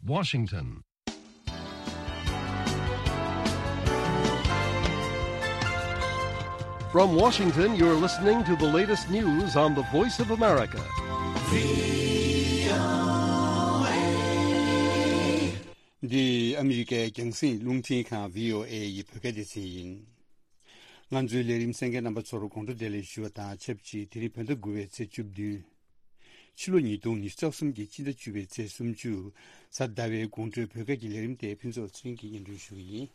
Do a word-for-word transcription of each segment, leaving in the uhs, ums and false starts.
Washington. From Washington, you're listening to the latest news on the Voice of America. འདི་ཨ་མི་རི་ཀའི་རྒྱང་སྲིང་རླུང་འཕྲིན་ཁང་བྷི་ཨོ་ཨེ་ཡི་བོད་སྐད་སྡེ་ཚན་ཡིན། ང་ཚོའི་ལས་རིམ་གསན་མཁན་རྣམ་པ་ཚོར་དགོང་དྲོ་བདེ་ལེགས་ཞུ་བ་དང་ཆབས་ཅིག་དེ་རིང་བོད་ཟླ་དགུ་པའི་ཚེས་བཅུ་བདུན། ཕྱི་ལོ་ཉིས་སྟོང་ཉི་ཤུ་རྩ་གསུམ་གྱི་སྤྱི་ཟླ་བཅུ་པའི་ཚེས་སུམ་ཅུ། གཟའ་ཟླ་བའི་དགོང་དྲོའི་བོད་སྐད་ཀྱི་ལས་རིམ་དེ་ཕུན་ཚོགས་ཚེ་རིང་གིས་སྙན་སྒྲོན་ཞུ་གི་ཡིན།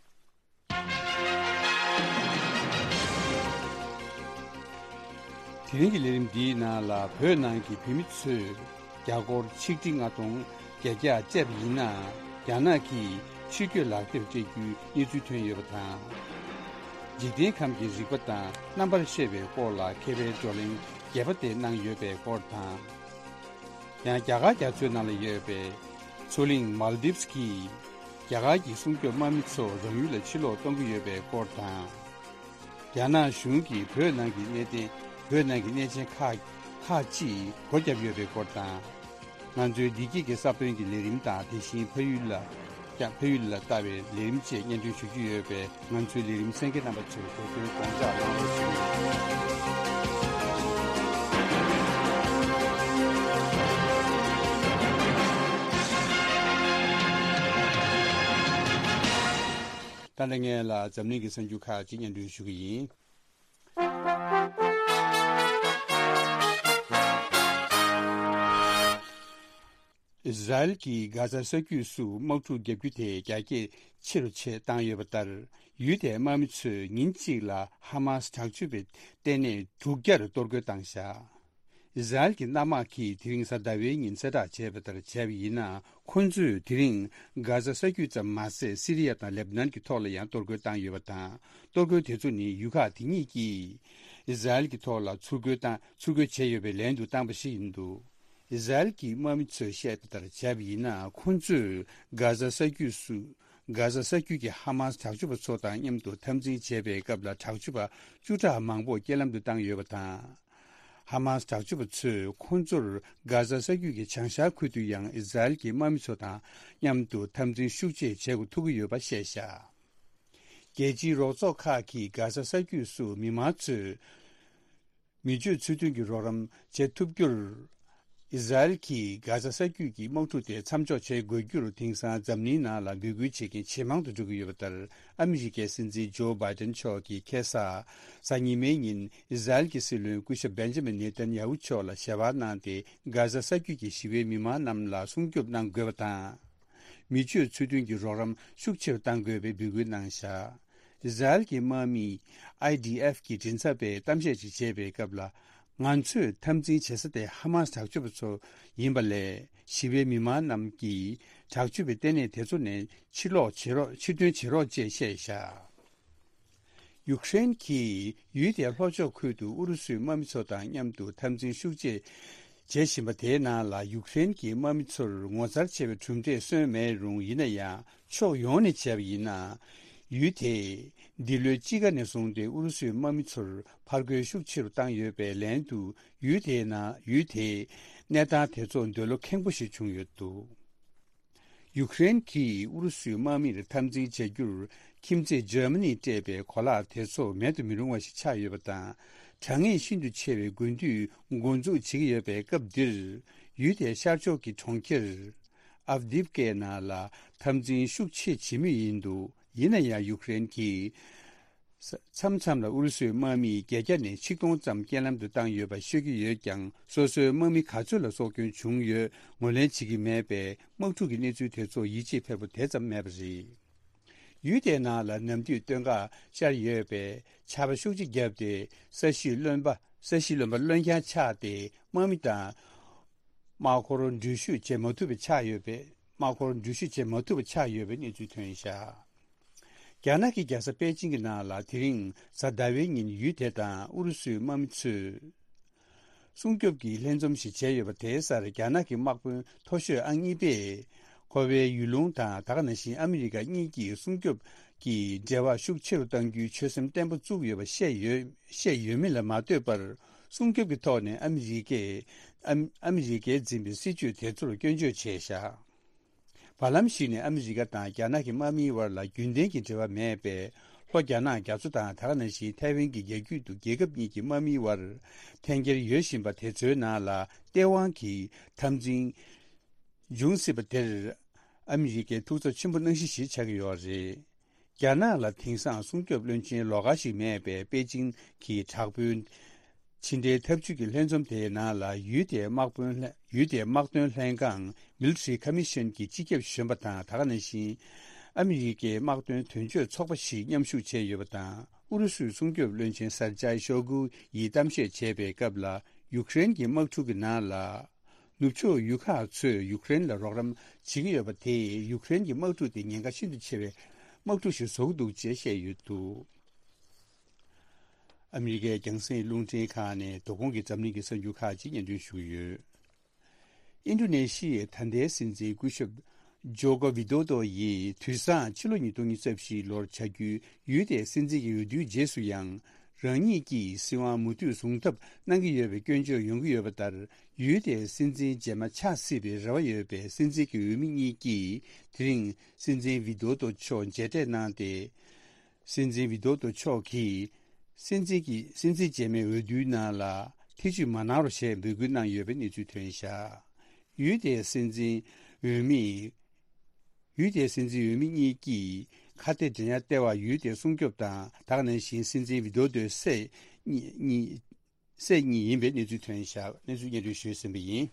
དེ་རིང་གི་ལས་རིམ་འདིའི་ནང་ལ་བོད་ནང་གི་བོད་མི་ཚོས་རྒྱ་སྒོར་ཆིག་ཁྲི་ལྔ་སྟོང་བརྒྱད་བརྒྱ་སྤྲད་པ་ཡིན་ན། རྒྱ་ནག་གིས་ཕྱིར་སྐྱོད་ལག་དེབ་སྤྲད་རྒྱུའི་གནས་ཚུལ་ཐོན་ཡོད་པ་དང་། འཇིག་རྟེན་ཁམས་ཀྱི་རིག་པ་དང་རྣམ་པར་ཤེས་པའི་སྐོར་ལ་མཁས་པའི་བགྲོ་གླེང་རྒྱས་པ་དེ་གནང་ཡོད་པའི་སྐོར་དང་། ཡང་རྒྱ་གར་རྒྱ་མཚོའི་ནང་ལ་ཡོད་པའི་མཚོ་གླིང་མཱལ་དིབས་ཀྱིས་རྒྱ་གར་གྱི་སྲུང་སྐྱོབ་དམག་མི་ཚོ་རང་ཡུལ་ལ་ཕྱིར་ལོག་གཏོང་གི་ཡོད་པའི་སྐོར་དང་། རྒྱ་ནག་གཞུང་གིས་བོད་ནང་གི་གནད་དོན། བོད་ནང་གི་གནས་ཆེན་ཁག་ཁག་ཅིག་སྒོ་བརྒྱབ་ཡོད་པའི་སྐོར་དང་། ང་ཚོའི་བདེ་སྐྱིད་ཀྱི་ས་བོན་གྱི་ལས་རིམ་དང་། དེ་བཞིན་ཕ་ཡུལ་ལ་ཀྱང་། ཕ་ཡུལ་ལ་ལྟ་བའི་ལས་རིམ་བཅས་སྙན་སྒྲོན་ཞུ་རྒྱུ་ཡོད་པས། ང་ཚོའི་ལས་རིམ་གསན་མཁན་རྣམ་པ་ཚོས་གོ་སྐོན་དགོངས་འཇགས་གནང་རོགས་ཞུ། ད་ལྟ་ངས་ལ་འཛམ་གླིང་གི་གསར་འགྱུར་ཁག་ཅིག་སྙན་སྒྲོན་ཞུ་གི་ཡིན། ཨི་ཟ་རེལ་གྱིས་གྷ་ཟ་ས་རྒྱུད་སུ་དམག་འཁྲུག་བརྒྱབ་རྒྱུ་དེ་རྒྱ་སྐྱེད་ཆེ་རུ་ཆེ་བཏང་ཡོད་པ་ལྟར། ཡུལ་དེའི་དམག་མི་ཚོས་ཉིན་གཅིག་ལ་ཧ་མཱ་སི་དྲག་སྤྱོད་པའི་ལྟེ་གནས་དྲུག་བརྒྱར་གཏོར་རྒོལ་བཏང་བཞག་ཨི་ཟ་རེལ་གྱི་གནམ་དམག་གིས་དེ་རིང་གཟའ་ཟླ་བའི་ཉིན་གསལ་བསྒྲགས་བྱས་པ་ལྟར་བྱས་པ་ཡིན་ན། ཁོ་ཚོས་དེ་རིང་གྷ་ཟ་ས་རྒྱུད་ཙམ་མ་ཟད། སི་རི་ཡ་དང་ལེབ་ནན་གྱི་ཐོག་ལ་ཡང་གཏོར་རྒོལ་བཏང་ཡོད་པ་དང་། གཏོར་རྒོལ་དེ་ཚོ་ནི་ཡུལ་ཁག་དེ་གཉིས་ཀྱིས་ཨི་ཟ་རེལ་གྱི་ཐོག་ལ་ཚུར་རྒོལ་བཏང་། ཚུར་རྒོལ་བྱས་ཡོད་པའི་ལན་དུ་བཏང་པ་ཞིག་ཡིན་འདུག་ཨི་ཟ་རེལ་གྱི་དམག་མི་ཚོས་བཤད་པ་ལྟར་བྱས་པ་ཡིན་ན། ཁོ་ཚོས་གྷ་ཟ་ས་རྒྱུད་སུ། གྷ་ཟ་ས་རྒྱུད་ཀྱི་ཧ་མཱ་སི་དྲག་སྤྱོད་པ་ཚོ་དང་མཉམ་དུ་འཐབ་འཛིང་བྱེད་པའི་སྐབས་ལ་དྲག་སྤྱོད་པ་བཅུ་ཕྲག་མང་པོ་རྐྱེན་ལམ་དུ་བཏང་ཡོད་པ་དང་། ཧ་མཱ་སི་དྲག་སྤྱོད་པ་ཚོས་ཁོ་ཚོར་གྷ་ཟ་ས་རྒྱུད་ཀྱི་བྱང་ཤར་ཁུལ་དུ་ཡང་ཨི་ཟ་རེལ་གྱི་དམག་མི་ཚོ་དང་མཉམ་དུ་འཐབ་འཛིང་ཤུགས་ཆེ་བྱེད་འགོ་ཐུག་གི་ཡོད་པ་བཤད་བཞག་རྒྱལ་སྤྱིའི་རོགས་ཚོགས་ཁག་གིས་གྷ་ཟ་ས་རྒྱུད་སུ་མི་མང་ཚོས་མི་སྤྱོད་ཚུལ་མཐུན་གྱི་རོགས་རམ་བྱེད་ཐུབ་རྒྱུར། ཨི་ཟ་རེལ་གྱིས་གྷ་ཟ་ས་རྒྱུད་ཀྱི་དམག་འཁྲུག་དེ་མཚམས་འཇོག་བྱེད་དགོས་རྒྱུར། དེང་སང་འཛམ་གླིང་ནང་ལ་འབོད་སྐུལ་བྱེད་མཁན་ཇེ་མང་དུ་འགྲོ་གི་ཡོད་པ་ལྟར། ཨ་མི་རི་ཀའི་སྲིད་འཛིན་ཇོ་བྷའི་ཏན་མཆོག་གིས་ཁ་སང་གཟའ་ཉི་མའི་ཉིན་ཨི་ཟ་རེལ་གྱི་སྲིད་བློན་སྐུ་ཞབས་བེན་ཇ་མིན་ནེ་ཐན་ཡ་ཧུ་མཆོག་ལ་ཞལ་པར་གནང་སྟེ། གྷ་ཟ་ས་རྒྱུད་ཀྱི་ཞི་བའི་མི་མང་རྣམས་ལ་སྲུང་སྐྱོབ་གནང་དགོས་པ་དང་། མི་སྤྱོད་ཚུལ་མཐུན་གྱི་རོགས་རམ་ཤུགས་ཆེ་རུ་གཏང་དགོས་པའི་འབོད་སྐུལ་གནང་བཞག་ཨི་ཟ་རེལ་གྱི་དམག་མི་ཨའི་ཌི་ཨེཕ་གི་མགྲིན་ཚབ་པས་གཏམ་བཤད་ཅིག་བྱས་པའི་སྐབས་ལ། ང་ཚོས་འཐབ་འཛིང་བྱེད་ས་དེ་ཧ་མཱ་སི་དྲག་སྤྱོད་པ་ཚོ་ཡིན་པ་ལས། ཞི་བའི་མི་མང་རྣམས་ཀྱིས་དྲག་སྤྱོད་པའི་ལྟེ་གནས་དེ་ཚོ་ནས་ཕྱིར་ལོག་བྱེད་རོགས། ཕྱིར་ཐོན་བྱེད་རོགས་ཅེས་བཤད་བཞག་ཡུཀ་རེན་གྱིས་ཡུལ་དེའི་ལྷོ་ཕྱོགས་ཁུལ་དུ་ཨུ་རུ་སུའི་དམག་མི་ཚོ་དང་མཉམ་དུ་འཐབ་འཛིང་ཤུགས་ཆེ་བྱེད་བཞིན་པ་དེའི་ནང་ལ། ཡུཀ་རེན་གྱི་དམག་མི་ཚོར་ངོ་མཚར་ཆེ་བའི་གྲུབ་འབྲས་སོན་མེད་རུང་། ཡིན་ན་ཡང་ཕྱོགས་ཡོངས་ནས་བྱས་པ་ཡིན་ན། ཡུལ་དེས་འདི་ལོའི་དཔྱིད་ཀ་ནས་བཟུང་སྟེ་ཨུ་རུ་སུའི་དམག་མི་ཚོར་ཕར་རྒོལ་ཤུགས་ཆེ་རུ་བཏང་ཡོད་པའི་ལན་དུ། ཡུལ་དེའི་ནང་། ཡུལ་དེའི་གནས་སྟངས་དེ་ཚོ་འདོད་བློ་ཁེངས་པོ་ཞིག་བྱུང་ཡོད་འདུག་ཡུཀ་རེན་གྱིས་ཨུ་རུ་སུའི་དམག་མིར་འཐབ་འཛིང་བྱ་རྒྱུར་ཁྱིམ་མཚེས་འཇར་མ་ནིས་སྤྲད་པའི་གོ་ལག་དེ་ཚོ་མེད་དུ་མི་རུང་བ་ཞིག་ཆགས་ཡོད་པ་དང་། དྲག་ངན་ཤིན་ཏུ་ཆེ་བའི་དགུན་དུས་འགོ་འཛུགས་བྱེད་ཀྱི་ཡོད་པའི་སྐབས་འདིར། ཡུལ་དེའི་ཤར་ཕྱོགས་ཀྱི་གྲོང་ཁྱེར་ཨབ་དིབ་ཀའི་ནང་ལ་འཐབ་འཛིང་ཤུགས་ཆེ་བྱེད་མུས་ཡིན་འདུག་ཡིན་ན་ཡང་ཡུཀ་རེན་གྱིས། མཚམས་མཚམས་ལ་ཨུ་རུ་སུའི་དམག་མིས་བརྒྱད་བརྒྱ་ནས་ཆིག་སྟོང་ཙམ་རྐྱེན་ལམ་དུ་བཏང་ཡོད་པ་ཤོད་ཀྱི་ཡོད་ཀྱང་། སོ་སོའི་དམག་མི་ག་ཚོད་ལ་སྲོག་སྐྱོན་བྱུང་ཡོད་ངོས་ལེན་བྱེད་ཀྱི་མེད་པས། དམག་འཁྲུག་གི་གནས་ཚུལ་དེ་ཚོར་ཡིད་ཆེས་འཕེར་པོ་དེ་ཙམ་མེད་པ་རེད། ཡུལ་དེའི་ནང་ལ་ནམ་དུས་སྟོན་ཀ་ཤར་ཡོད་པས། ཆར་པ་ཤུགས་ཆེ་བརྒྱབ་སྟེ། ས་གཞིས་རློན་པ། ས་གཞིས་རློན་པ་རློན་རྐྱང་ཆགས་ཏེ། དམག་མི་དང་དམག་འཁོར་འགྲུལ་བཞུད་བྱེད་མ་ཐུབ་པ་ཆགས་ཡོད་པས། དམག་འཁོར་འགྲུལ་བཞུད་བྱེད་མ་ཐུབ་པ་ཆགས་ཡོད་པའི་གནས་ཚུལ་ཐོན་བཞག་རྒྱ་ནག་གི་རྒྱལ་ས་པེ་ཅིང་གི་ནང་ལ་དེ་རིང་གཟའ་ཟླ་བའི་ཉིན་ཡུལ་དེ་དང་ཨུ་རུ་སུའི་དམག་མི་ཚོས་སྲུང་སྐྱོབ་ཀྱི་ལྷན་འཛོམས་ཤིག་བྱས་ཡོད་པ་དེའི་སར། རྒྱ་ནག་གི་དམག་དཔོན་མཐོ་ཤོས་ཨང་གཉིས་པས། ཁོ་པའི་ཡུལ་ལུང་དང་། ད་ག་ནང་བཞིན་ཨ་མི་རི་ཀ་གཉིས་ཀྱིས་སྲུང་སྐྱོབ་ཀྱི་འབྲེལ་བ་ཤུགས་ཆེ་རུ་གཏང་རྒྱུའི་ཆོད་སེམས་བརྟན་པོ་བཙུགས་ཡོད་པ་བཤད་ཡོད། བཤད་ཡོད་མིན་ལ་མ་ལྟོས་པར། སྲུང་སྐྱོབ་ཀྱི་ཐོག་ནས་ཨ་མི་རི་ཀས། ཨ་ཨ་མི་རི་ཀས་འཛིན་པའི་སྲིད་བྱུས་དེ་ཚོར་སྐྱོན་བརྗོད་བྱས་བཞག་བར་ལམ་ཞིག་ནས་ཨ་མི་རི་ཀ་དང་རྒྱ་ནག་གི་དམག་མིའི་བར་ལ་རྒྱུན་ལྡན་གྱི་འབྲེལ་བ་མེད་པས། ལྷོ་རྒྱ་ནག་རྒྱ་མཚོ་དང་ད་ག་ནང་བཞིན་ཐའེ་ཝན་གྱི་རྒྱ་རྒྱུད་དུ་རྒྱལ་ཁབ་གཉིས་ཀྱི་དམག་མིའི་བར་འཐེན་འཁྱེར་ཡོད་བཞིན་པ་དེ་ཚོའི་ནང་ལ་ལྟེ་དབང་གི་འཐབ་འཛིང་འབྱུང་སྲིད་པ་དེར་ཨ་མི་རི་ཀའི་ཐུགས་འཚབ་ཆེན་པོ་གནང་གཞི་ཞིག་ཆགས་ཀྱི་ཡོད་རེད། རྒྱ་ནག་ལ་དེང་སང་སྲུང་སྐྱོབ་བློན་ཆེན་ལོགས་ཀ་ཞིག་མེད་པའི་པེ་ཅིང་གི་དྲག་དཔོན་ཕྱི་འབྲེལ་འཐབ་ཇུས་ཀྱི་ལྷན་འཛོམས་དེའི་ནང་ལ་ཡུལ་དེའི་དམག་དཔོན་ལྷན་ཡུལ་དེའི་དམག་དོན་ལྷན་ཁང་Military Commission གྱི་སྤྱི་ཁྱབ་གཞོན་པ་དང་། ད་ག་ནང་བཞིན་ཨ་མི་རི་ཀའི་དམག་དོན་དོན་གཅོད་ཚོགས་པ་ཞིག་མཉམ་ཞུགས་བྱས་ཡོད་པ་དང་། ཨུ་རུ་སུའི་སྲུང་སྐྱོབ་བློན་ཆེན་སར་ཇའི་ཤོ་གུ་ཡིས་གཏམ་བཤད་བྱས་པའི་སྐབས་ལ། ཡུཀ་རེན་གྱི་དམག་འཁྲུག་གི་ནང་ལ། ནུབ་ཕྱོགས་ཡུལ་ཁག་ཚོས་ཡུཀ་རེན་ལ་རོགས་རམ་བྱེད་ཀྱི་ཡོད་པ་དེས་ཡུཀ་རེན་གྱི་དམག་འཁྲུག་དེ་ཉེན་ཁ་ཤིན་ཏུ་ཆེ་བའི་དམག་འཁྲུག་ཞིག་བཟོ་གི་འདུག་ཅེས་བཤད་ཡོད་འདུག་ཨ་མི་རི་ཀའི་རྒྱང་སྲིང་རླུང་འཕྲིན་ཁང་ནས་དོ་དགོང་གི་འཛམ་གླིང་གི་གསར་འགྱུར་ཁག་ཅིག་སྙན་སྒྲོན་ཞུ་གི་ཡོད། ཨིན་ཌོ་ནེ་ཤི་ཡའི་ད་ལྟའི་སྲིད་འཛིན་སྐུ་ཞབས་ཇོ་ཀོ་ཝི་དོ་དོ་ཡིས་དུས་སང་ཕྱི་ལོ་ཉིས་སྟོང་ཉི་ཤུ་རྩ་བཞི་ལོར་བྱ་རྒྱུའི་ཡུལ་དེའི་སྲིད་འཛིན་གྱི་འོས་བསྡུའི་རྗེས་སུ་ཡང་། རང་ཉིད་ཀྱིས་སྲིད་དབང་མུ་མཐུད་བཟུང་ཐབས་གནང་གི་ཡོད་པའི་སྐྱོན་བརྗོད་ཡོང་གི་ཡོད་པ་ལྟར། ཡུལ་དེའི་སྲིད་འཛིན་རྗེས་མ་ཆགས་སྲིད་པའི་རེ་བ་ཡོད་པའི་སྲིད་འཛིན་གྱི་འོས་མི་གཉིས་ཀྱིས། དེ་རིང་སྲིད་འཛིན་ཝི་དོ་དོ་མཆོག་མཇལ་འཕྲད་གནང་སྟེ། སྲིད་འཛིན་ཝི་དོ་དོ་མཆོག་གིས། སྲིད་འཛིན་གྱི་སྲིད་འཛིན་རྗེས་མའི་འོས་བསྡུའི་ནང་ལ་ཐེ་བྱུས་མ་གནང་རོགས་ཞེས་འབོད་སྐུལ་གནང་ཡོད་པའི་གནས་ཚུལ་ཐོན་བཞག་ཡུལ་དེའི་སྲིད་འཛིན་འོས་མི། ཡུལ་དེའི་སྲིད་འཛིན་འོས་མི་གཉིས་ཀྱིས་ཁ་གཏད་འགྲན་ཡ་ལྟེ་བ་ཡུལ་དེའི་སྲུང་སྐྱོབ་དང་། ད་ག་ནང་བཞིན་སྲིད་འཛིན་ཝི་དོ་དོའི་སྲས་གཉིས་གཉིས་སྲས་གཉིས་ཡིན་པའི་གནས་ཚུལ་ཐོན་བཞག་གནས་ཚུལ་སྙན་སྒྲོན་ཞུས་ཟིན་པ་ཡིན།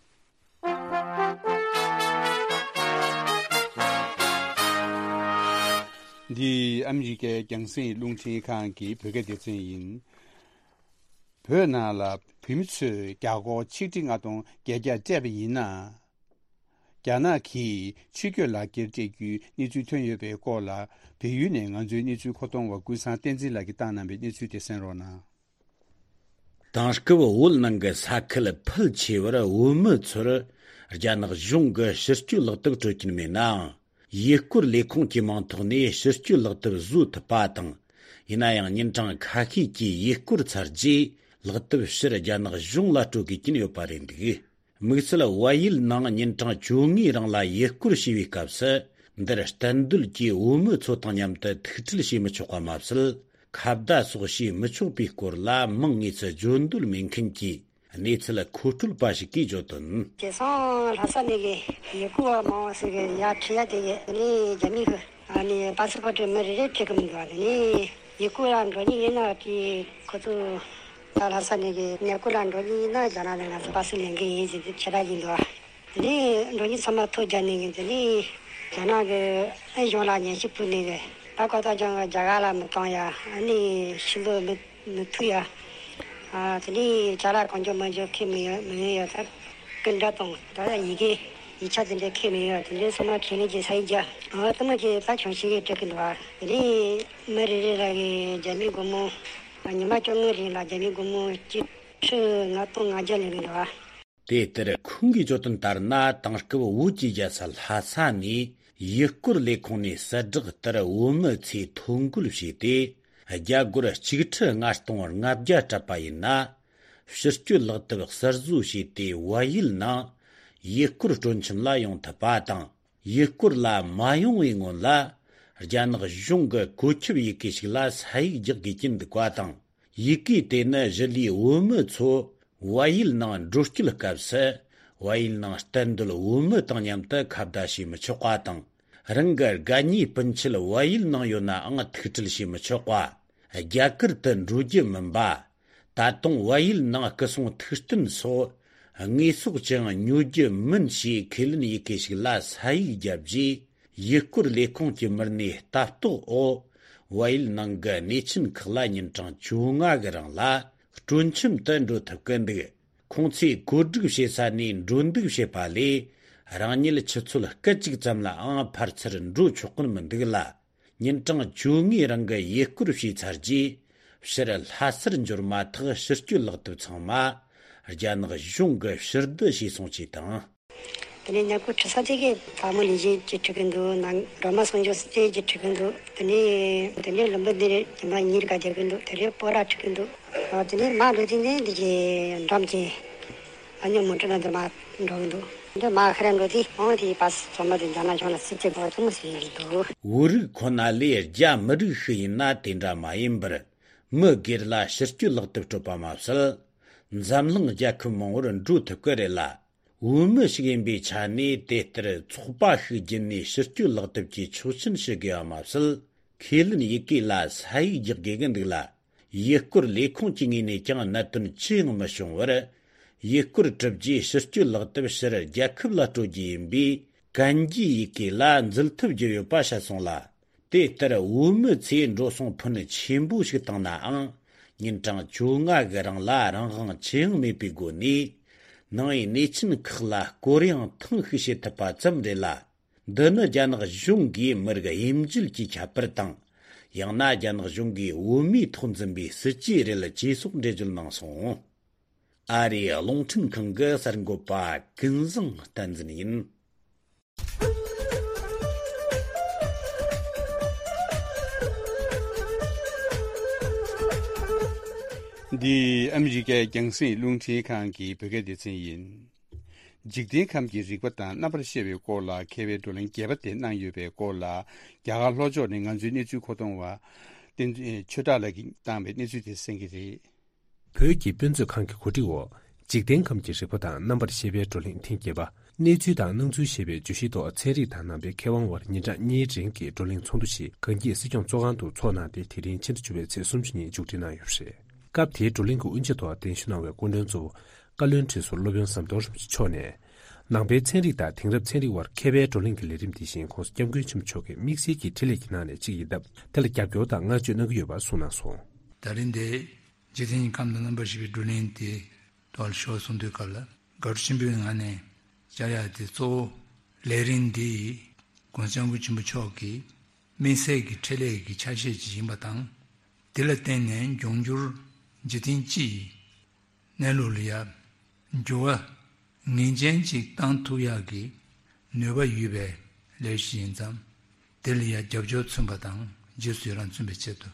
འདི་ཨ་མི་རི་ཀའི་རྒྱང་སྲིང་རླུང་འཕྲིན་ཁང་གི་བོད་སྐད་སྡེ་ཚན་ཡིན། བོད་ནང་ལ་བོད་མི་ཚོས་རྒྱ་སྒོར་ཆིག་ཁྲི་ལྔ་སྟོང་བརྒྱད་བརྒྱ་སྤྲད་པ་ཡིན་ན། རྒྱ་ནག་གིས་ཕྱི་སྐྱོད་ལག་འཁྱེར་སྤྲད་རྒྱུའི་གནས་ཚུལ་ཐོན་ཡོད་པའི་སྐོར་ལ། བལ་ཡུལ་ནས་ང་ཚོའི་གནས་ཚུལ་མཁོ་གཏོང་བ་ཀུན་བཟང་བསྟན་འཛིན་ལགས་ཀྱིས་བཏང་གནང་བའི་གནས་ཚུལ་དེ་གསན་རོགས་གནང་། དེང་སྐབས་བོད་ནང་གི་ས་ཁུལ་ཕལ་ཆེ་བར་བོད་མི་ཚོར་རྒྱ་ནག་གཞུང་གིས་ཕྱིར་སྐྱོད་ལག་དེབ་སྤྲོད་ཀྱིན་མེད་ནའང་། ཡུལ་སྐོར་ལས་ཁུངས་ཀྱི་མིང་ཐོག་ནས་ཕྱིར་སྐྱོད་ལག་དེབ་བཟོ་ཐུབ་པ་དང་། ཡིན་ན་ཡང་ཉིན་གྲངས་ཁ་ཤས་ཀྱི་ཡུལ་སྐོར་ཚར་རྗེས་ལག་དེབ་ཕྱིར་རྒྱ་ནག་གཞུང་ལ་སྤྲོད་དགོས་ཀྱིན་ཡོད་པ་རེད་འདུག་དམིགས་བསལ་བལ་ཡུལ་ནང་ཉིན་གྲངས་བཅོ་ལྔའི་རིང་ལ་ཡུལ་སྐོར་བྱས་པའི་སྐབས་སུ། འདིར་གཏན་སྡོད་ཀྱི་བོད་མི་ཚོ་དང་མཉམ་དུ་ཐུག་འཕྲད་བྱེད་མི་ཆོག་པ་མ་ཟད། ཁ་བརྡ་སོགས་བྱེད་མི་ཆོག་པའི་སྐོར་ལ་མིང་དངོས་སུ་བརྗོད་འདོད་མེད་མཁན་གྱི་གནས་ཚུལ་མཁོ་སྤྲོད་པ་ཞིག་གིས་བརྗོད་དོན། དེང་སང་ལྷ་ས་ནས་གི་ཡུལ་སྐོར་བ་མང་བ་ཞིག་གི་ཡར་ཁྲིད་ཡ་དེ་གི་ནི་རྒྱ་མི་གི་ཨ་ནི་པ་སི་པོར་ཊི་མི་རེ་རེ་ཁྲིད་གི་མི་འདུག་ཨ་ནི་ཡུལ་སྐོར་ལ་འགྲོ་མཁན་ཡིན་ན་དེ་ཁོ་ཚོ་ད་ལྷ་ས་ནས་གི་ཉེ་སྐོར་ལ་འགྲོ་མཁན་ཡིན་ན་རྒྱ་ནག་ནས་ང་ཚོ་པ་སི་ལེན་གི་ཡིན་ཟེར་དེ་ཁྱེད་རང་ཡིན་འདུག་དེ་ནས་འགྲོ་མཁན་ཚང་མ་ཐོ་རྒྱག་ནས་གི་དེ་ནས་རྒྱ་ནག་གི་ཨ་གཞུང་ལ་ཉན་ཞིབ་ཕུལ་ནས་གི་ད་ཁོ་ཚོ་ཀྱང་རྒྱ་གར་ལ་མི་གཏོང་ཡ་ཨ་ནི་ཕྱི་ལོགས་མི་མི་ཐུག་ཡ། ཨ་དེ་ནས་ཅ་ལག་གང་འཇོག་མ་འཇོག་ཁས་མི་ཡོད་མི་ཡོད་ཡ་ད་སྐུ་འདྲ་དང་ད་ཡི་གེ་ཡིག་ཆ་དེ་འདྲ་ཁས་མི་ཡོད་དེ་འདྲའི་སོ་མ་ཁས་ལེན་གྱི་ས་ཡིག་རྒྱ་ཨ་ཐུ་མ་གྱི་ད་གྱོང་ཞིག་གི་སྤྲད་གི་འདུག་ཨ་དེ་ནས་མི་རེ་རེ་ལ་གི་རྒྱ་མི་སྒོར་མོ་ཉི་མ་བཅོ་ལྔ་རིང་ལ་རྒྱ་མི་སྒོར་མོ་གཅིག་ཁྲི་ལྔ་སྟོང་ལྔ་བརྒྱ་ལེན་གི་འདུག་ཨ། དེ་ལྟར་ཁོང་གིས་བརྗོད་དོན་ལྟར་ན། དེང་སྐབས་བོད་ཀྱི་རྒྱལ་ས་ལྷ་ས་ནས་ཡུལ་སྐོར་ལས་ཁུངས་ནས་གསལ་བསྒྲགས་ལྟར་བོད་མི་ཚོས་ཐོ་འགོད་བྱས་ཏེ། རྒྱ་སྒོར་གཅིག་ཁྲི་ལྔ་སྟོང་ལྔ་བརྒྱ་སྤྲད་པ་ཡིན་ན། ཕྱིར་སྐྱོད་ལག་དེབ་གསར་བཟོ་བྱས་ཏེ། བལ་ཡུལ་ནང་ཡུལ་སྐོར་སྤྲོ་འཆམ་ལ་ཡོང་ཐུབ་པ་དང་། ཡུལ་སྐོར་ལ་མ་ཡོང་བའི་སྔོན་ལ། རྒྱ་ནག་གཞུང་གི་བཀོད་ཁྱབ་ཡི་གེ་ཞིག་ལ་ས་ཡིག་རྒྱག་དགོས་ཀྱི་འདུག་པ་དང་། ཡི་གེ་དེ་ནི་གཞི་ལས་བོད་མི་ཚོ་བལ་ཡུལ་ནང་འགྲོ་སྐྱོད་སྐབས་སུ། བལ་ཡུལ་ནང་གཏན་སྡོད་བོད་མི་དང་མཉམ་དུ་ཁ་བརྡ་བྱེད་མི་ཆོག་པ་དང་། རང་གི་དགའ་ཉེ་སྤུན་མཆེད་བལ་ཡུལ་ནང་ཡོད་ནའང་ཐུག་འཕྲད་བྱེད་མི་ཆོག་པ། རྒྱ་གར་དུ་འགྲོ་རྒྱུ་མིན་པ། ད་དུང་བལ་ཡུལ་ནང་སྐུ་སྲུང་ཐུགས་རྟེན་སོགས་དངོས་ཟོག་ཅང་ཉོ་རྒྱུ་མིན་ཞེས་ཁས་ལེན་ཡི་གེ་ཞིག་ལ་ས་ཡིག་བརྒྱབ་རྗེས། ཡུལ་སྐོར་ལས་ཁུངས་ཀྱི་མི་སྣས་ལྟ་རྟོག་འོག་བལ་ཡུལ་ནང་གི་གནས་ཆེན་ཁག་ལ་ཉིན་གྲངས་བཅོ་ལྔ་གི་རིང་ལ་སྤྲོ་འཆམ་དུ་འགྲོ་ཐུབ་ཀྱི་འདུག་ཁོང་ཚོས་བཀོད་སྒྲིག་བྱེད་ས་ནས་འགྲོ་འདུག་བྱེད་པ་ལས། རང་ཉིད་ཆུ་ཚོད་སྐད་ཅིག་ཙམ་ལའང་ཕར་ཚུར་འགྲོ་ཆོག་གི་མི་འདུག་ལ། ཉིན་གྲངས་བཅོ་ལྔའི་རིང་གི་ཡུལ་སྐོར་བྱས་ཚར་རྗེས། ཕྱིར་ལྷ་སར་འབྱོར་མ་ཐག་ཕྱིར་སྐྱོད་ལག་དེབ་ཚང་མ་རྒྱ་ནག་གཞུང་གིས་ཕྱིར་བསྡུ་བྱས་སོང་ཞེས་དང་། དེ་ནས་ཉེ་སྐོར་ཁྲི་ས་དེ་གའི་དལ་མོ་ལས་བྱེད་ཀྱིས་ཁྲིད་ཀྱི་འདུག་ནང་སྒྲོལ་མ་གསུང་ཆོས་སི་ཏེ་གིས་ཁྲིད་ཀྱི་འདུག་དེ་ནས་དེ་ནས་ལུམ་བི་ནི་རེད། ཉི་མ་གཉིས་ཀ་རྒྱག་གི་འདུག་དེ་རེད། སྤོ་ར་ཁྲིད་ཀྱི་འདུག་དེ་ནས་མ་འགྲོ་དུས་ནས་འདི་གའི་འགྲམ་གྱི་ཨ་ཉོ་མོ་ཊ་ནང་དུ་མ་འགྲོ་གི་འདུག་འདི་མ་ཁ་ར་འགྲོ་དུས་ཨང་དེའི་པ་སི་ཚང་མ་དེ་འཛམ་གླིང་ཁྱོན་ལ་སྲིད་ཇུས་འགོ་ཐུང་ཟིན་གྱི་འདུག་བོད་རིགས་ཁོ་ན་ལས་རྒྱ་མི་རིགས་ཤིག་ཡིན་ན་དེ་འདྲ་མ་ཡིན་པར། མི་སྒེར་ལ་ཕྱི་སྐྱོད་ལག་དེབ་སྤྲོད་པ་མ་ཟད། འཛམ་གླིང་རྒྱལ་ཁབ་མང་བོར་འགྲོ་ཐུབ་ཀྱི་རེད་ལ། བོད་མི་ཞིག་ཡིན་པའི་ཆ་ནས་དེ་ལྟར་ཚོགས་པ་ཞིག་བརྒྱུད་ནས་ཕྱི་སྐྱོད་ལག་དེབ་ཀྱི་ཆོག་མཆན་ཞུ་དགོས་པ་མ་ཟད། ཁས་ལེན་ཡི་གེ་ལ་ས་ཡིག་རྒྱག་དགོས་ཀྱི་འདུག་ལ། ཡུལ་སྐོར་ལས་ཁུངས་ཀྱི་ངོས་ནས་ཀྱང་གནད་དོན་ཅི་ཡང་མི་བྱུང་བར། ཡུལ་སྐོར་གྲུབ་རྗེས་ཕྱི་སྐྱོད་ལག་དེབ་ཕྱིར་རྒྱལ་ཁབ་ལ་སྤྲོད་རྒྱུ་ཡིན་པས། གན་རྒྱའི་ཡི་གེ་ལ་འཛུལ་ཐབས་བརྒྱབ་ཡོད་པ་བཤད་སོང་ལ། དེ་ལྟར་བོད་མི་ཚོས་འགྲོ་སོང་ཕོན་ཆེན་པོ་ཞིག་བཏང་ནའང་། ཉིན་གྲངས་བཅོ་ལྔ་གི་རིང་ལ་རང་དབང་ཅི་ཡང་མེད་པའི་སྒོ་ནས། ནང་པའི་གནས་ཆེན་ཁག་ལ་སྐོར་གཡེང་ཐེངས་ཤིག་བྱེད་ཐུབ་པ་ཙམ་རེད་ལ། འདི་ནི་རྒྱ་ནག་གཞུང་གིས་མི་རིགས་དབྱེ་འབྱེད་ཀྱི་ཁྱད་པར་དང་། ཡང་ན་རྒྱ་ནག་གཞུང་གིས་བོད་མིའི་ཐོག་འཛིན་པའི་སྲིད་ཇུས་རེད་ཅེས་སོགས་འགྲེལ་བརྗོད་གནང་སོང་། ཨ་རིའི་རླུང་འཕྲིན་ཁང་གི་གསར་འགོད་པ་ཀུན་བཟང་བསྟན་འཛིན་ཡིན། འདི་ཨ་མི་རི་ཀའི་རྒྱང་སྲིང་རླུང་འཕྲིན་ཁང་གི་བོད་སྐད་སྡེ་ཚན་ཡིན། འཇིག་རྟེན་ཁམས་ཀྱི་རིག་པ་དང་རྣམ་པར་ཤེས་པའི་སྐོར་ལ་མཁས་པའི་བགྲོ་གླེང་རྒྱས་པ་དེ་གནང་ཡོད་པའི་སྐོར་ལ། རྒྱ་གར་ལྷོ་ཕྱོགས་ནས་ང་ཚོའི་གནས་ཚུལ་མཁོ་གཏོང་བ་བསྟན་ཆོས་གྲགས་ལགས་ཀྱིས་བཏང་བའི་གནས་ཚུལ་དེ་གསན་གྱི་རེད། བོད་ཀྱི་དཔེ་མཛོད་ཁང་གི་གོ་སྒྲིག་འོག་འཇིག་རྟེན་ཁམས་ཀྱི་རིག་པ་དང་རྣམ་པར་ཤེས་པའི་བགྲོ་གླེང་ཐེངས་བརྒྱད་པ། གནས་ཚུལ་དང་སྣང་ཚུལ་ཞེས་པའི་བརྗོད་གཞིའི་ཐོག་ཚན་རིག་དང་ནང་པའི་མཁས་དབང་དབར་ཉིན་གྲངས་གཉིས་རིང་གི་བགྲོ་གླེང་ཚོགས་འདུ་ཞིག་གངས་སྐྱིད་སྲིད་སྐྱོང་ཚོགས་ཁང་དུ་འཚོགས་གནང་སྟེ། དེ་རིང་ཕྱི་ཟླ་བཅུ་པའི་ཚེས་སུམ་ཅུ་ཉིན་མཇུག་སྒྲིལ་གནང་ཡོད་པ་རེད། སྐབས་དེའི་བགྲོ་གླེང་གི་དབུ་འབྱེད་ཐོག་གདན་ཞུ་གནང་བའི་སྐུ་མགྲོན་གཙོ་བོ་བཀའ་བློན་ཁྲི་ཟུར་སློབ་དཔོན་ཟམ་གདོང་རིན་པོ་ཆེ་མཆོག་ནས། ནང་པའི་ཚན་རིག་དང་དེང་རབས་ཚན་རིག་དབར་མཁས་པའི་བགྲོ་གླེང་གི་ལས་རིམ་དེ་བཞིན་༸གོང་ས་༸སྐྱབས་མགོན་ཆེན་པོ་མཆོག་གིས་དམིགས་བསལ་གྱི་འཕྲིན་ལས་ཀྱི་ནང་ནས་གཅིག་ཡིན་སྟབས། དེ་ལ་རྒྱབ་སྐྱོར་དང་བསྔགས་བརྗོད་གནང་གི་ཡོད་པ་གསུངས་གནང་སོང་། ད་རིང་འདིར་འཇིག་རྟེན་གྱི་ཁམས་དང་རྣམ་པར་ཤེས་པའི་བགྲོ་གླེང་དེ་ཐོག་ལ་ཞུགས་གསུང་དུས་སྐབས་ལ། དགའ་སྤྲོ་ཆེན་པོའི་ངང་ནས་བཅར་ཡག་དེ་གཙོ་བོ་ལས་རིམ་འདི་༸གོང་ས་༸སྐྱབས་མགོན་ཆེན་པོ་མཆོག་གི་དམིགས་བསལ་གྱི་འཕྲིན་ལས་ཀྱི་ཆ་ཤས་ཅིག་ཡིན་པ་དང་། དེ་ལ་བརྟེན་ནས་འབྱུང་འགྱུར་འཇིག་རྟེན་སྤྱི་ཡི་གནས་ལུགས་ལ་ཡང་འགྱུར་བ་ངེས་ཅན་ཅིག་བཏང་ཐུབ་ཡག་གི་ནུས་པ་ཡོད་པའི་ལས་གཞི་ཡིན་ཙང་། དེ་ལ་ཡང་རྒྱབ་སྐྱོར་མཚོན་པ་དང་རྗེས་སུ་ཡི་རང་མཚོན་པའི་ཆེད་དུ་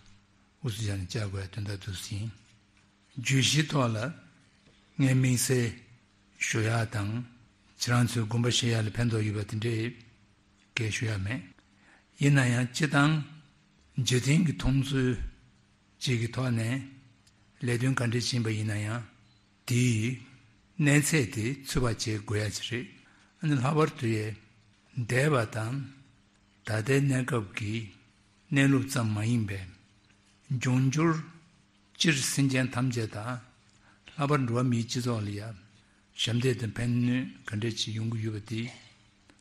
དབུ་འཛུགས་བྱས་ནས་བཅར་དགོས་ཡ་དོན་དག་འདུག་ཟིན། བརྗོད་གཞིའི་ཐོག་ལ་ངས་དམིགས་བསལ་ཞུ་ཡག་དང་ཁྱེད་རང་ཚོའི་དགོངས་པ་བཞེས་ཡག་ལ་ཕན་ཐོགས་ཡོད་པ་དེ་འདྲའི་སྐད་ཞུ་ཡག་མེད། ཡིན་ན་ཡང་སྤྱིར་བཏང་འཇིག་རྟེན་གྱི་མཐོང་ཚུལ་ཅིག་གི་ཐོག་ནས་ལས་དོན་ག་འདྲ་ཕྱིན་པ་ཡིན་ན་ཡང་དེའི་གནས་ཚད་དེ་ཚོད་དཔག་བྱེད་དགོས་ཡ་ཅིག་རེད། ཨ་ནི་ལྷག་པར་དུ་ཡས་འདས་པ་དང་ད་ལྟའི་གནས་སྐབས་ཀྱི་གནས་ལུགས་ཙམ་མ་ཡིན་པའི་འབྱུང་འགྱུར་སྤྱིར་སེམས་ཅན་ཐམས་ཅད་དང་ལྷག་པར་འགྲོ་བ་མིའི་སྤྱི་ཚོགས་ལ་ཡང་ཞབས་འདེགས་དང་ཕན་ནུས་ག་འདྲ་ཅིག་ཡོང་གི་ཡོད་པ་དེ།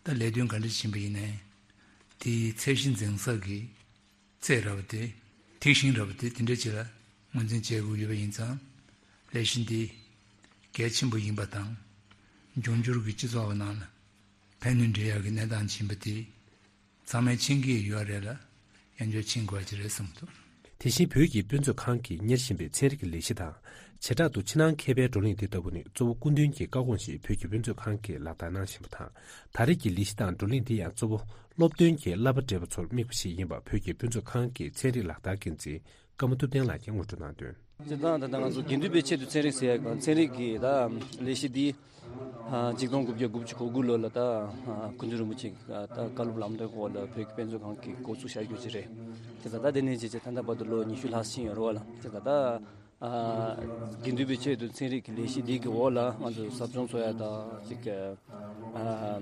ད་ལས་དོན་ག་འདྲ་ཕྱིན་པ་ཡིན་ནའི་དེའི་ཚད་གཞི་འཛིན་ས་གི་ཚད་ར་བ་དེ། ཐིག་ཤིང་ར་བ་དེ་དེ་འདྲ་ཅིག་ལ་ངོས་འཛིན་བྱེད་དགོས་ཡོད་པ་ཡིན་ཙང་། ལས་གཞི་འདི་གལ་ཆེན་པོ་ཡིན་པ་དང་། འབྱུང་འགྱུར་གྱི་སྤྱི་ཚོགས་ནང་ལ་ཕན་ནུས་འདྲེན་ཡག་གི་གནས་སྟངས་ཕྱིན་པ་དེ་ཚང་མས་མཁྱེན་གྱི་ཡོད་རེད་ལ། ཡང་བསྐྱར་མཁྱེན་དགོས་ཀྱི་རེད་བསམ་འདུག། དེ་བཞིན་བོད་ཀྱི་དཔེ་མཛོད་ཁང་གིས་གཉེར་བཞིན་པའི་ཚན་རིག་གི་ལས་གཞི་དང་། བྱེ་བྲག་ཏུ་ཕྱི་ནང་མཁས་པའི་བགྲོ་གླེང་འདི་ལྟ་བུ་ནི་གཙོ་བོ་སྐུ་མདུན་གྱི་བཀའ་དགོངས་བཞིན་བོད་ཀྱི་དཔེ་མཛོད་ཁང་གིས་ལག་བསྟར་གནང་བཞིན་པ་དང་། ད་རེས་ཀྱི་ལས་གཞི་དང་བགྲོ་གླེང་འདི་ཡང་གཙོ་བོ་སློབ་སྟོན་གྱི་བསླབ་པ་བགྲེས་པ་ཚོར་དམིགས་པ་ཞིག་ཡིན་པ་བོད་ཀྱི་དཔེ་མཛོད་ཁང་གི་ཚན་རིག་ལག་བསྟར་འགན་འཛིན་ཀརྨ་ཐུབ་བསྟན་ལགས་ཀྱིས་ངོ་སྤྲོད་གནང་དོན། སྤྱིར་བཏང་ད་ལྟ་ང་ཚོ་དགེ་འདུན་པའི་ཆེད་དུ་ཚན་རིག་ཟེར་ཡག་གི་ཚན་རིག་གི་ད་ལས་གཞི་འདི་ཨ་གཅིག་སྟོང་དགུ་བརྒྱ་དགུ་བཅུ་གོ་དགུ་ལོ་ལ་ད་ཨ་སྐུ་མདུན་རིན་པོ་ཆེ་ད་བཀའ་སློབ་ལམ་སྟོན་འོག་ལ་བོད་ཀྱི་དཔེ་མཛོད་ཁང་གིས་འགོ་འཛུགས་བྱ་རྒྱུ་ཅིག་རེད། དེ་ད་ལྟ་དེ་ནས་བྱས་བྱས་ད་ལྟ་བར་དུ་ལོ་ཉི་ཤུ་ལྷག་ཕྱིན་ཡོད་རེད་བ་ལ། དེ་ད་ལྟ་ཨ་དགེ་འདུན་པའི་ཆེད་དུ་ཚན་རིག་གི་ལས་གཞི་འདི་གི་འོག་ལ་ང་ཚོ་ཟབ་སྦྱོང་འཚོགས་ཡ་ད་ཅིག་ཨ་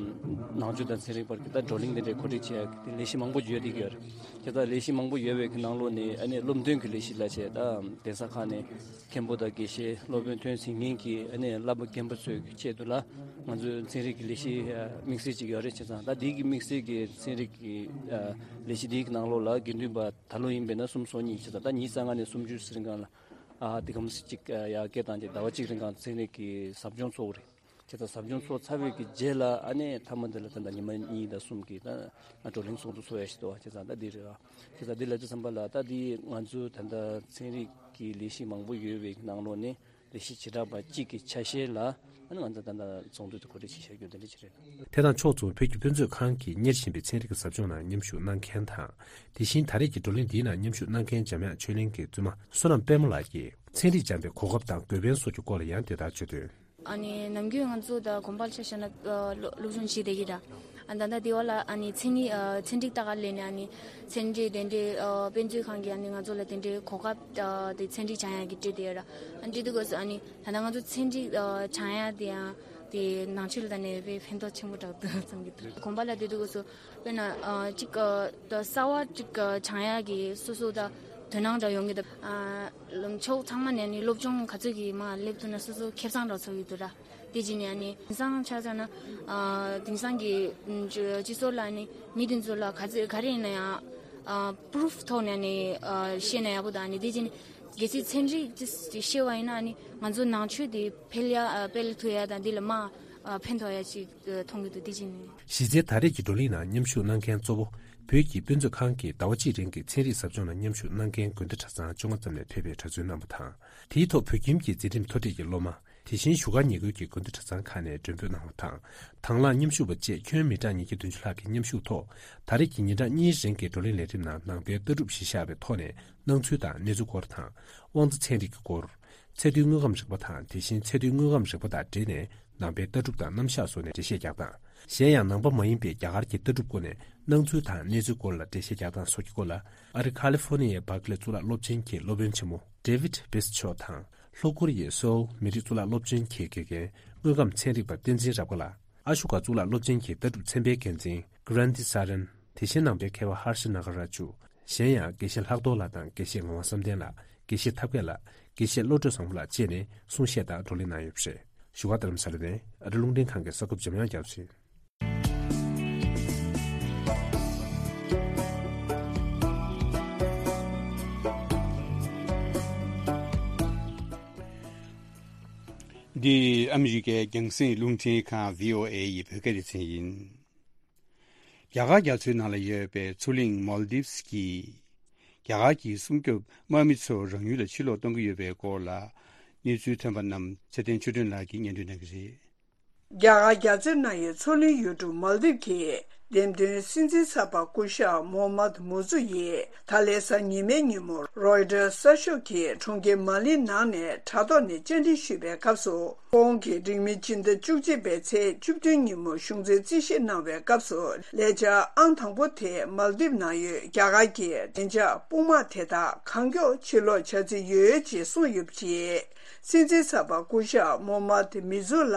ནང་ཆོས་དང་ཚན་རིག་བར་གྱི་ད་བགྲོ་གླེང་དེ་འདྲའི་གོ་སྒྲིག་བྱས་ཏེ་ལས་གཞི་མང་པོ་ཡོད་དེ་གི་ཡོད་རེད། དེ་ལྟར་ལས་གཞི་མང་པོ་ཡོད་པའི་གི་ནང་ལོགས་ནས་ཨ་ནི་སློབ་སྟོན་གྱི་ལས་གཞི་ལ་བྱས་ད་གདན་ས་ཁག་ནས་མཁན་པོ་དང་དགེ་བཤེས་སློབ་དཔོན་ཐོན་ཟིན་མཁན་གྱི་ཨ་ནི་བསླབ་པ་རྒན་པ་ཚོའི་གི་ཆེད་དུ་ལ་ང་ཚོའི་ཚན་རིག་གི་ལས་གཞི་ཨ་དམིགས་བསལ་ཅིག་ཡོད་རེད། བྱས་ཙང་ད་འདི་གི་དམིགས་བསལ་གྱི་ཚན་རིག་གི་ཨ་ལས་གཞི་འདིའི་གི་ནང་ལོགས་ལ་དགེ་འདུན་པ་ད་ལོ་ཡིན་པས་ན་སུམ་ཅུ་སོ་གཉིས། བྱས་ཙང་ད་ཉི་ཤུ་རྩ་ལྔ་ནས་སུམ་ཅུ་ཟེར་མཁན་ལ་ཨ་དེ་གམ་ཅིག་ཨ་ཡར་སྐྱེལ་བཏང་རྗེས་ཟླ་བ་གཅིག་རིང་གང་ཚན་རིག་གི་ཟབ་སྦྱོང་ཚོགས་རེད། དེ་ལྟར་ཟབ་སྦྱོང་ཚོགས་ཚར་བའི་གི་རྗེས་ལ་ཨ་ནི་མཐའ་མ་འདི་ལ་ད་ལྟ་ཉི་མ་གཉིས་དང་གསུམ་གྱི་ད་བགྲོ་གླེང་ཚོགས་འདུ་ཚོགས་ཡ་ཞིག་འདུག་བ། བྱས་ཙང་ད་འདི་རེད་བ། བྱས་ཙང་འདི་ལ་དུས་ཙམ་པ་ལ་ད་འདི་ང་ཚོའི་ད་ལྟ་ཚན་རིག་གི་ལས་གཞི་མང་པོ་ཡོད་པའི་ནང་ལོགས་ནས་ལས་གཞི་བྱེ་བྲག་པ་གཅིག་གི་ཆ་ཤས་ལ་ཨ་ནི་ང་ཚོ་ད་ལྟ་ཚོགས་འདུ་དེ་གོ་སྒྲིག་བྱེད་བཞག་རྒྱུ་འདི་འདྲ་ཅིག་རེད། དེ་དང་ཕྱོགས་མཚུངས་བོད་ཀྱི་དཔེ་མཛོད་ཁང་གིས་གཉེར་བཞིན་པའི་ཚན་རིག་གི་ཟབ་སྦྱོང་ནང་མཉམ་ཞུགས་གནང་མཁན་དང་། དེ་བཞིན་ད་རེས་ཀྱི་བགྲོ་གླེང་འདིའི་ནང་མཉམ་ཞུགས་གནང་མཁན་འཇམ་དབྱངས་ཆོས་གླིང་གི་བཙུན་མ་བསོད་ནམས་དཔལ་མོ་ལགས་ཀྱིས་ཚན་རིག་སྦྱངས་པའི་གོ་སྐབས་དང་དགོས་ཕན་སོགས་ཀྱི་སྐོར་ལ་ཡང་དེ་ལྟར་བརྗོད་དོན། ཨ་ནི་ནམ་རྒྱུན་ང་ཚོ་ད་དགོན་པ་ལ་ཆ་བཞག་ན་ཨ་སློབ་སློབ་སྦྱོང་བྱེད་བསྡད་ཀྱི་ར། ཨ་ད་ལྟ་དེ་བ་ལ་ཨ་ནི་ཚན་རིག་ཨ་ཚན་རིག་ལྟ་ག་སླེབས་ནས་ཨ་ནི་ཚན་རིག་དེ་འདྲའི་ཨ་དཔེ་མཛོད་ཁང་གིས་ཨ་ནི་ང་ཚོ་ལ་དེ་འདྲའི་གོ་སྐབས་ཨ་དེ་ཚན་རིག་སྦྱང་ཡག་གི་སྤྲད་བསྡད་ཡོད་ར། ཨ་འདྲི་དུས་སྐབས་སུ་ཨ་ནི་ད་ལྟ་ང་ཚོ་ཚན་རིག་ཨ་སྦྱང་ཡག་དེ་ཡང་དེ་ནང་ཆོས་ལ་ད་ནས་དཔེ་ཕན་ཐོགས་ཆེན་པོ་རག་འདུག་བསམ་གྱི་འདུག་དགོན་པ་ལ་དེ་དུས་སྐབས་སུ་དཔེར་ན་ཨ་གཅིག་ཨ་ད་གསར་བ་གཅིག་ཨ་སྦྱང་ཡག་གི་སོ་སོ་ད་དོ་སྣང་འདྲ་ཡོང་གི་འདུག་ཨ་ལམ་ཕྱོགས་ཚང་མ་ནས་ནི་སློབ་སྦྱོང་ག་ཚོད་ཀྱིས་མར་སླེབས་ཐུབ་ན་སོ་སོ་ཁེ་བཟང་འདྲ་ཚོར་གྱི་འདུག་ར། དེ་རྗེས་ནས་ཨ་ནི་དེང་སང་ཆ་བཞག་ན་ཨ་དེང་སང་གི་ཨ་སྤྱི་ཚོགས་ལ་ནི་མི་དེ་ཚོ་ལ་ག་ཚོད་ག་རེ་ཡིན་ན་ཡང་ཨ་པུ་རུབ་ཐོག་ནས་ནི་ཨ་བཤད་ན་ཡག་པོ་དང་ནི་དེ་རྗེས་ནས་གལ་སྲིད་ཚན་རིག་ཅིག་ཤེས་པ་ཡིན་ན་ནི་ང་ཚོ་ནང་ཆོས་དེ་འཕེལ་ཡ་ཨ་སྤེལ་ཐུབ་ཡ་དང་འདི་ལ་མར་ཨ་ཕན་ཐོགས་ཡ་ཅིག་ཨ་མཐོང་གི་འདུག་དེ་རྗེས་ནས། གཞི་རྩའི་ད་རེས་ཀྱི་བགྲོ་གླེང་ནང་མཉམ་ཞུགས་གནང་མཁན་གཙོ་བོ་བོད་ཀྱི་དཔེ་མཛོད་ཁང་གི་ཟླ་བ་གཅིག་རིང་གི་ཚན་རིག་ཟབ་སྦྱོང་ལ་མཉམ་ཞུགས་གནང་མཁན་དགོན་སྡེ་གྲྭ་ཚང་བཅོ་ལྔ་ཙམ་ནས་ཕེབས་པའི་གྲྭ་བཙུན་རྣམ་པ་དང་། དེའི་ཐོག་བོད་ཁྱིམ་གྱི་འཛིན་རིམ་མཐོ་གྲས་ཀྱི་སློབ་མ། དེ་བཞིན་བཞུགས་སྒར་ཉེ་ཁུལ་གྱི་དགོན་སྡེ་གྲྭ་ཚང་ཁག་ནས་མགྲོན་འབོད་གནང་བ་དང་། དང་བླངས་མཉམ་ཞུགས་པ་བཅས་ཁྱོན་མི་གྲངས་ཉིས་བརྒྱ་བདུན་ཅུ་ལྷག་གིས་མཉམ་ཞུགས་ཐོག་ད་རེས་ཀྱི་ཉིན་གྲངས་གཉིས་རིང་གི་བགྲོ་གླེང་ལས་རིམ་ནང་ནང་པའི་ལྟ་གྲུབ་གཞི་བཞག་པའི་ཐོག་ནས་སྣང་ཚུལ་དང་གནས་ཚུལ་སྐོར་དང་། དབང་རྩ་ཚན་རིག་གི་སྐོར། ཚད་རྡུལ་དངོས་ཁམས་རིག་པ་དང་དེ་བཞིན་ཚད་རྡུལ་དངོས་ཁམས་རིག་པ་དང་འབྲེལ་ནས་ནང་པའི་ལྟ་གྲུབ་དང་རྣམ་གཞག་སོགས་ནས་འགྲེལ་བཤད་རྒྱག་སྟངས། གཞན་ཡང་ནང་པ་མ་ཡིན་པའི་རྒྱ་གར་གྱི་ལྟ་གྲུབ་སྐོར་ནས་སྣང་ཚུལ་དང་གནས་ཚུལ་སྐོར་ལ་འགྲེལ་བཤད་རྒྱག་སྟངས་སོགས་ཀྱི་སྐོར་ལ། ཨ་རི་ཁ་ལི་ཧྥོ་ནི་ཡའི་བྷར་ཀ་ལེ་གཙུག་ལག་སློབ་ཆེན་གྱི་སློབ་དཔོན་ཆེན་མོ་David Beath མཆོག་དང་། ལྷོ་ཀོ་རི་ཡའི་སོའུལ་མི་རིགས་གཙུག་ལག་སློབ་ཆེན་གྱི་དགེ་རྒན་དངོས་ཁམས་ཚན་རིག་པ་བསྟན་འཛིན་རབ་དགའ་ལགས། ཨ་ཤོ་ཀ་གཙུག་ལག་སློབ་ཆེན་གྱི་ལྟ་གྲུབ་ཚན་པའི་འགན་འཛིན་Grandi Saran། དེ་བཞིན་ནང་པའི་མཁས་པ་ཧར་ཤི་ན་ག་ར་ཇུ། གཞན་ཡང་དགེ་བཤེས་ལྷག་རྡོར་ལགས་དང་དགེ་བཤེས་ངག་དབང་བསམ་གཏན་ལགས། དགེ་བཤེས་ཐབས་མཁས་ལགས། དགེ་བཤེས་བློ་གྲོས་བཟང་པོ་ལགས་བཅས་ནས་གསུང་བཤད་དང་བགྲོ་གླེང་གནང་ཡོད་པ་རེད། བཞུགས་སྒར་རྡ་རམ་ས་ལ་ནས་ཨ་རི་རླུང་འཕྲིན་ཁང་གི་གསར་འགོད་པ་འཇམ་དབྱངས་རྒྱ་མཚོ་ཡིན། འདི་ཨ་མི་རི་ཀའི་རྒྱང་སྲིང་རླུང་འཕྲིན་ཁང་བྷི་ཨོ་ཨེ་ཡི་བོད་སྐད་སྡེ་ཚན་ཡིན། རྒྱ་གར་རྒྱ་མཚོའི་ནང་ལ་ཡོད་པའི་མཚོ་གླིང་མོལ་དིབས་ཀྱིས་རྒྱ་གར་གྱི་སྲུང་སྐྱོབ་དམག་མི་ཚོ་རང་ཡུལ་ལ་ཕྱིར་ལོག་གཏོང་གི་ཡོད་པའི་སྐོར་ལ་གནས་ཚུལ་ཐོན་པ་རྣམས་ཚེ་བརྟན་ཆོས་སྒྲོན་ལགས་ཀྱིས་སྙན་སྒྲོན་གནང་གི་རེད། རྒྱ་གར་རྒྱ་མཚོའི་ནང་ཡོད་མཚོ་གླིང་ཡུལ་གྲུ་མོལ་དིབ་ཀྱིས་འདེམས་ཐོན་སྲིད་འཛིན་གསར་པ་སྐུ་ཞབས་མོ་མད་མུ་ཛུ་ཡིས་ད་ལན་གཟའ་ཉི་མའི་ཉིན་མོ་རོའི་ཊར་གསར་ཤོག་གི་གྲོང་ཁྱེར་མ་ལིའི་ནང་ནས་དྲ་ཐོག་ནས་བཅར་འདྲི་ཞུས་པའི་སྐབས་སུ། ཁོང་གིས་འགྲིག་མིན་སྤྱི་ཟླ་བཅུ་གཅིག་པའི་ཚེས་བཅུ་བདུན་ཉིན་མོ་གཞུང་འཛིན་རྩིས་བཞེས་གནང་བའི་སྐབས་སུ། ལས་འཆར་ཨང་དང་པོ་དེ་མལ་དིབ་ནང་ཡོད་རྒྱ་གར་གྱི་བདེ་འཇགས་དཔུང་དམག་དེ་དག་གང་མགྱོགས་ཕྱིར་ལོག་བྱ་རྩིས་ཡོད་ཅེས་གསུངས་ཡོད་པ་རེད། སྲིད་འཛིན་གསར་པ་སྐུ་ཞབས་མོ་མད་མི་ཛུ་ལ་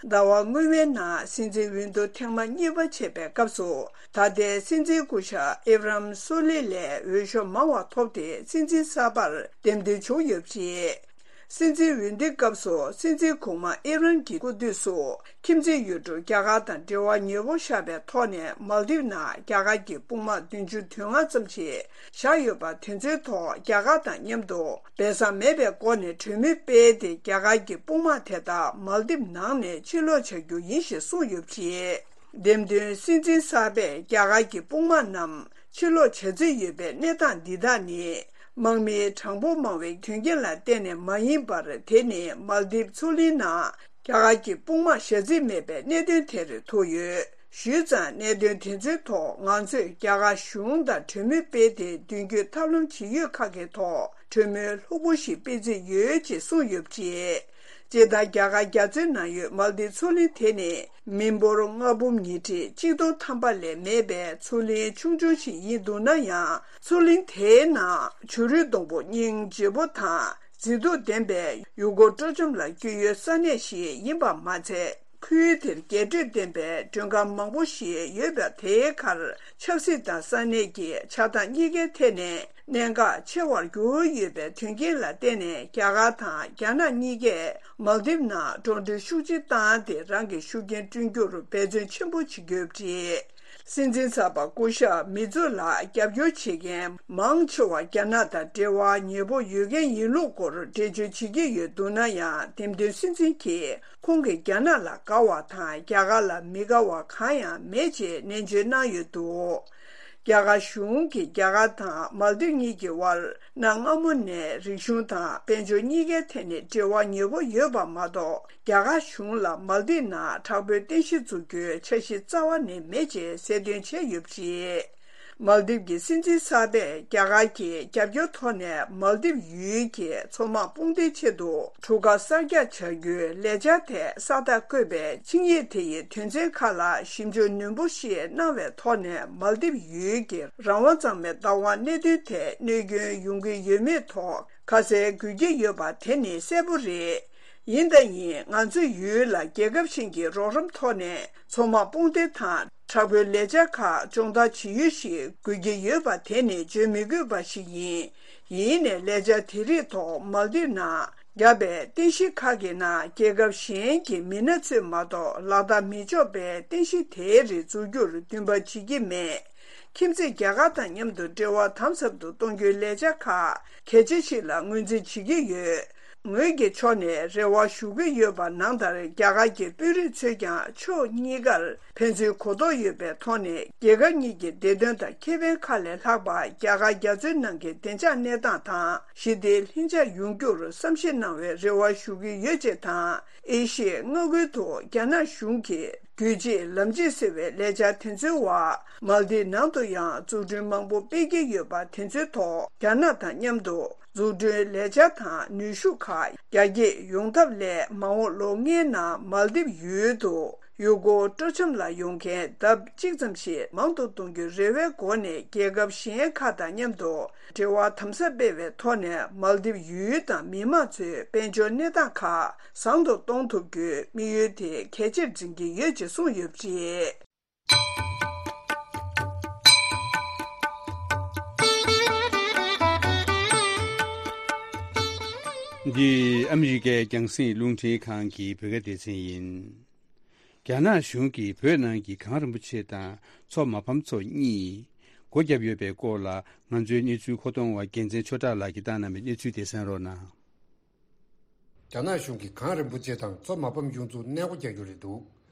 ཟླ་བ་སྔོན་མའི་ནང་སྲིད་འཛིན་འོས་བསྡུ་ཐེངས་མ་གཉིས་པ་བྱས་པའི་སྐབས་སུ། ད་ལྟའི་སྲིད་འཛིན་སྐུ་ཞབས་ཨེབ་རམ་སོ་ལི་ལས་འོས་ཤོག་མང་བ་ཐོབ་སྟེ་སྲིད་འཛིན་གསར་པར་འདེམས་ཐོན་བྱུང་ཡོད་པ་རེད། སྲིད་འཛིན་འོས་འདེམས་སྐབས་སུ་སྲིད་འཛིན་གོང་མ་ཨེབ་རམ་གྱི་སྐུ་དུས་སུ་ཁྱིམ་མཚེས་ཡུལ་གྲུ་རྒྱ་གར་དང་འབྲེལ་བ་ཉེ་པོ་བཞག་པའི་ཐོག་ནས་མལ་དིབ་ནང་རྒྱ་གར་གྱི་དཔུང་དམག་བདུན་ཅུ་དོན་ལྔ་ཙམ་ཞིག་བཞག་ཡོད་པ་དེ་ཚོའི་ཐོག་རྒྱ་གར་དང་མཉམ་དུ་སྦས་གསང་མེད་པའི་སྒོ་ནས་གྲོས་མོལ་སྤེལ་ཏེ་རྒྱ་གར་གྱི་དཔུང་དམག་དེ་དག་མལ་དིབ་ནང་ནས་ཕྱིར་ལོག་བྱ་རྒྱུ་ཡིན་ཞེས་གསུངས་ཡོད་པ་རེད། འདེམས་ཐོན་སྲིད་འཛིན་གསར་པས་རྒྱ་གར་གྱི་དཔུང་དམག་རྣམས་ཕྱིར་ལོག་བྱ་རྩིས་ཡོད་པའི་གནས་སྟངས་འདི་དག་ནི། དམག་མིའི་གྲངས་འབོར་མང་བའི་དོན་རྐྱེན་ལ་བརྟེན་ནས་མ་ཡིན་པར། དེ་ནི་མལ་དིབ་མཚོ་གླིང་ནང་རྒྱ་གར་གྱི་དཔུང་དམག་བཞག་རྩིས་མེད་པའི་གནད་དོན་དེར་ཐུག་ཡོད། ཞུས་ཙང་། གནད་དོན་དེ་ཚོའི་ཐོག་ང་ཚོས་རྒྱ་གར་གཞུང་དང་གྲོས་མོལ་སྤེལ་ཏེ། མདུན་སྐྱོད་ཐབས་ལམ་ཇི་ཡོད་ཁག་གི་ཐོག་གྲོས་མོལ་ལྷུག་པོ་ཞིག་སྤེལ་རྩིས་ཡོད་ཅེས་གསུངས་ཡོད་པ་རེད། སྤྱིར་བཏང་རྒྱ་གར་རྒྱ་མཚོའི་ནང་ཡོད་མལ་དིབ་མཚོ་གླིང་དེ་ནི་མི་འབོར་ལྔ་འབུམ་ཉི་ཁྲི་གཅིག་སྟོང་ཐམ་པ་ལས་མེད་པའི་མཚོ་གླིང་ཆུང་ཆུང་ཞིག་ཡིན་འདུག་ན་ཡང་། མཚོ་གླིང་དེའི་ནང་བྱུ་རུའི་སྡོང་པོ་སྙིང་རྗེ་པོ་དང་། མཛེས་སྡུག་ལྡན་པའི་ཡུལ་སྐོར་སྤྲོ་འཆམ་ལ་སྐྱོད་ཡུལ་ས་གནས་ཤིག་ཡིན་པ་མ་ཚད། ཁུལ་དེར་རྒྱས་སྤྲོས་ལྡན་པའི་མགྲོན་ཁང་མང་པོ་ཞིག་ཡོད་པ། དེའི་ཁར་ཆབ་སྲིད་དང་ས་གནས་ཀྱི་ཆགས་སྡང་གཉིས་ཀའི་ཐད་ནས་གནད་འགག་ཆེ་བར་གྱུར་ཡོད་པའི་དོན་རྐྱེན་ལ་བརྟེན་ནས། རྒྱ་གར་དང་རྒྱ་ནག་གཉིས་ཀས་མལ་དིབ་ནང་འགྲོ་གྲོན་ཤུགས་ཆེ་བཏང་སྟེ། རང་གི་ཤུགས་རྐྱེན་བསྐྲུན་རྒྱུར་འབད་བརྩོན་ཆེན་པོ་བྱེད་ཀྱི་ཡོད་པ་རེད། སྲིད་འཛིན་གསར་པ་སྐུ་ཞབས་མི་ཛུ་ལ་རྒྱབ་སྐྱོར་བྱེད་མཁན་མང་ཆེ་བ་རྒྱ་ནག་དང་འབྲེལ་བ་ཉེ་པོ་ཡོད་མཁན་ཡིན་ལུགས་སྐོར་འགྲེལ་བརྗོད་བྱེད་ཀྱི་ཡོད་འདུག་ན་ཡང་། འདེམས་ཐོན་སྲིད་འཛིན་གྱིས་ཁོང་གིས་རྒྱ་ནག་ལ་དགའ་བ་དང་རྒྱ་གར་ལ་མི་དགའ་བ་གང་ཡང་མེད་ཅེས་ནན་བརྗོད་གནང་ཡོད་འདུག་རྒྱ་གར་གཞུང་གིས་རྒྱ་གར་དང་མལ་དིབ་གཉིས་ཀྱི་དབར་གནའ་སྔ་མོ་ནས་རིག་གཞུང་དང་དཔལ་འབྱོར་གཉིས་ཀའི་ཐད་ནས་འབྲེལ་བ་ཉེ་པོ་ཡོད་པ་མ་གཏོགས། རྒྱ་གར་གཞུང་ལ་མལ་དིབ་ནང་དྲག་པོའི་རྟེན་གཞི་འཛུགས་རྒྱུའི་འཆར་གཞི་རྩ་བ་ནས་མེད་ཅེས་གསལ་སྟོན་བྱས་ཡོད་པ་རེད། མལ་དིབ་ཀྱི་སྲིད་འཛིན་གསར་པས་རྒྱ་གར་གྱི་རྒྱབ་སྐྱོར་ཐོག་ནས་མལ་དིབ་ཡུལ་གྱི་མཚོ་དམག་དཔུང་སྡེའི་ཆེད་དུ་གྲུ་ཁ་གསར་རྒྱག་བྱ་རྒྱུའི་ལས་འཆར་ཐད་ས་རྟགས་བཀོད་པའི་ཆིངས་ཡིག་དེ་ཡི་དོན་ཚན་ཁག་ལ་ཞིབ་འཇུག་ནན་པོ་ཞིག་གནང་བའི་ཐོག་ནས་མལ་དིབ་ཡུལ་གྱི་རང་དབང་གཙང་མའི་བདག་དབང་གནད་དོན་ཐད་གནོད་སྐྱོན་ཡོང་གི་ཡོད་མེད་ཐོག་ཁ་གསལ་དགོས་ཀྱི་ཡོད་པ་དེ་ནི་གསལ་པོ་རེད། ཡིན་དང་ཡིན། ང་ཚོའི་ཡུལ་ལ་རྒྱལ་ཁབ་གཞན་གྱི་རོགས་རམ་ཐོག་ནས་མཚོ་དམག་དཔུང་སྡེ་དང་དྲག་པོའི་ལས་འཆར་ཁག་སྦྱོང་བརྡར་བྱེད་ཡུལ་ཞིག་དགོས་ཀྱི་ཡོད་པ་དེ་ནི་བརྗོད་མི་དགོས་པ་ཞིག་ཡིན། ཡིན་ནའི་ལས་འཆར་དེ་རིགས་ཐོག་མལ་དིབ་ནང་བརྒྱབ་པའི་རྟེན་གཞི་ཁག་གི་ནང་རྒྱལ་ཁབ་གཞན་གྱི་མི་སྣ་ཚོས་མ་གཏོགས་ལག་བསྟར་མི་ཆོག་པའི་རྟེན་གཞི་དེའི་རིགས་འཛུགས་རྒྱུར་འདུན་པ་བྱེད་ཀྱི་མེད། ཁྱིམ་མཚེས་རྒྱ་གར་དང་མཉམ་དུ་འབྲེལ་བ་དམ་ཟབ་ཏུ་གཏོང་རྒྱུའི་ལས་འཆར་ཁག་གལ་ཆེ་ཞིག་ལ་ངོས་འཛིན་བྱེད་ཀྱི་ཡོད། ངོས་ཀྱི་ཕྱོགས་ནས་རེ་བ་ཞུ་གི་ཡོད་པ་ནང་ལྟར་རྒྱ་གར་གྱི་དཔོན་རིགས་ཚོས་ཀྱང་ཕྱོགས་གཉིས་ཀར་ཕན་ཚུན་གོ་རྟོགས་ཡོད་པའི་ཐོག་ནས་རྒྱལ་ཁབ་གཉིས་ཀྱི་བདེ་དོན་དང་ཁེ་ཕན་ཁག་ལས་ལྷག་པ་རྒྱ་གར་རྒྱ་མཚོའི་ནང་གི་བདེ་འཇགས་གནས་སྟངས་དང་ཞི་བདེའི་ལྷིང་འཇགས་ཡོང་རྒྱུར་བསམ་ཤེས་གནང་བའི་རེ་བ་ཞུ་གི་ཡོད་ཅེས་དང་། ཨེ་ཤི་ཡའི་མངའ་ཁུལ་དུ་རྒྱ་ནག་གཞུང་གིས་རྒྱུད་གཅིག་ལམ་གཅིག་ཟེར་བའི་ལས་འཆར་དེ་ཚོའི་འོག་མལ་དིབ་ནང་དུ་ཡང་འཛུགས་སྐྲུན་མང་པོ་སྤེལ་གྱི་ཡོད་པ་དེ་ཚོའི་ཐོག་རྒྱ་ནག་དང་མཉམ་དུ་འཛུགས་སྐྲུན་ལས་འཆར་དང་ནུས་ཤུགས་ཁག་རྒྱ་སྐྱེད་ཡོང་ཐབས་སླད་མ་འོངས་ལོ་ལྔའི་ནང་མལ་དིབ་ཡུལ་དུ་ཡུལ་སྐོར་སྤྲོ་འཆམ་ལ་ཡོང་མཁན་ལྡབ་གཅིག་ཙམ་ཞིག་མང་དུ་གཏོང་རྒྱུའི་རེ་བའི་སྒོ་ནས་རྒྱལ་ཁབ་གཞན་ཁག་དང་མཉམ་དུ་འབྲེལ་བ་དམ་ཟབ་སྤེལ་བའི་ཐོག་ནས་མལ་དིབ་ཡུལ་དང་མི་དམངས་ཚོའི་དཔལ་འབྱོར་གནས་སྟངས་ཁག་བཟང་དུ་གཏོང་ཐུབ་རྒྱུའི་དམིགས་ཡུལ་དེ་གལ་ཆེར་འཛིན་གྱི་ཡོད་ཅེས་གསུངས་ཡོད་པ་རེད། འདི་ཨ་མི་རི་ཀའི་རྒྱང་སྲིང་རླུང་འཕྲིན་ཁང་གི་བོད་སྐད་སྡེ་ཚན་ཡིན། རྒྱ་ནག་གཞུང་གིས་བོད་ནང་གི་གངས་རིན་པོ་ཆེ་དང་མཚོ་མ་ཕམ་མཚོ་གཉིས་སྒོ་བརྒྱབ་ཡོད་པའི་སྐོར་ལ་ང་ཚོའི་གནས་ཚུལ་མཁོ་གཏོང་བ་རྒྱལ་མཚན་ཆོས་གྲགས་ལགས་ཀྱིས་བཏང་གནང་བའི་གནས་ཚུལ་དེ་གསན་རོགས་གནང་། རྒྱ་ནག་གཞུང་གིས་གངས་རིན་པོ་ཆེ་དང་མཚོ་མ་ཕམ་གཡུ་མཚོ་གནས་སྒོ་རྒྱག་རྒྱུ་རེད་འདུག་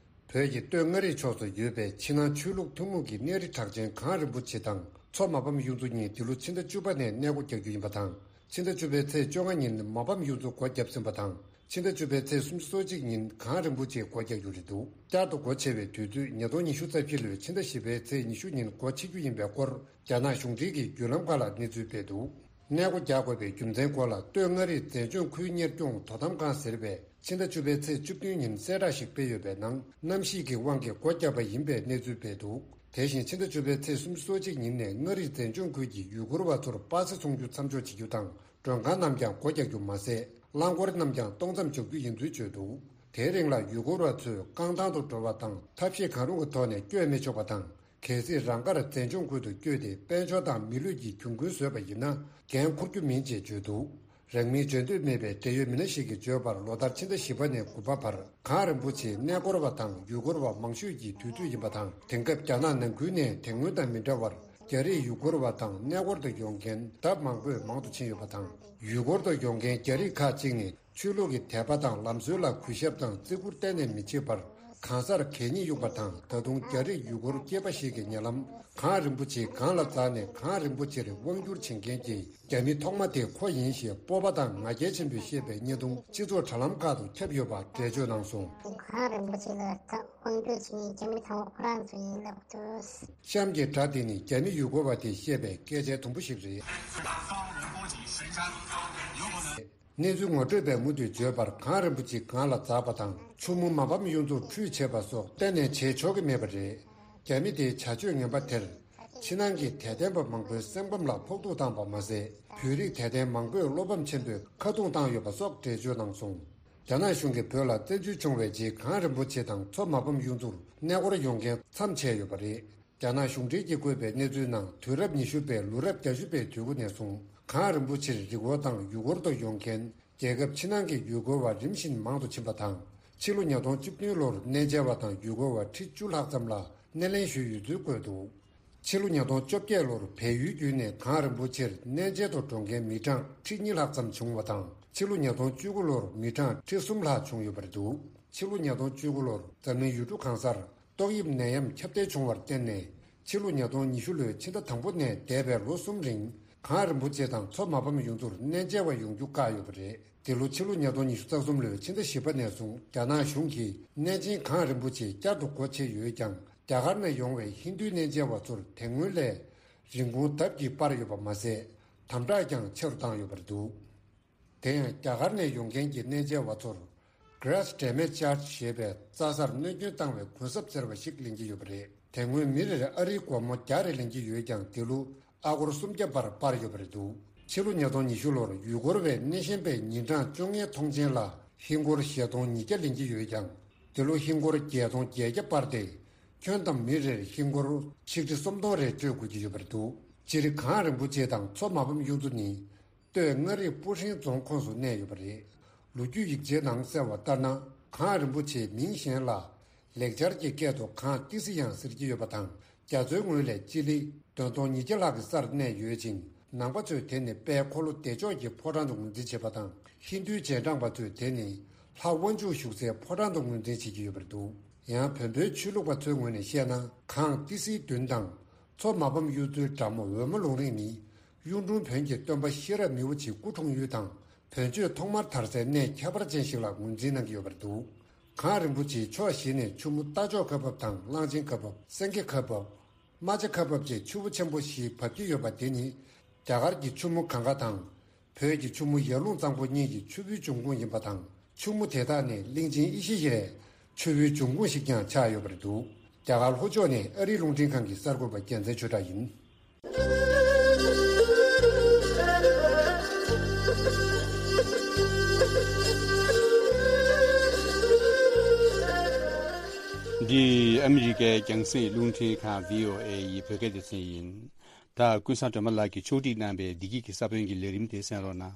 བོད་ཀྱི་སྟོད་མངའ་རིས་ཕྱོགས་སུ་ཡོད་པའི་ཕྱི་ནང་ཆོས་ལུགས་ཐུན་མོང་གི་གནས་རི་གྲགས་ཅན་གངས་རིན་པོ་ཆེ་དང་མཚོ་མ་ཕམ་གཡུ་མཚོ་གཉིས་འདི་ལོ་ཕྱི་ཟླ་བཅུ་པ་ནས་གནས་སྒོ་རྒྱག་རྒྱུ་ཡིན་པ་དང་། ཕྱི་ཟླ་བཅུ་པའི་ཚེས་བཅོ་ལྔ་ཉིན་མ་ཕམ་གཡུ་མཚོ་སྒོ་བརྒྱབ་ཟིན་པ་དང་། ཕྱི་ཟླ་བཅུ་པའི་ཚེས་སུམ་ཅུ་སོ་གཅིག་ཉིན་གངས་རིན་པོ་ཆེ་སྒོ་རྒྱག་རྒྱུ་རེད་འདུག་བསྐྱར་དུ་སྒོ་ཕྱེ་བའི་དུས་ཚོད་ཉིས་སྟོང་ཉི་ཤུ་རྩ་བཞི་ལོའི་ཕྱི་ཟླ་བཞི་པའི་ཚེས་ཉི་ཤུ་ཉིན་སྒོ་ཕྱེ་རྒྱུ་ཡིན་པའི་སྐོར་རྒྱ་ནག་གཞུང་འབྲེལ་གྱི་བརྒྱུད་ལམ་ཁག་ལ་གནས་ཚུལ་སྤེལ་འདུག་གནས་སྒོ་རྒྱག་དགོས་པའི་རྒྱུ་མཚན་སྐོར་ལ་སྟོད་མངའ་རིས་མཛེས་ལྗོངས་ཁུལ་གཉེར་སྐྱོང་དོ་དམ་ཁང་ཟེར་བས་ཕྱི་ཟླ་བཅུ་པའི་ཚེས་བཅུ་བདུན་ཉིན་གསལ་བསྒྲགས་ཤིག་སྤེལ་ཡོད་པའི་ནང་གནམ་གཤིས་ཀྱི་དབང་གིས་སྒོ་བརྒྱབ་པ་ཡིན་པའི་གནས་ཚུལ་སྤེལ་འདུག་དེ་བཞིན་ཕྱི་ཟླ་བཅུ་པའི་ཚེས་སུམ་ཅུ་སོ་གཅིག་ཉིན་ནས་མངའ་རིས་མཛེས་ལྗོངས་ཁུལ་གྱི་ཡུལ་སྐོར་བ་ཚོར་པ་སེ་འཚོང་རྒྱུ་མཚམས་འཇོག་བྱེད་རྒྱུ་དང་མགྲོན་ཁང་རྣམས་ཀྱང་སྒོ་རྒྱག་རྒྱུ་མ་ཟད་རླངས་འཁོར་རྣམས་ཀྱང་གཏོང་མཚམས་འཇོག་རྒྱུ་ཡིན་ཚུལ་བརྗོད་འདུག་དེའི་རིང་ལ་ཡུལ་སྐོར་བ་ཚོས་རྐང་ཐང་དུ་འགྲོ་བ་དང་ཐབས་ཤེས་གང་རུང་གི་ཐོག་ནས་བསྐྱོད་མི་ཆོག་པ་དང་། གལ་སྲིད་རང་དགར་མཛེས་ལྗོངས་ཁུལ་དུ་བསྐྱོད་དེ་དཔལ་འབྱོར་དང་མི་ལུས་ཀྱི་གྱོང་གུན་བཟོས་པ་ཡིན་ན་འགན་འཁུར་རྒྱུ་མིན་ཅེས་བརྗོད་འདུག་རང་མིང་བརྗོད་འདོད་མེད་པའི་འབྲེལ་ཡོད་མི་སྣ་ཞིག་གིས་བརྗོད་པར་ལོ་ལྟར་ཕྱི་ཟླ་བཞི་པ་ནས་དགུ་པ་བར་གངས་རིན་པོ་ཆེའི་གནས་སྐོར་བ་དང་ཡུལ་སྐོར་བ་མང་ཤོས་ཀྱི་དུས་ཚོད་ཡིན་པ་དང་དེང་སྐབས་རྒྱ་ནག་ནང་ཁུལ་ནས་དེ་སྔོན་དང་མི་འདྲ་བར་རྒྱ་རིགས་ཡུལ་སྐོར་བ་དང་གནས་སྐོར་དུ་ཡོང་མཁན་ལྡབ་མང་པོས་མང་དུ་ཕྱིན་ཡོད་པ་དང་ཡུལ་སྐོར་དུ་ཡོང་མཁན་རྒྱ་རིགས་ཁག་ཅིག་ནི། ཆོས་ལུགས་ཀྱི་དད་པ་དང་ལམ་སྲོལ་ལ་གུས་ཞབས་དང་བརྩི་བཀུར་གཏན་ནས་མི་བྱེད་པར་གང་སར་གད་སྙིགས་གཡུགས་པ་དང་ད་དུང་རྒྱ་རིགས་ཡུལ་སྐོར་སྐྱེས་པ་ཞིག་གི་ཉེ་ལམ་གངས་རིན་པོ་ཆེའི་སྒང་ལ་འཛེགས་ནས་གངས་རིན་པོ་ཆེར་དབང་བསྒྱུར་བྱེད་མཁན་གྱི་རྒྱ་མི་ཐོག་མ་དེ་ཁོ་ཡིན་ཞེས་སྤོབས་པ་དང་ང་རྒྱལ་ཆེན་པོས་བཤད་པའི་བརྙན་ཐུང་སྤྱི་ཚོགས་དྲ་ལམ་ཁག་ཏུ་ཁྱབ་ཡོད་པ་འགྲེལ་བརྗོད་གནང་སོང་། གངས་རིན་པོ་ཆེ་ལ་དབང་བསྒྱུར་བྱེད་མཁན་རྒྱ་མི་ཐོག་མ་ཁོ་རང་ཚོ་ཡིན་ལབ་འདུག་གཤམ་གྱི་སྒྲ་དེ་ནི་རྒྱ་མི་ཡུལ་སྐོར་བ་དེས་བཤད་པའི་སྐད་ཆའི་དུམ་བུ་ཞིག་རེད། གནས་ཚུལ་ངོ་སྤྲོད་པས་མུ་མཐུད་བརྗོད་པར་གངས་རིན་པོ་ཆེ་སྒང་ལ་འཛེགས་པ་དང་ཆུ་མོ་མ་ཕམ་གཡུ་མཚོར་ཁྲུས་བྱེད་པ་སོགས་གཏན་ནས་བྱེད་ཆོག་གི་མེད་པ་རེད། རྒྱ་མི་དེའི་བྱ་སྤྱོད་ངན་པ་དེར་ཕྱི་ནང་གི་དད་ལྡན་པ་མང་པོའི་སེམས་ཁམས་ལ་ཕོག་ཐུག་བཏང་པ་མ་ཟད་བོད་རིགས་དད་ལྡན་མང་པོས་བློ་ཕམ་ཆེན་པོས་ཁ་རྡུང་བཏང་ཡོད་པ་སོགས་འགྲེལ་བརྗོད་གནང་སོང་། རྒྱ་ནག་གཞུང་གིས་བོད་ལ་བཙན་འཛུལ་བྱུང་བའི་རྗེས་གངས་རིན་པོ་ཆེ་དང་མཚོ་མ་ཕམ་གཡུ་མཚོར་གནས་སྐོར་ཡོང་མཁན་མཚམས་ཆད་ཡོད་པ་རེད། རྒྱ་ནག་གཞུང་འབྲེལ་གྱིས་བཀོད་པའི་གནས་ཚུལ་ནང་དུས་རབས་ཉི་ཤུ་པའི་ལོ་རབས་བརྒྱད་ཅུ་པའི་དུས་འགོ་ནས་བཟུང་གངས་རིན་པོ་ཆེར་རི་སྐོར་དང་ཡུལ་སྐོར་དུ་ཡོང་མཁན་རྒྱལ་ཁབ་ཕྱི་ནང་གི་ཡུལ་སྐོར་བ་རིམ་བཞིན་མང་དུ་ཕྱིན་པ་དང་ཕྱི་ལོ་ཉིས་སྟོང་བཅུ་བདུན་ལོར་གནས་མཇལ་བ་དང་ཡུལ་སྐོར་བ་ཁྲི་བཅུ་ལྷག་ཙམ་ལ་སྣེ་ལེན་ཞུས་ཡོད་ཚུལ་བཀོད་འདུག་ཕྱི་ལོ་ཉིས་སྟོང་བཅོ་བརྒྱད་ལོར་བལ་ཡུལ་བརྒྱུད་ནས་གངས་རིན་པོ་ཆེར་གནས་མཇལ་དུ་འགྲོ་མཁན་མི་གྲངས་ཁྲི་གཉིས་ལྷག་ཙམ་བྱུང་བ་དང་ཕྱི་ལོ་ཉིས་སྟོང་བཅུ་དགུ་ལོར་མི་གྲངས་ཁྲི་གསུམ་ལྷག་བྱུང་ཡོད་པ་རེད་འདུག་ཕྱི་ལོ་ཉིས་སྟོང་བཅུ་དགུ་ལོར་འཛམ་གླིང་ཡུལ་གྲུ་གང་སར་ཏོག་དབྱིབས་ནད་ཡམས་ཁྱབ་གདལ་བྱུང་བར་བརྟེན་ནས་ཕྱི་ལོ་ཉིས་སྟོང་ཉི་ཤུ་ལོའི་ཕྱི་ཟླ་དང་པོ་ནས་འདས་པའི་ལོ་གསུམ་རིང་གངས་རིན་པོ་ཆེ་དང་མཚོ་མ་ཕམ་ཡུལ་ཚོར་གནས་མཇལ་བ་ཡོང་རྒྱུ་བཀག་ཡོད་པ་རེད། འདི་ལོ་ཕྱི་ལོ་ཉིས་སྟོང་ཉི་ཤུ་རྩ་གསུམ་ལོའི་ཕྱི་ཟླ་བཞི་པ་ནས་བཟུང་རྒྱ་ནག་གཞུང་གིས་གནས་ཆེན་གངས་རིན་པོ་ཆེ་བསྐྱར་དུ་སྒོ་ཕྱེ་ཡོད་ཀྱང་རྒྱ་གར་ནས་ཡོང་བའི་ཧིན་རྡུའི་གནས་མཇལ་བ་ཚོར་དེ་སྔོན་ལས་ འབྱིན་ཁུངས་ལྡབ་ཀྱིས་སྤར་ཡོད་པ་མ་ཟད། དམ་དྲག་ཀྱང་ཆེ་རུ་བཏང་ཡོད་པ་རེད་འདུག་དེ་ཡང་རྒྱ་གར་ནས་ཡོང་མཁན་གྱི་གནས་མཇལ་བ་ཚོར་Grass Damage Charge ཞེས་པའི་རྩྭ་སར་གནོད་སྐྱོན་བཏང་བའི་གུན་གསབ་ཟེར་བ་ཞིག་ལེན་གྱི་ཡོད་པ་རེད། དེ་སྔོན་མི་རེར་ཨ་རིའི་སྒོར་མོ་བརྒྱ་རེ་ལེན་གྱི་ཡོད་ཀྱང་། དེ་ལོ་ཨ་སྒོར་སུམ་བརྒྱ་བར་སྤར་ཡོད་པ་རེད་འདུག་ཕྱི་ལོ་ཉིས་སྟོང་ཉི་ཤུ་ལོར་ཡུལ་སྐོར་བས་སྣེ་ཤན་པའི་ཉིན་གྲངས་བཅོ་ལྔའི་ཐོངས་མཆན་ལ་ཧིན་སྒོར་བཞི་སྟོང་ཉིས་བརྒྱ་ལེན་གྱི་ཡོད་ཀྱང་། འདི་ལོ་ཧིན་སྒོར་བརྒྱད་སྟོང་བརྒྱད་བརྒྱ་སྤར་ཏེ། ཁྱོན་བསྡོམས་མི་རེར་ཧིན་སྒོར་ཆིག་ཁྲི་སུམ་སྟོང་རེ་སྤྲོད་དགོས་ཀྱི་ཡོད་པ་རེད་འདུག་སྤྱིར་གངས་རིན་པོ་ཆེ་དང་མཚོ་མ་ཕམ་གཡུ་མཚོ་ནི། སྟོད་མངའ་རིས་སྤུ་ཧྲེང་རྫོང་ཁོངས་སུ་གནས་ཡོད་པ་རེད། ལོ་རྒྱུས་ཡིག་ཆའི་ནང་གསལ་བ་ལྟར་ན། གངས་རིན་པོ་ཆེའི་མིང་གཞན་ལ། ལེགས་སྦྱར་གྱི་སྐད་དུ་གངས་ཏི་སེ་ཡང་ཟེར་གྱི་ཡོད་པ་དང་། རྒྱ་མཚོའི་ངོས་ལས་སྤྱི་ལེ་བདུན་སྟོང་ཉིས་བརྒྱ་ལྷག་གི་སར་གནས་ཡོད་ཅིང་། ནང་པ་ཚོས་དེ་ནི་དཔལ་འཁོར་ལོ་བདེ་མཆོག་གི་ཕོ་བྲང་དུ་ངོས་འཛིན་བྱེད་པ་དང་། ཧིན་རྡུའི་རྗེས་འབྲང་པ་ཚོས་དེ་ནི་ལྷ་དབང་ཕྱུག་བཞུགས་སའི་ཕོ་བྲང་དུ་ངོས་འཛིན་བྱེད་ཀྱི་ཡོད་པ་རེད་འདུག་ཡང་བོན་པོའི་ཆོས་ལུགས་པ་ཚོའི་ངོས་ནས་བཤད་ན། གངས་ཏི་སེའི་མདུན་དང་། མཚོ་མ་ཕམ་གཡུ་མཚོའི་འགྲམ་འོལ་མོ་ལུང་རིང་ནི། གཡུང་དྲུང་བོན་གྱི་སྟོན་པ་ཤེས་རབ་མི་བོ་ཆེའི་སྐུ་འཁྲུངས་ཡུལ་དང་། བོན་ཆོས་ཐོག་མར་དར་སའི་གནས་ཁྱད་པར་ཅན་ཞིག་ལ་ངོས་འཛིན་གནང་གི་ཡོད་པ་རེད་འདུག་གངས་རིན་པོ་ཆེའི་ཕྱོགས་བཞི་ནས་ཆུ་མོ་རྟ་མཆོག་ཁ་འབབ་དང་། གླང་ཆེན་ཁ་འབབ། སེང་གེ་ཁ་འབབ། རྨ་བྱ་ཁ་འབབ་བཅས་ཆུ་བོ་ཆེན་པོ་བཞི་འབབ་ཀྱི་ཡོད་པ་དེ་ནི། རྒྱ་གར་གྱི་ཆུ་མོ་གངྒཱ་དང་། བོད་ཀྱི་ཆུ་མོ་ཡར་ཀླུང་གཙང་པོ་གཉིས་ཀྱི་ཆུ་བོའི་འབྱུང་ཁུངས་ཡིན་པ་དང་། ཆུ་མོ་དེ་དག་ནི་གླིང་ཆེན་ཨེ་ཤེ་ཡའི་ཆུ་བོའི་འབྱུང་ཁུངས་ཤིག་ཀྱང་ཆགས་ཡོད་པ་རེད་འདུག་རྒྱ་གར་ལྷོ་ཕྱོགས་ནས་ཨ་རིའི་རླུང་འཕྲིན་ཁང་གི་གསར་འགོད་པ་རྒྱལ་མཚན་ཆོས་གྲགས་ཡིན། འདི་ཨ་མི་རི་ཀའི་རྒྱང་སྲིང་རླུང་འཕྲིན་ཁང་བྷི་ཨོ་ཨེ་ཡི་བོད་སྐད་སྡེ་ཚན་ཡིན། ད་ཀུན་བཟང་སྒྲོལ་མ་ལགས་ཀྱིས་ཕྱོགས་སྒྲིག་གནང་བའི་བདེ་སྐྱིད་ཀྱི་ས་བོན་གྱི་ལས་རིམ་དེ་གསན་རོགས་གནང་།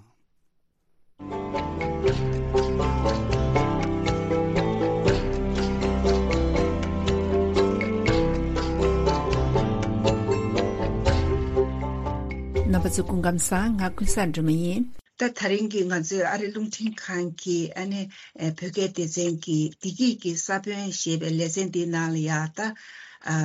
རྣམ་པ་ཚོ་སྐུ་ཁམས་བཟང་། ང་ཀུན་བཟང་སྒྲོལ་མ་ཡིན། ད་ད་རིང་གི་ང་ཚོའི་ཨ་རི་རླུང་འཕྲིན་ཁང་གི་ཨ་ནི་ཨེ་བོད་སྐད་སྡེ་ཚན་གྱི་བདེ་སྐྱིད་ཀྱི་ས་བོན་ཞེས་པའི་ལེ་ཚན་འདིའི་ནང་ལ་ཡ་ད་ཨ་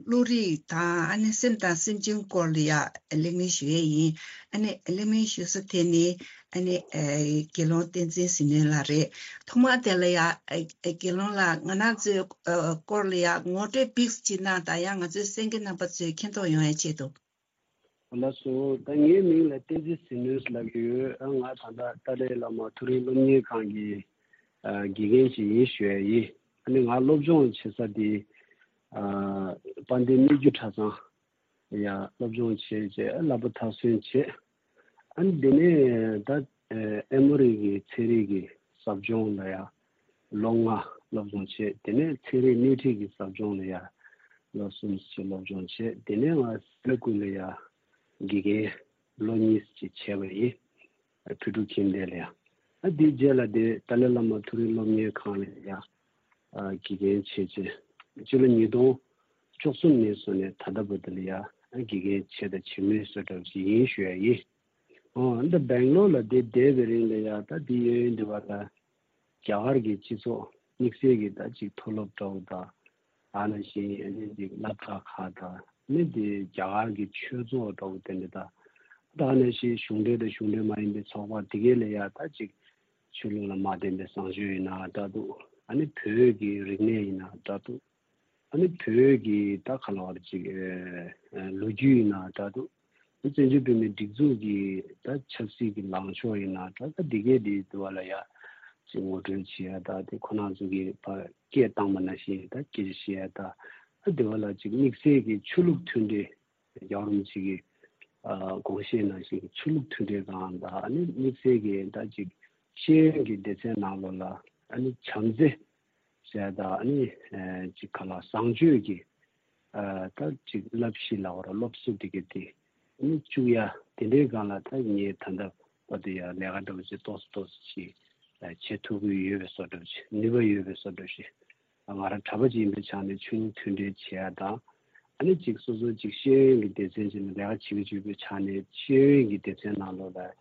བློ་རིག་དང་ཨ་ནི་སེམས་དང་སེམས་ཅན་སྐོར་ལ་ཡ་གླེང་མོལ་ཞུ་ཡས་ཡིན། ཨ་ནི་གླེང་མོལ་ཞུ་ས་དེ་ནི་ཨ་ནི་ཨེ་དགེ་སློང་བསྟན་འཛིན་ཟིལ་གནོན་ལགས་རེད། ཐོག་མར་དེ་ལ་ཡ་ཨེ་དགེ་སློང་ལགས་ང་རང་ཚོའི་ཨ་སྐོར་ལ་ཡ་ངོ་སྤྲོད་པིགས་ཅིག་གནང་དང་། ཡང་ང་ཚོའི་གསན་མཁན་རྣམ་པ་ཚོས་མཁྱེན་རྟོགས་ཡོང་ཡ་ཆེད་དུ། ལགས་སོ། ད་ངའི་མིང་ལ་བསྟན་འཛིན་ཟིལ་གནོན་ལབ་ཀྱི་ཡོད། ཨ་ང་ད་ལྟ་ཏཱ་ལའི་བླ་མ་མཐོ་རིམ་སློབ་གཉེར་ཁང་གི་ཨ་དགེ་རྒན་ཅིག་ཡིན་ཞུ་ཡ་ཡིན། ཨ་ནི་ང་སློབ་སྦྱོང་བྱེད་ས་དེ་ཨ་དཔལ་ལྡན་སྨད་རྒྱུད་གྲྭ་ཚང་ཡ་སློབ་སྦྱོང་བྱས་རྗེས་ཨ་བསླབ་པ་མཐར་སོན་བྱས། ཨ་ནི་དེ་ནས་ད་ཨེ་མོ་རི་གི་ཚན་རིག་གི་ཟབ་སྦྱོང་ལ་ཡ་ལོ་ལྔ་སློབ་སྦྱོང་བྱས། དེ་ནས་ཚན་རིག་སྣེ་ཁྲིད་ཀྱི་ཟབ་སྦྱོང་ལ་ཡ་ལོ་གསུམ་ཞིག་སློབ་སྦྱོང་བྱས། དེ་ནས་ང་སི་ལ་ཀུ་ལ་ཡ་དགེ་རྒན་ལོ་གཉིས་ཅིག་བྱས་པ་ཡིན། ཕུ་ཀྲུའུ་ཁྱིམ་སྡེ་ལ་ཡ། ཨ་དེའི་རྗེས་ལ་དེ་ཏཱ་ལའི་བླ་མ་མཐོ་རིམ་སློབ་གཉེར་ཁང་ལ་ཡ་ཨ་དགེ་རྒན་བྱས་རྗེས་སྤྱི་ལོ་ཉིས་སྟོང་བཅུ་གསུམ་ནས་བཟུང་ནས་ད་ལྟ་བར་དུ་ལ་ཡ་ཨ་དགེ་རྒན་བྱས་དང་བྱེད་མུས་སུ་འདྲ་བ་ཅིག་ཡིན་ཞུ་ཡ་ཡིན། ཨོ། འདི་སྦེང་ལོར་ལ་འདི་བསྡད་པའི་རིང་ལ་ཡ་ད་འདི་ཡོད་ཡོད་འདི་བ་ལ་རྒྱ་གར་གྱི་སྤྱི་ཚོགས་དམིགས་བསལ་གྱི་ད་ཅིག་མཐོ་སློབ་འདྲ་བོ་དང་། ཨ་ནི་ཞིག་ཨ་ནི་ཅིག་སློབ་གྲྭ་ཁག་དང་། ཨ་ནི་འདི་རྒྱ་གར་གྱི་ཆོས་ཚོགས་འདྲ་བོ་དེ་འདྲ་དང་། ད་ཨ་ནི་ཞིག་གཞུང་འབྲེལ་དང་གཞུང་འབྲེལ་མ་ཡིན་པའི་ཚོགས་པ་དེ་གའི་ལ་ཡ་ད་ཅིག་ཆོས་ལུགས་ལ་མ་བརྟེན་པའི་བཟང་སྤྱོད་ཡིན་ན་འདྲ་འདུག་ཨ་ནི་བོད་ཀྱི་རིག་གནས་ཡིན་ན་འདྲ་འདུག་ཨ་ནི་བོད་ཀྱི་ད་ག་ལ་བར་ཅིག་ཨ་ལོ་རྒྱུས་ཡིན་ན་འདྲ་འདུག་ཨ་བཙན་བྱོལ་བོད་མིའི་སྒྲིག་འཛུགས་ཀྱི་ད་ཆབ་སྲིད་ཀྱི་ལངས་ཕྱོགས་ཡིན་ན་འདྲ། ད་འདི་གའི་འདི་དུ་བ་ལ་ཡ་ཅིག་ངོ་སྤྲོད་བྱེད་ཡ་ད། དེ་ཁོ་རང་ཚོ་གི་ཕ་སྐད་བཏང་པ་ནང་བཞིན་ད་སྐད་ཆ་བཤད་ཡ་ད། ཨ་དེ་བ་ལ་ཅིག་དམིགས་བསལ་གྱི་ཆོས་ལུགས་མཐུན་འབྲེལ། རྒྱལ་བ་རིན་པོ་ཆེ་གི་ཨ་དགོངས་བཞེད་ནང་བཞིན་གྱི་ཆོས་ལུགས་མཐུན་འབྲེལ་སྒང་དང་། ཨ་ནི་དམིགས་བསལ་གྱི་ད་ཅིག་ཤེས་ཡོན་གྱི་སྡེ་ཚན་ནང་ལོགས་ལ་ཨ་ནི་བྱམས་བརྩེ་ཟེར་ཡ་དང་། ཨ་ནི་ཨ་ཅིག་ག་ལ་བཟང་སྤྱོད་ཀྱི་ཨ་ད་ཅིག་བསླབ་གཞི་ལ་བར་སློབ་གསོ་དེ་ག་དེ་ཨ་ནི་བཅུག་ཡ་དེ་འདྲའི་སྒང་ལ་ད་ངས་ད་ལྟ་བར་དུ་ཡ་ལས་ཀ་འདྲ་བོ་ཅིག་ཏོག་ཙམ་ཏོག་ཙམ་ཅིག་བྱེད་ཐུབ་ཀྱི་ཡོད་པའི་བཟོ་འདྲ་བོ་ཅིག་ནུས་པ་ཡོད་པའི་བཟོ་འདྲ་བོ་ཞིག་ང་རང་གྲྭ་པ་ཅིག་ཡིན་པའི་ཆ་ནས་ཆོས་ལུགས་མཐུན་འབྲེལ་བྱེད་ཡ་དང་། ཨ་ནི་ཅིག་སོ་སོ་ཅིག་ཤེས་ཡོན་གྱི་སྡེ་ཚན་ཅིག་ནང་ལས་ཀ་བྱེད་ཀྱི་ཡོད་པའི་ཆ་ནས་ཤེས་ཡོན་གྱི་སྡེ་ཚན་ནང་ལོགས་ལ་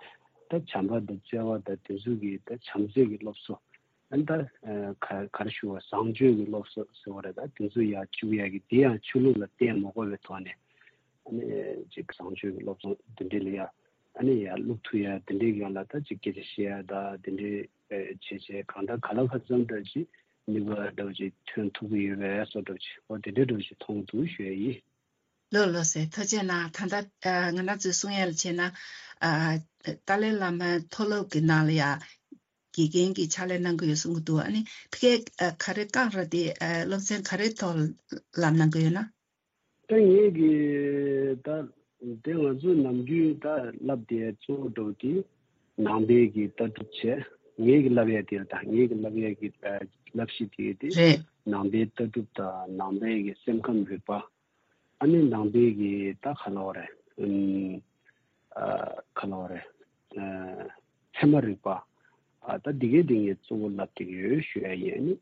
ད་བྱམས་པ་དང་བརྩེ་བ་དང་དེ་ཚོ་གི་ད་བྱམས་བརྩེ་གི་སློབ་གསོ། ཨ་ནི་ད་ག་ག་རེ་ཞུ་བ། བཟང་སྤྱོད་ཀྱི་སློབ་གསོ་ཟེར་བ་རེད། ད་དེ་ཚོ་ཡར་བཅུག་ཡ་གི་དེ་ཡང་ཆོས་ལུགས་ལ་བརྟེན་མ་དགོས་པའི་ཐོག་ནས་ཨ་ནི་ཅིག་བཟང་སྤྱོད་ཀྱི་སློབ་གསོ་འདི་འདྲ་ལ་ཡ་ཨ་ནི་ཡར་བླུག་ཐུབ་ཡ་དེ་འདྲའི་སྒང་ལ་ད་ཅིག་སྐད་ཆ་བཤད་ཡ་ད་དེ་འདྲའི་བྱས་བྱས་གང་ལྟར་ག་ལ་ག་ཙམ་འདྲ་ཅིག་ནུས་པ་འདྲ་བོ་ཅིག་ཐོན་ཐུབ་ཀྱི་ཡོད་པའི་བཟོ་འདྲ་བོ་ཅིག་འོ་དེ་འདྲའི་འདྲ་བོ་ཅིག་མཐོང་འདུག་ཞུ་ཡ་ཡིན། ལགས་ལགས་སེ། ཐུགས་རྗེ་གནང་། ད་ལྟ་ཨ་ང་རང་ཚོའི་གསུང་ཡ་ལ་བྱས་ན་ཨ་ཏཱ་ལའི་བླ་མའི་མཐོ་སློབ་ཀྱི་ནང་ལ་ཡ་དགེ་རྒན་གྱི་ཕྱག་ལས་གནང་གི་ཡོད་གསུང་གི་འདུག་ཨ་ནི་ཕ་གིར་ཨ་ག་རེ་བསྐྱངས་ར་དེ་ཨ་སློབ་ཚན་ག་རེའི་ཐོག་ལ་ལམ་གནང་གི་ཡོད་ན། ད་ངེད་ཀྱི་ད་དེ་ང་ཚོ་ནམ་རྒྱུན་ད་བསླབ་དེ་གཙོ་བོ་འགྲོ་དེ་ནང་པའི་གི་ལྟ་གྲུབ་བྱས། ངེད་ཀྱི་བསླབ་ཡ་དེ་ད་ངེད་ཀྱི་བསླབ་ཡ་གི་ཨ་བསླབ་གཞི་དེ་དེ་རེད། ནང་པའི་ལྟ་གྲུབ་དང་ནང་པའི་གི་སེམས་ཁམས་རིག་པ། ཨ་ནི་ནང་པའི་གི་ད་ག་ལབ་དགོས་རེད། ཨུམ། ཨ་ག་ལབ་དགོས་རེད། ཨ་ཚད་མ་རིག་པ། ཨ་ད་འདི་གའི་འདི་ངས་གཙོ་བོ་ལབ་ཀྱི་ཡོད་ཞུ་ཡ་ཡིན། ཨ་ནི་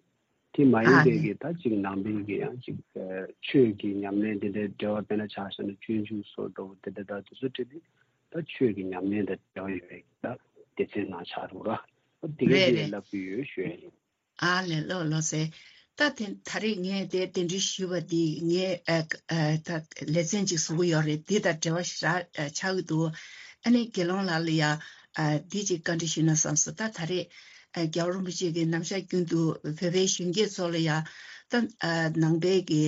དེ་མ་ཡིན་ཨ་པའི་ནི་གི་ད་ཅིག་ནང་པའི་གི་ཡང་ཅིག་ཨ་ཆོས་ཀྱི་ཉམས་ལེན་འདི་འདྲའི་འབྲེལ་བ། དཔེར་ན་ཆ་བཞག་ན་སྤྱོད་འཇུག་སོགས་འགྲོ་བ་འདི་འདྲ་ད་དེ་ཚོ་འབྲེལ་ཏེ་ད་ཆོས་ཀྱི་ཉམས་ལེན་དང་འབྲེལ་བ་ཡོད་པའི་གི་ད་སྡེ་ཚན་ནང་ཆགས་འདུག་ར། ཨ་འདི་གའི་རེད་འདི་རེད། ལབ་ཀྱི་ཡོད་ཞུ་ཡ་ཡིན། ཨ་ལས། ལགས་ལགས་སེ། ད་དེ་ད་རེས་ངས་དེ་གདན་འདྲེན་ཞུས་པ་འདི་ངས་ཨ་ཨ་ད་ལེ་ཚན་ཅིག་བཟོ་གི་ཡོད་རེད། འདི་དང་འབྲེལ་བ་ཞེ་དྲག་ཨ་ཆགས་ཀྱི་འདུག་ཨ་ནི་དགེ་སློང་ལགས་ལ་ཡ་ཨ་འདི་ཅིག་བཀའ་འདྲི་ཞུས་ན་བསམ་སོང་། ད་ད་རེས་ཨ་རྒྱལ་བ་རིན་པོ་ཆེ་གིས་ནམ་ཞག་རྒྱུན་དུ་བོད་པའི་གཞོན་སྐྱེས་ཚོ་ལ་ཡ་ད་ཨ་ནང་པའི་གི་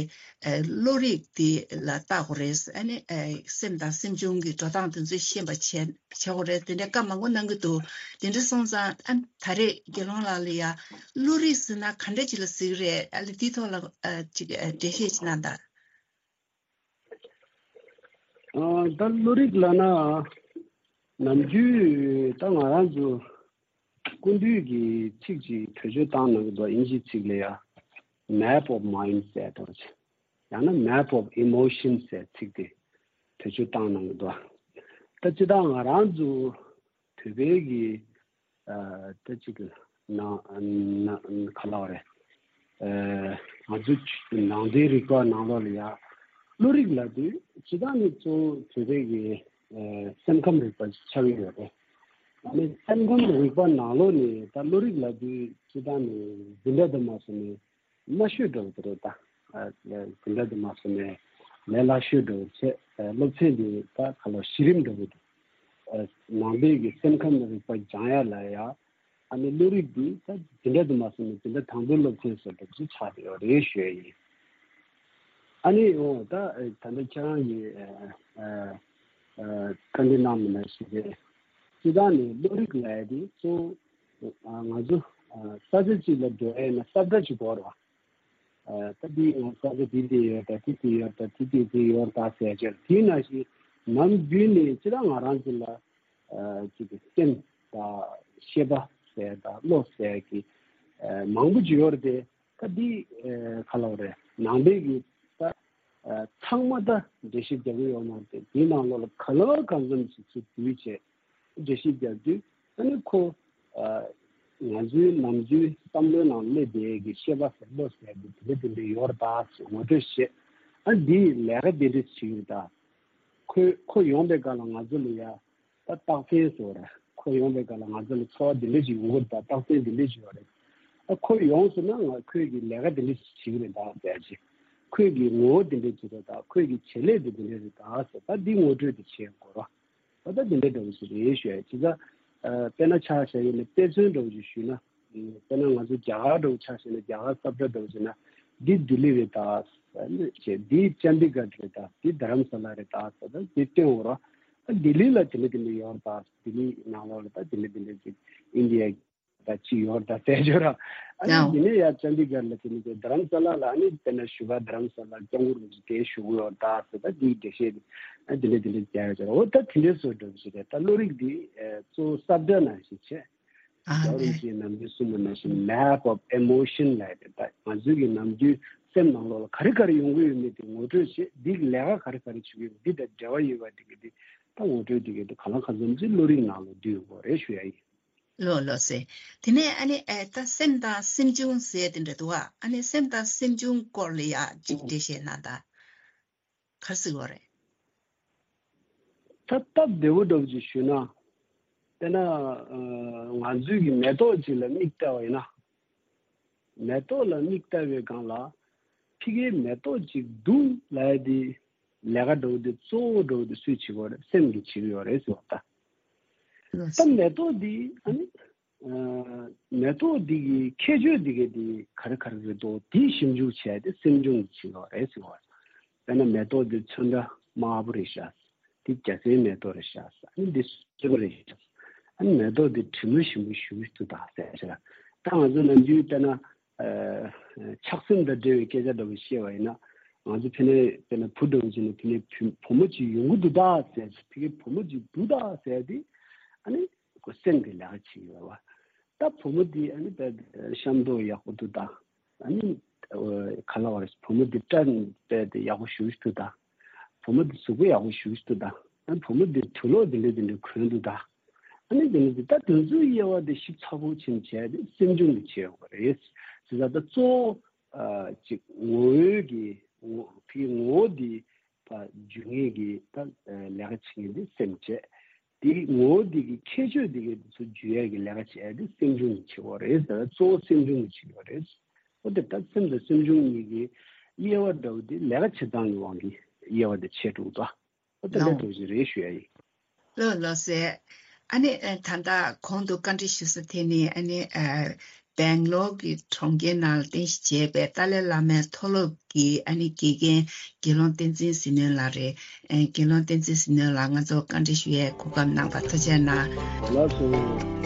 ཨ་བློ་རིག་འདི་ལ་བལྟ་དགོས་རེད། ཨ་ནི་ཨ་སེམས་དང་སེམས་བྱུང་གི་འགྲོ་སྟངས་དེ་ཚོ་ཤེས་པ་བྱས། བྱེད་དགོས་རེད། དེ་འདྲའི་བཀའ་མང་པོ་གནང་གི་འདུག་དེ་འདྲ་སོང་ཙང་ཨ་ད་རེས་དགེ་སློང་ལགས་ལ་ཡ་བློ་རིག་ཟེར་ན་ག་འདྲ་ཅིག་ལ་ཟེར་གི་རེད། ཨ་ལས་དེའི་ཐོག་ལ་ཨ་ཅིག་ཨ་འགྲེལ་བཤད་ཅིག་གནང་དང་། ཨ་ད་བློ་རིག་ལབ་ན་ནམ་རྒྱུན་ད་ང་རང་ཚོ་སྐུ་མདུན་གྱིས་ཚིག་ཅིག་བེད་སྤྱོད་བཏང་གནང་གི་འདུག་དབྱིན་ཇིའི་ཚིག་ལ་ཡ་Map of Mind ཟེར་འདུག་ཡང་ན་Map of Emotion ཟེར་ཚིག་དེ་བེད་སྤྱོད་བཏང་གནང་གི་འདུག་ད་སྤྱིར་བཏང་ང་རང་ཚོ་བོད་པའི་གི་ཨ་ད་ཅིག་ན་ན་ག་ལབ་དགོས་རེད། ཨ་ང་ཚོ་ནང་པའི་རིག་པ་ནང་ལོགས་ལ་ཡ་བློ་རིག་ལབ་དུས་སྤྱིར་བཏང་ནི་གཙོ་བོ་བོད་པའི་གི་ཨ་སེམས་ཁམས་རིག་པ་ཆགས་ཀྱི་ཡོད་རེད། ཨ་ནི་སེམས་ཁམས་རིག་པ་ནང་ལོགས་ནས་ད་བློ་རིག་ལབ་དུས་སྤྱིར་བཏང་ནི་འཛིན་གྲྭ་དུ་མ་སོང་ནས་དམའ་ཤོས་འདྲ་བོ་དེ་རེད་ད། ཨ་འཛིན་གྲྭ་དུ་མ་སོང་ནས་ལས་སླ་ཤོས་འདྲ་བོ་བྱས། ཨ་སློབ་ཚན་དེ་ད་ག་ལོ་གཞི་རིམ་འདྲ་བོ་འདུག་ཨ་ནང་པའི་གི་སེམས་ཁམས་རིག་པ་སྦྱང་ཡ་ལ་ཡ། ཨ་ནི་བློ་རིག་འདི་ད་འཛིན་གྲྭ་དུ་མ་སོང་ནས་འཛིན་གྲྭ་དང་པོའི་སློབ་ཚན་སོགས་འདྲ་བོ་ཅིག་ཆགས་བསྡད་ཡོད་རེད་ཞུ་ཡ་ཡིན། ཨ་ནི་འོ་ད་ད་ལྟ་ཁྱེད་རང་གིས་ཨ་ཨ་ཨ་བཀའ་འདྲི་གནང་མི་ནང་བཞིན་རེད། སྤྱིར་བཏང་ནས་བློ་རིག་ལབ་ཡ་དེ་གཙོ་བོ་ཨ་ང་ཚོ་ཨ་ས་ཆ་གཅིག་ལ་འགྲོ་ཡ་ཡིན་ན་ས་བཀྲ་གཅིག་དགོས་རེད་བ། ཨ་ད་འདི་ང་ས་ཆ་འདི་འདི་ཡོད་ད། འདི་འདི་ཡོད་ད། འདི་འདི་འདི་ཡོད་ད་ཟེར་ཡ་ཅིག་དེའི་ནང་བཞིན་ནམ་རྒྱུན་ནས་སྤྱིར་བཏང་ང་རང་ཚོ་ལ་ཨ་ཅིག་གི་སེམས་དང་ཤེས་པ་ཟེར་དང་བློ་ཟེར་གྱི་ཨ་མང་པོ་ཅིག་ཡོད་རེད་དེ། ད་འདི་ཨ་ག་ལབ་དགོས་རེད། ནང་པའི་གི་ད་ཨ་ཚང་མ་ད་འགྲེལ་བཤད་རྒྱག་གི་ཡོད་མ་རེད་དེ། འདིའི་ནང་ལོགས་ལ་ག་ལ་གང་འཚམ་ཞིག་ཚུར་བསྡུས་བྱས་འགྲེལ་བཤད་རྒྱག་དུས་ཨ་ནི་ཁོ་ཨ་ང་ཚོའི་ནམ་རྒྱུན་བསམ་བློའི་ནང་སླེབས་པའི་གི་ཤེས་པ་ཟེར་བློ་ཟེར་དེ་དེ་འདྲ་དེ་འདྲ་ཡོད་རེད་ད་ཟེར་ངོ་སྤྲོད་བྱས། ཨ་འདིས་ལས་ཀ་དེ་འདྲ་བྱེད་ཀྱི་རེད་ད། ཁོས་ཁོ་ཡོང་པའི་སྐབས་ལ་ང་ཚོ་ལ་ཡ་ད་རྟགས་མཚན་བཟོ་ར། ཁོ་ཡོང་པའི་སྐབས་ལ་ང་ཚོ་ལ་ཚོར་བ་འདི་འདྲ་ཞིག་ཡོང་གི་རེད་ད། རྟགས་མཚན་འདི་འདྲ་ཞིག་ཡོད་རེད། ཨ་ཁོ་ཡོང་སོང་ན་ང་ཁོས་ཀྱི་ལས་ཀ་འདི་འདྲ་ཞིག་བྱེད་ཀྱི་རེད་ད་ཟེར་ཅིག་ཁོས་ཀྱི་ངོ་བོ་འདི་འདྲ་ཞིག་རེད་ད། ཁོས་ཀྱི་བྱེད་ལས་འདི་འདི་འདྲ་རེད་ད་ཟེར། ད་འདི་ངོ་སྤྲོད་འདི་བྱེད་དགོས་ར། ད་ལྟ་འདི་འདྲ་འདྲ་བོ་ཞིག་རེད་ཞུ་ཡ། བྱས་ཙང་ཨ་དཔེར་ན་ཆ་བཞག་ཡིན་ན་དཔེ་མཚོན་འདྲ་བོ་ཞིག་ཞུས་ན། ཨ་དཔེར་ན་ང་ཚོ་རྒྱ་གར་འདྲ་བོ་ཆ་བཞག་ན། རྒྱ་གར་ས་བཀྲ་འདྲ་བོ་བྱས་ན། འདི་ལྡི་ལི་རེད་ད་ཟེར་ནས་བྱས། འདི་ཅན་ཌི་གྷར་རེད་ད། འདི་རྡ་རམ་ས་ལ་རེད་ད་ཟེར། ད་འདི་སྟོན་འོ་ར། ཨ་ལྡི་ལི་ལ་དེ་འདྲ་དེ་འདྲ་ཡོད་རེད་ད། ལྡི་ལི་ནང་ལོགས་ལ་ད་དེ་འདྲ་དེ་འདྲ་ཅིག་ཨིན་ཌི་ཡ་ད་ཅིག་ཡོད་རེད་ད་ཟེར་ཆོག་ར། ཨ་ནི་ཡང་འདི་ནས་ཡ་ཅན་ཌི་གྷར་ལ་དེ་ནས་དེ་རྡ་རམ་ས་ལ་ལ་ཨ་ནི་དཔེར་ན་བཞུགས་སྒར་རྡ་རམ་ས་ལ་སྐྱབས་མགོན་རིན་པོ་ཆེ་དེ་བཞུགས་ཡོད་རེད་ད་ཟེར། ད་འདིའི་འགྲེལ་བཤད་དེ་ཨ་འདི་འདྲ་འདི་འདྲ་རྒྱག་ཡོད་ཅོག་འོ་ད་དེ་འདྲའི་བཟོ་འདྲ་བོ་ཞིག་རེད། ད་བློ་རིག་འདི་ཨ་གཙོ་བོ་ས་བཀྲ་ནང་བཞིན་བྱས། ཨ་རྒྱལ་བ་རིན་པོ་ཆེ་ནམ་རྒྱུན་གསུངས་པ་ནང་བཞིན་Map of Emotion ལབ་ཡ་རེད། ད་ང་ཚོའི་གི་ནམ་རྒྱུན་སེམས་ནང་ལོགས་ལ་ག་རེ་ག་རེ་ཡོང་གི་ཡོད་མེད་དེ་ངོ་སྤྲོད་བྱེད། འདི་གི་ལས་ཀ་ག་རེ་ག་རེ་བྱེད་ཀྱི་ཡོད་མེད་འདི་དང་འབྲེལ་བ་ཡོད་པ་འདི་གི་འདི་ད་ངོ་སྤྲོད་འདི་གི་འདི་གང་ལ་གང་འཚམ་ཅིག་བློ་རིག་ནང་ལ་འདུས་ཡོད་དགོས་རེད་ཞུ་ཡ་ཡིན། ལགས་ལགས་སེ། དེ་ནས་ཨ་ནི་ཨེ་ད་སེམས་དང་སེམས་བྱུང་ཟེར་དེ་འདྲ་འདུག་ཨ། ཨ་ནི་སེམས་དང་སེམས་བྱུང་སྐོར་ལ་ཡ་ཅིག་འགྲེལ་བཤད་གནང་དང་། ག་རེ་ཟེར་དགོས་རེད། ད་སྟབས་བདེ་བོ་འདྲ་བོ་ཅིག་ཞུས་ན། དཔེར་ན་ཨ་ང་ཚོའི་གི་མེ་ཏོག་ཅིག་ལ་མིག་བལྟས་པ་ཡིན་ན། མེ་ཏོག་ལ་མིག་བལྟས་པའི་སྒང་ལ་ཕ་གིའི་མེ་ཏོག་ཅིག་འདུག་ལབ་ཡ་དེ་ལས་ཀ་འདྲ་བོ་དེ་གཙོ་བོ་འདྲ་བོ་དེ་སུས་བྱེད་ཀྱི་ཡོད་རེད། སེམས་ཀྱིས་བྱེད་ཀྱི་ཡོད་རེད་ཟེར་བ་ད། ད་མེ་ཏོག་འདི་ཨ་ནི་ཨ་མེ་ཏོག་འདི་གི་ཁྱད་ཆོས་འདི་ག་འདི་ག་རེ་ག་རེ་རེད་འདུག་འདི་ཞིབ་འཇུག་བྱས་ཏེ་སེམས་བྱུང་གིས་བྱེད་ཀྱི་ཡོད་རེད་ཟེར་བ། དཔེར་ན་མེ་ཏོག་འདི་ཚོན་ཁྲ་དམར་པོ་རེད་ཤག་འདི་རྒྱ་སེར་མེ་ཏོག་རེད་ཤག་ཨ་ནི་འདི་སེར་པོ་རེད་ཤག་ཨ་ནི་མེ་ཏོག་འདི་དྲི་མ་ཞིམ་པོ་ཞེ་པོ་ཅིག་འདུག་ད་ཟེར་ཤག་ད་ང་ཚོ་ནམ་རྒྱུན་དཔེར་ན་ཆགས་སེམས་དང་འབྲེལ་བའི་སྐད་ཆ་འདྲ་པོ་བཤད་པ་ཡིན་ན། ང་ཚོ་ཕ་གིར་དཔེར་ན་བུ་འདྲ་པོ་ཅིག་ནས་ཕ་གིར་བུ་བུ་མོ་ཅིག་ཡོང་གི་འདུག་ད་ཟེར། ཕ་གིར་བུ་མོ་ཅིག་འདུག་ད་ཟེར་དེ་ཨ་ནི་ཁོ་སེམས་ཀྱི་ལས་ཀ་བྱེད་ཀྱི་ཡོད་པ། ད་བུ་མོ་འདི་ཨ་ནི་དཔེ་ཤ་མདོག་ཡག་པོ་འདུག་ད། ཨ་ནི་ག་ལབ་དགོས་རེད། བུ་མོ་འདི་སྐྲ་དཔེ་དེ་ཡག་པོ་ཞེ་པོ་ཅིག་འདུག་ད། བུ་མོ་འདི་གཟུགས་པོ་ཡག་པོ་ཞེ་པོ་ཅིག་འདུག་ད། ཨ་ནི་བུ་མོ་འདི་དུག་ལོག་འདི་འདྲ་འདི་འདྲ་གོན་འདུག་ད། ཨ་ནི་འདི་ནི་འདི་ལྟ་དུས་ཚོད་དབྱེ་བ་འདི་ཞིབ་ཚགས་པོ་ཕྱིན་བྱས་ཏེ་སེམས་ཆུང་གི་བྱེད་དགོས་རེད། བྱས་ཙང་ད་གཙོ་བོ་ཨ་ཅིག་ངོ་བོའི་གི་ངོ་ཕའི་ངོ་བོ་འདི་ད་འཇུ་མཁན་གི་ད་ལས་ཀ་བྱེད་མཁན་འདི་སེམས་བྱས། འདི་ངོ་བོ་འདི་གི་ཁྱད་ཆོས་འདི་གི་འདི་ཚོ་འཇུ་ཡས་གི་ལས་ཀ་བྱས་ཏེ་སེམས་ཆུང་གི་བྱེད་དགོས་རེད་ཟེར། གཙོ་བོ་སེམས་ཆུང་གི་བྱེད་དགོས་རེད། འོ་དེ་ད་སེམས་དང་སེམས་ཆུང་གཉིས་ཀྱི་དབྱེ་བ་འདྲ་བོ་འདི་ལས་ཀ་བྱེད་སྟངས་ཀྱི་དབང་གིས་དབྱེ་བ་འདི་ཕྱེ་འགྲོ་གི་འདུག་འོ་དེ་འདྲ་ལོ། འདྲ་བོ་ཞིག་རེད་ཞུ་ཡ་ཡིན། ལགས་ལགས་སེ། ཨ་ནི་ཨ་ད་ལྟ་གོང་དུ་བཀའ་འདྲི་ཞུས་སོ་དེ་ནི་ཨ་ནི་ཨ་སྦེང་ལོར་གྱི་གྲོང་ཁྱེར་ནང་ལ་རྟེན་གཞི་བྱས་པའི་ཏཱ་ལའི་བླ་མའི་མཐོ་སློབ་ཀྱི་ཨ་ནི་དགེ་རྒན་དགེ་སློང་བསྟན་འཛིན་ཟི་ནོན་ལགས་རེད། ཨ་དགེ་སློང་བསྟན་འཛིན་ཟི་ནོན་ལགས་ང་ཚོ་བཀའ་འདྲི་ཞུ་ཡའི་གོ་སྐབས་གནང་བར་ཐུགས་རྗེ་གནང་། ལགས་སོ།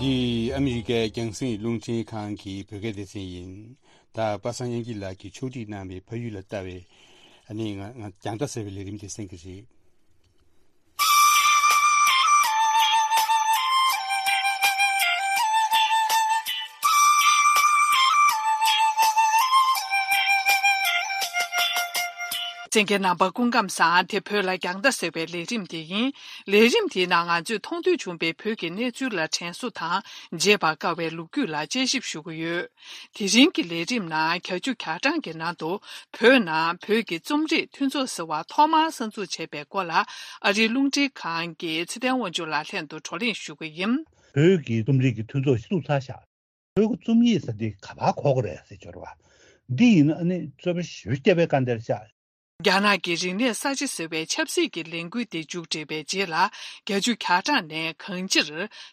འདི་ཨ་མི་རི་ཀའི་རྒྱང་སྲིང་རླུང་འཕྲིན་ཁང་གི་བོད་སྐད་སྡེ་ཚན་ཡིན། ད་པ་སངས་དབྱངས་སྐྱིད་ལགས་ཀྱིས་ཕྱོགས་སྒྲིག་གནང་བའི་ཕ་ཡུལ་ལ་ལྟ་བའི་ཨ་ནི་ང་ང་རྒྱང་བསྒྲགས་ཟེར་བའི་ལས་རིམ་དེ་གསན་གྱི་རེད། གསན་མཁན་རྣམ་པ་སྐུ་ཁམས་བཟང་། དེ་བོད་ལ་རྒྱང་ལྟ་ཟེར་བའི་ལས་རིམ་དེ་ཡིན། ལས་རིམ་དེའི་ནང་ང་ཚོས་མཐོང་ཐོས་བྱུང་བའི་བོད་ཀྱི་གནས་ཚུལ་ལ་དྲན་གསོ་དང་བརྗེད་པར་དཀའ་བའི་ལོ་རྒྱུས་ལ་དཔྱད་ཞིབ་ཞུ་གི་ཡོད། དེ་རིང་གི་ལས་རིམ་ནང་བརྒྱད་ཅུ་གྱ་གྲངས་ཀྱི་ནང་དུ་བོད་ནང་བོད་ཀྱི་རྩོམ་རིག་མཐུན་ཚོགས་ཟེར་བ་ཐོག་མར་གསར་འཛུགས་བྱས་པའི་སྐོར་ལ་ཨ་རིའི་རླུང་འཕྲིན་ཁང་གི་ཚེ་བརྟན་དབང་ཕྱུག་ལགས་ལྷན་དུ་བགྲོ་གླེང་ཞུ་གི་ཡིན། བོད་ཀྱི་རྩོམ་རིག་གི་མཐུན་ཚོགས་ཤིག་བཙུགས་ཚར་ཤག་བོད་ཀྱི་རྩོམ་ཡིག་ཟེར་འདི་ག་པར་གོ་དགོས་རེད་ཟེར་སྦྱོར་བ། འདི་ཡིན་ན་ཨ་ནི་རྩོད་པ་ཞེ་པོ་སྐྱེ་བའི་དཀའ་འདེར་ཤག་རྒྱ་ནག་གི་རིག་གནས་གསར་བརྗེ་ཟེར་བའི་ཆབ་སྲིད་ཀྱི་ལས་འགུལ་དེ་མཇུག་སྒྲིལ་བའི་རྗེས་ལ། བརྒྱད་ཅུ་གྱ་གྲངས་ནས་གང་ཅིར་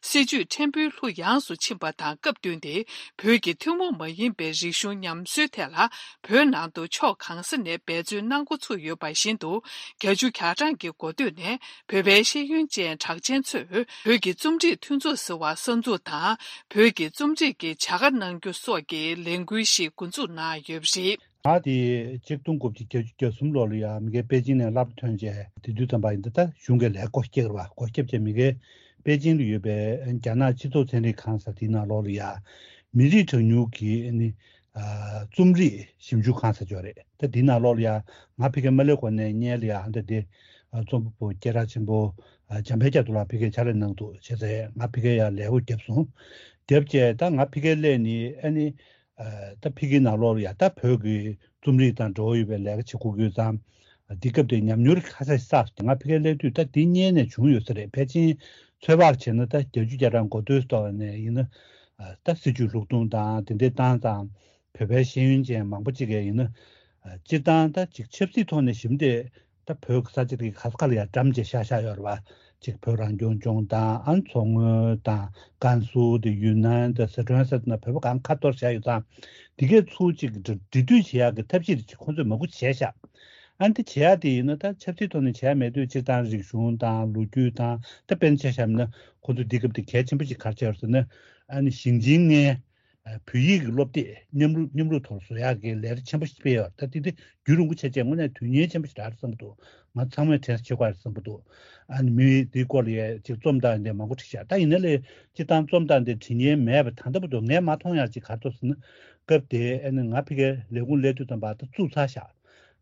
སྲིད་བྱུས་ཕྲན་བུའི་ལྷུ་ཡངས་སུ་ཕྱིན་པ་དང་སྐབས་བསྟུན་ཏེ། བོད་ཀྱི་ཐུན་མོང་མ་ཡིན་པའི་རིག་གཞུང་ཉམས་གསོའི་ཐད་ལ་བོད་ནང་དུ་ཕྱོགས་གང་ས་ནས་འབད་བརྩོན་གནང་འགོ་ཚུགས་ཡོད་པ་བཞིན་དུ། བརྒྱད་ཅུ་གྱ་གྲངས་ཀྱི་འགོ་སྟོད་ནས་བོད་པའི་ཤེས་ཡོན་ཅན་གྲགས་ཅན་ཚོས་བོད་ཀྱི་རྩོམ་རིག་མཐུན་ཚོགས་ཟེར་བ་གསར་འཛུགས་དང་། བོད་ཀྱི་རྩོམ་རིག་གི་བྱ་དགའ་གནང་རྒྱུ་སོགས་ཀྱི་ལས་འགུལ་ཞིག་འགོ་འཛུགས་གནང་ཡོད་པ་རེད། ང་དེ་ཆིག་སྟོང་དགུ་བརྒྱ་བརྒྱད་ཅུ་གྱ་གསུམ་ལོ་ལ་ཡ་མི་སྒེར་པེ་ཅིང་ནས་སློབ་གྲྭ་ཐོན་རྗེས་དེ་དུས་ཙམ་པ་ཡིན་ད་ལྟ་གཞུང་གི་ལས་སྒོ་བརྒྱབ་པ་སྒོ་བརྒྱབ་རྗེས་མི་སྒེར་པེ་ཅིང་དུ་ཡོད་པའི་རྒྱ་ནག་སྤྱི་ཚོགས་ཚན་རིག་ཁང་ཟེར་དེའི་ནང་ལོགས་ལ་ཡ་མི་རིགས་གྲངས་ཉུང་གི་ནི་རྩོམ་རིག་ཞིབ་འཇུག་ཁང་ཟེར་ཅིག་ཡོད་རེད། ད་དེའི་ནང་ལོགས་ལ་ཡ་ང་ཕ་གིར་མ་སླེབས་གོང་ནས་སྔོན་ལ་ཡ་ཧ་འདྲ་དེ་རྩོམ་པ་པོ་སྐད་གྲགས་ཆེན་པོ་འཇམ་དཔལ་རྒྱ་མཚོ་ལགས་ཕ་གིར་ཕྱག་ལས་གནང་འདུག་བྱས་ཙང་ང་ཕ་གིར་ཡ་ལས་སྒོ་བརྒྱབ་སོང་། བརྒྱབ་རྗེས་ད་ང་ཕ་གིར་སླེབས་ནས་ཨ་ནི། ད་ཕ་གིའི་ནང་ལོགས་ལ་ཡ་ད་བོད་ཀྱི་རྩོམ་རིག་དང་འབྲེལ་བ་ཡོད་པའི་ལས་ཀ་བྱེད་དགོས་ཀྱི་ཡོད་ཙང་། འདི་སྐབས་དེ་ཉམས་མྱོང་ཁ་ཤས་བསགས་སོང་། ང་ཕ་གིར་སླེབས་དུས་ད་འདི་སྔོན་ནས་བྱུང་ཡོད་ས་རེད། ཕལ་ཆེར་ཚོད་དཔག་བྱས་ན་ད་བརྒྱད་ཅུ་གྱ་གྲངས་འགོ་སྟོད་ཐོག་ནས་ཡིན་ན། ད་སྲིད་བྱུས་ལྷུག་གཏོང་དང་དེ་འདྲའི་བཏང་ཙང་། བོད་པའི་ཤེས་ཡོན་ཅན་མང་པོ་ཅིག་གིས་ཡིན་ན། སྤྱིར་བཏང་ད་ཅིག་ཆབ་སྲིད་ཐོག་ནས་ཞིབ་འདེད་ད་བོད་ཀྱི་ས་ཆ་དེ་ག་ས་ག་ལ་ཡ་འགྲམ་ཅིག་ཤར་ཤར་ཡོད་རེད་པ། ཅིག་བོད་རང་སྐྱོང་ལྗོངས་དང་ཨ་མཚོ་སྔོན་དང་ཀན་སུའུ་དེ་ཡུན་ནན་དང་སི་ཁྲོན་ས་དེ་ན་བོད་པ་གང་ཁ་གཏོར་བཞག་ཡོད་ཙང་། དེ་གའི་ཚུར་ཅིག་འབྲེལ་འབྲེལ་མཐུད་བྱེད་ཡག་གི་ཐབས་ཤེས་དེ་ཅིག་ཁོང་ཚོས་མང་པོ་བྱས་ཤག་ཨ་འདི་བྱེད་ཡག་དེ་ཡིན་ན་ད་ཆབ་སྲིད་ཐོག་ནས་བྱས་མེད་དུས་སྤྱིར་བཏང་རིག་གཞུང་དང་ལོ་རྒྱུས་དང་ད་དཔེར་ན་ཆ་བཞག་ན་ཁོང་ཚོ་འདི་སྐབས་དེ་གལ་ཆེན་པོ་ཅིག་ག་རེ་ཆགས་ཡོད་ཟེར་ན། ཨ་ནི་ཞིང་ཆེན་ལྔའི་བོད་ཡིག་གི་སློབ་དེབ་མཉམ་རུབ་མཉམ་རུབ་ཐོག་བཟོ་ཡག་གི་ལས་རིམ་ཆེན་པོ་ཞིག་སྤེལ་ཡོད་རེད། ད་དེ་དེ་རྒྱུན་རིང་པོ་བྱས་རྗེས་དངོས་གནས་དོན་གཉེར་ཆེན་པོ་ཞིག་རག་རེད་བསམ་གྱི་འདུག་ང་ཚང་མས་དྲན་གསོ་བྱེད་དགོས་རེད་བསམ་གྱི་འདུག་ཨ་ནི་མི་དེའི་སྐོར་ལ་ཡ་ཅིག་རྩོམ་སྟངས་དེ་མང་པོ་བྲིས་ཤག་ད་ཡིན་ན་ལས་སྤྱིར་བཏང་རྩོམ་སྟངས་དེ་བྲིས་མཁན་མེད་པ་ད་ལྟ་བར་དུ་ངས་མ་མཐོང་ཡག་ཅིག་ག་རེ་འདུག་ཟེར་ན། སྐབས་དེ་ཨ་ནི་ང་ཕ་གིར་ལས་ཁུངས་སླེབས་དུས་ཙམ་པ་ད་བཙུགས་ཚར་ཤག་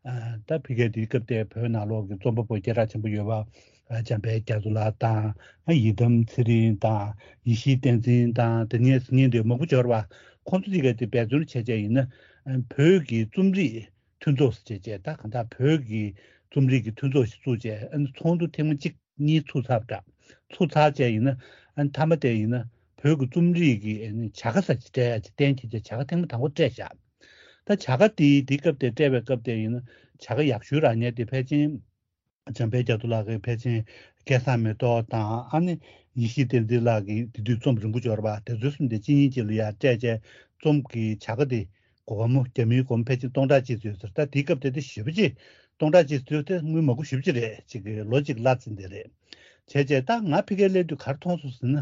ཨ་ད་ཕ་གིར་དེའི་སྐབས་དེ་བོད་ནང་ལོགས་ཀྱི་རྩོམ་པ་པོ་སྐད་གྲགས་ཆེན་པོ་ཡོད་པ་འཇམ་དཔལ་རྒྱ་མཚོ་ལགས་དང་། ཡི་དམ་ཚེ་རིང་དང་། ཡེ་ཤེས་བསྟན་འཛིན་དང་དེ་ནས་ཟིན་ངེས་འདུག་མང་པོ་འབྱོར་བ། ཁོང་ཚོ་དེ་ག་དེ་འབད་བརྩོན་བྱས་བྱས་ཡིན་ན་བོད་ཀྱི་རྩོམ་རིག་མཐུན་ཚོགས་ཟེར་བྱས་བྱས་ད་གང་ལྟར་བོད་ཀྱི་རྩོམ་རིག་གི་མཐུན་ཚོགས་ཤིག་བཙུགས་བྱས་ཨ་ནི་ཚོགས་འདུ་ཐེངས་མ་གཅིག་གཉིས་ཚུགས་ཚར་བ་འདྲ། ཚུགས་ཚར་བྱས་ཡིན་ན་ཨ་ནི་མཐའ་མ་དེ་ཡིན་ན་བོད་ཀྱི་རྩོམ་རིག་གི་ཨ་ནི་བྱ་དགའ་ཟེར་ཅིག་སྤྲད་ཡ་ཅིག་གཏན་འཁེལ་བྱས་བྱ་དགའ་ཐེངས་མ་དང་པོ་སྤྲད་བཞག་ད་བྱ་དགའ་དེའི་དེའི་སྐབས་དེ་སྤྲད་པའི་སྐབས་དེ་ཡིན་ན་བྱ་དགའ་ཡག་ཤོས་རག་མཁན་དེ་ཕལ་ཆེར་འཇམ་དཔལ་རྒྱ་མཚོ་ལགས་ཀྱིས་ཕལ་ཆེར་ སྐལ་བཟང་མེ་ཏོག་དང་ཨ་ནི་ཡེ་ཤེས་བསྟན་འཛིན་ལགས་ཀྱིས་དེ་དུས་རྩོམ་རིང་པོ་འབྱོར་བ་དེ་ཚོའི་གསུམ་དེ་གཅིག་གཉིས་གཅིག་ལ་ཡར་སྤྲད་བྱས་རྩོམ་གྱི་བྱ་དགའ་དེ་གོ་བ་མོ་རྒྱ་མིའི་སྒོར་མོ་ཕལ་ཆེར་སྟོང་ཕྲག་གཅིག་ཙམ་ཡོད་ཟེར། ད་དེའི་སྐབས་དེ་དེ་ཞེ་པོ་ཅིག་སྟོང་ཕྲག་གཅིག་ཙམ་དེ་དངུལ་མང་པོ་ཞེ་པོ་ཅིག་རེད། ཅིག་གི་ལོ་གཅིག་གླ་ཙམ་དེ་རེད། བྱས་བྱས་ད་ང་ཕ་གིར་སླེབས་དུས་ག་རེ་མཐོང་སོང་ཟེར་ན།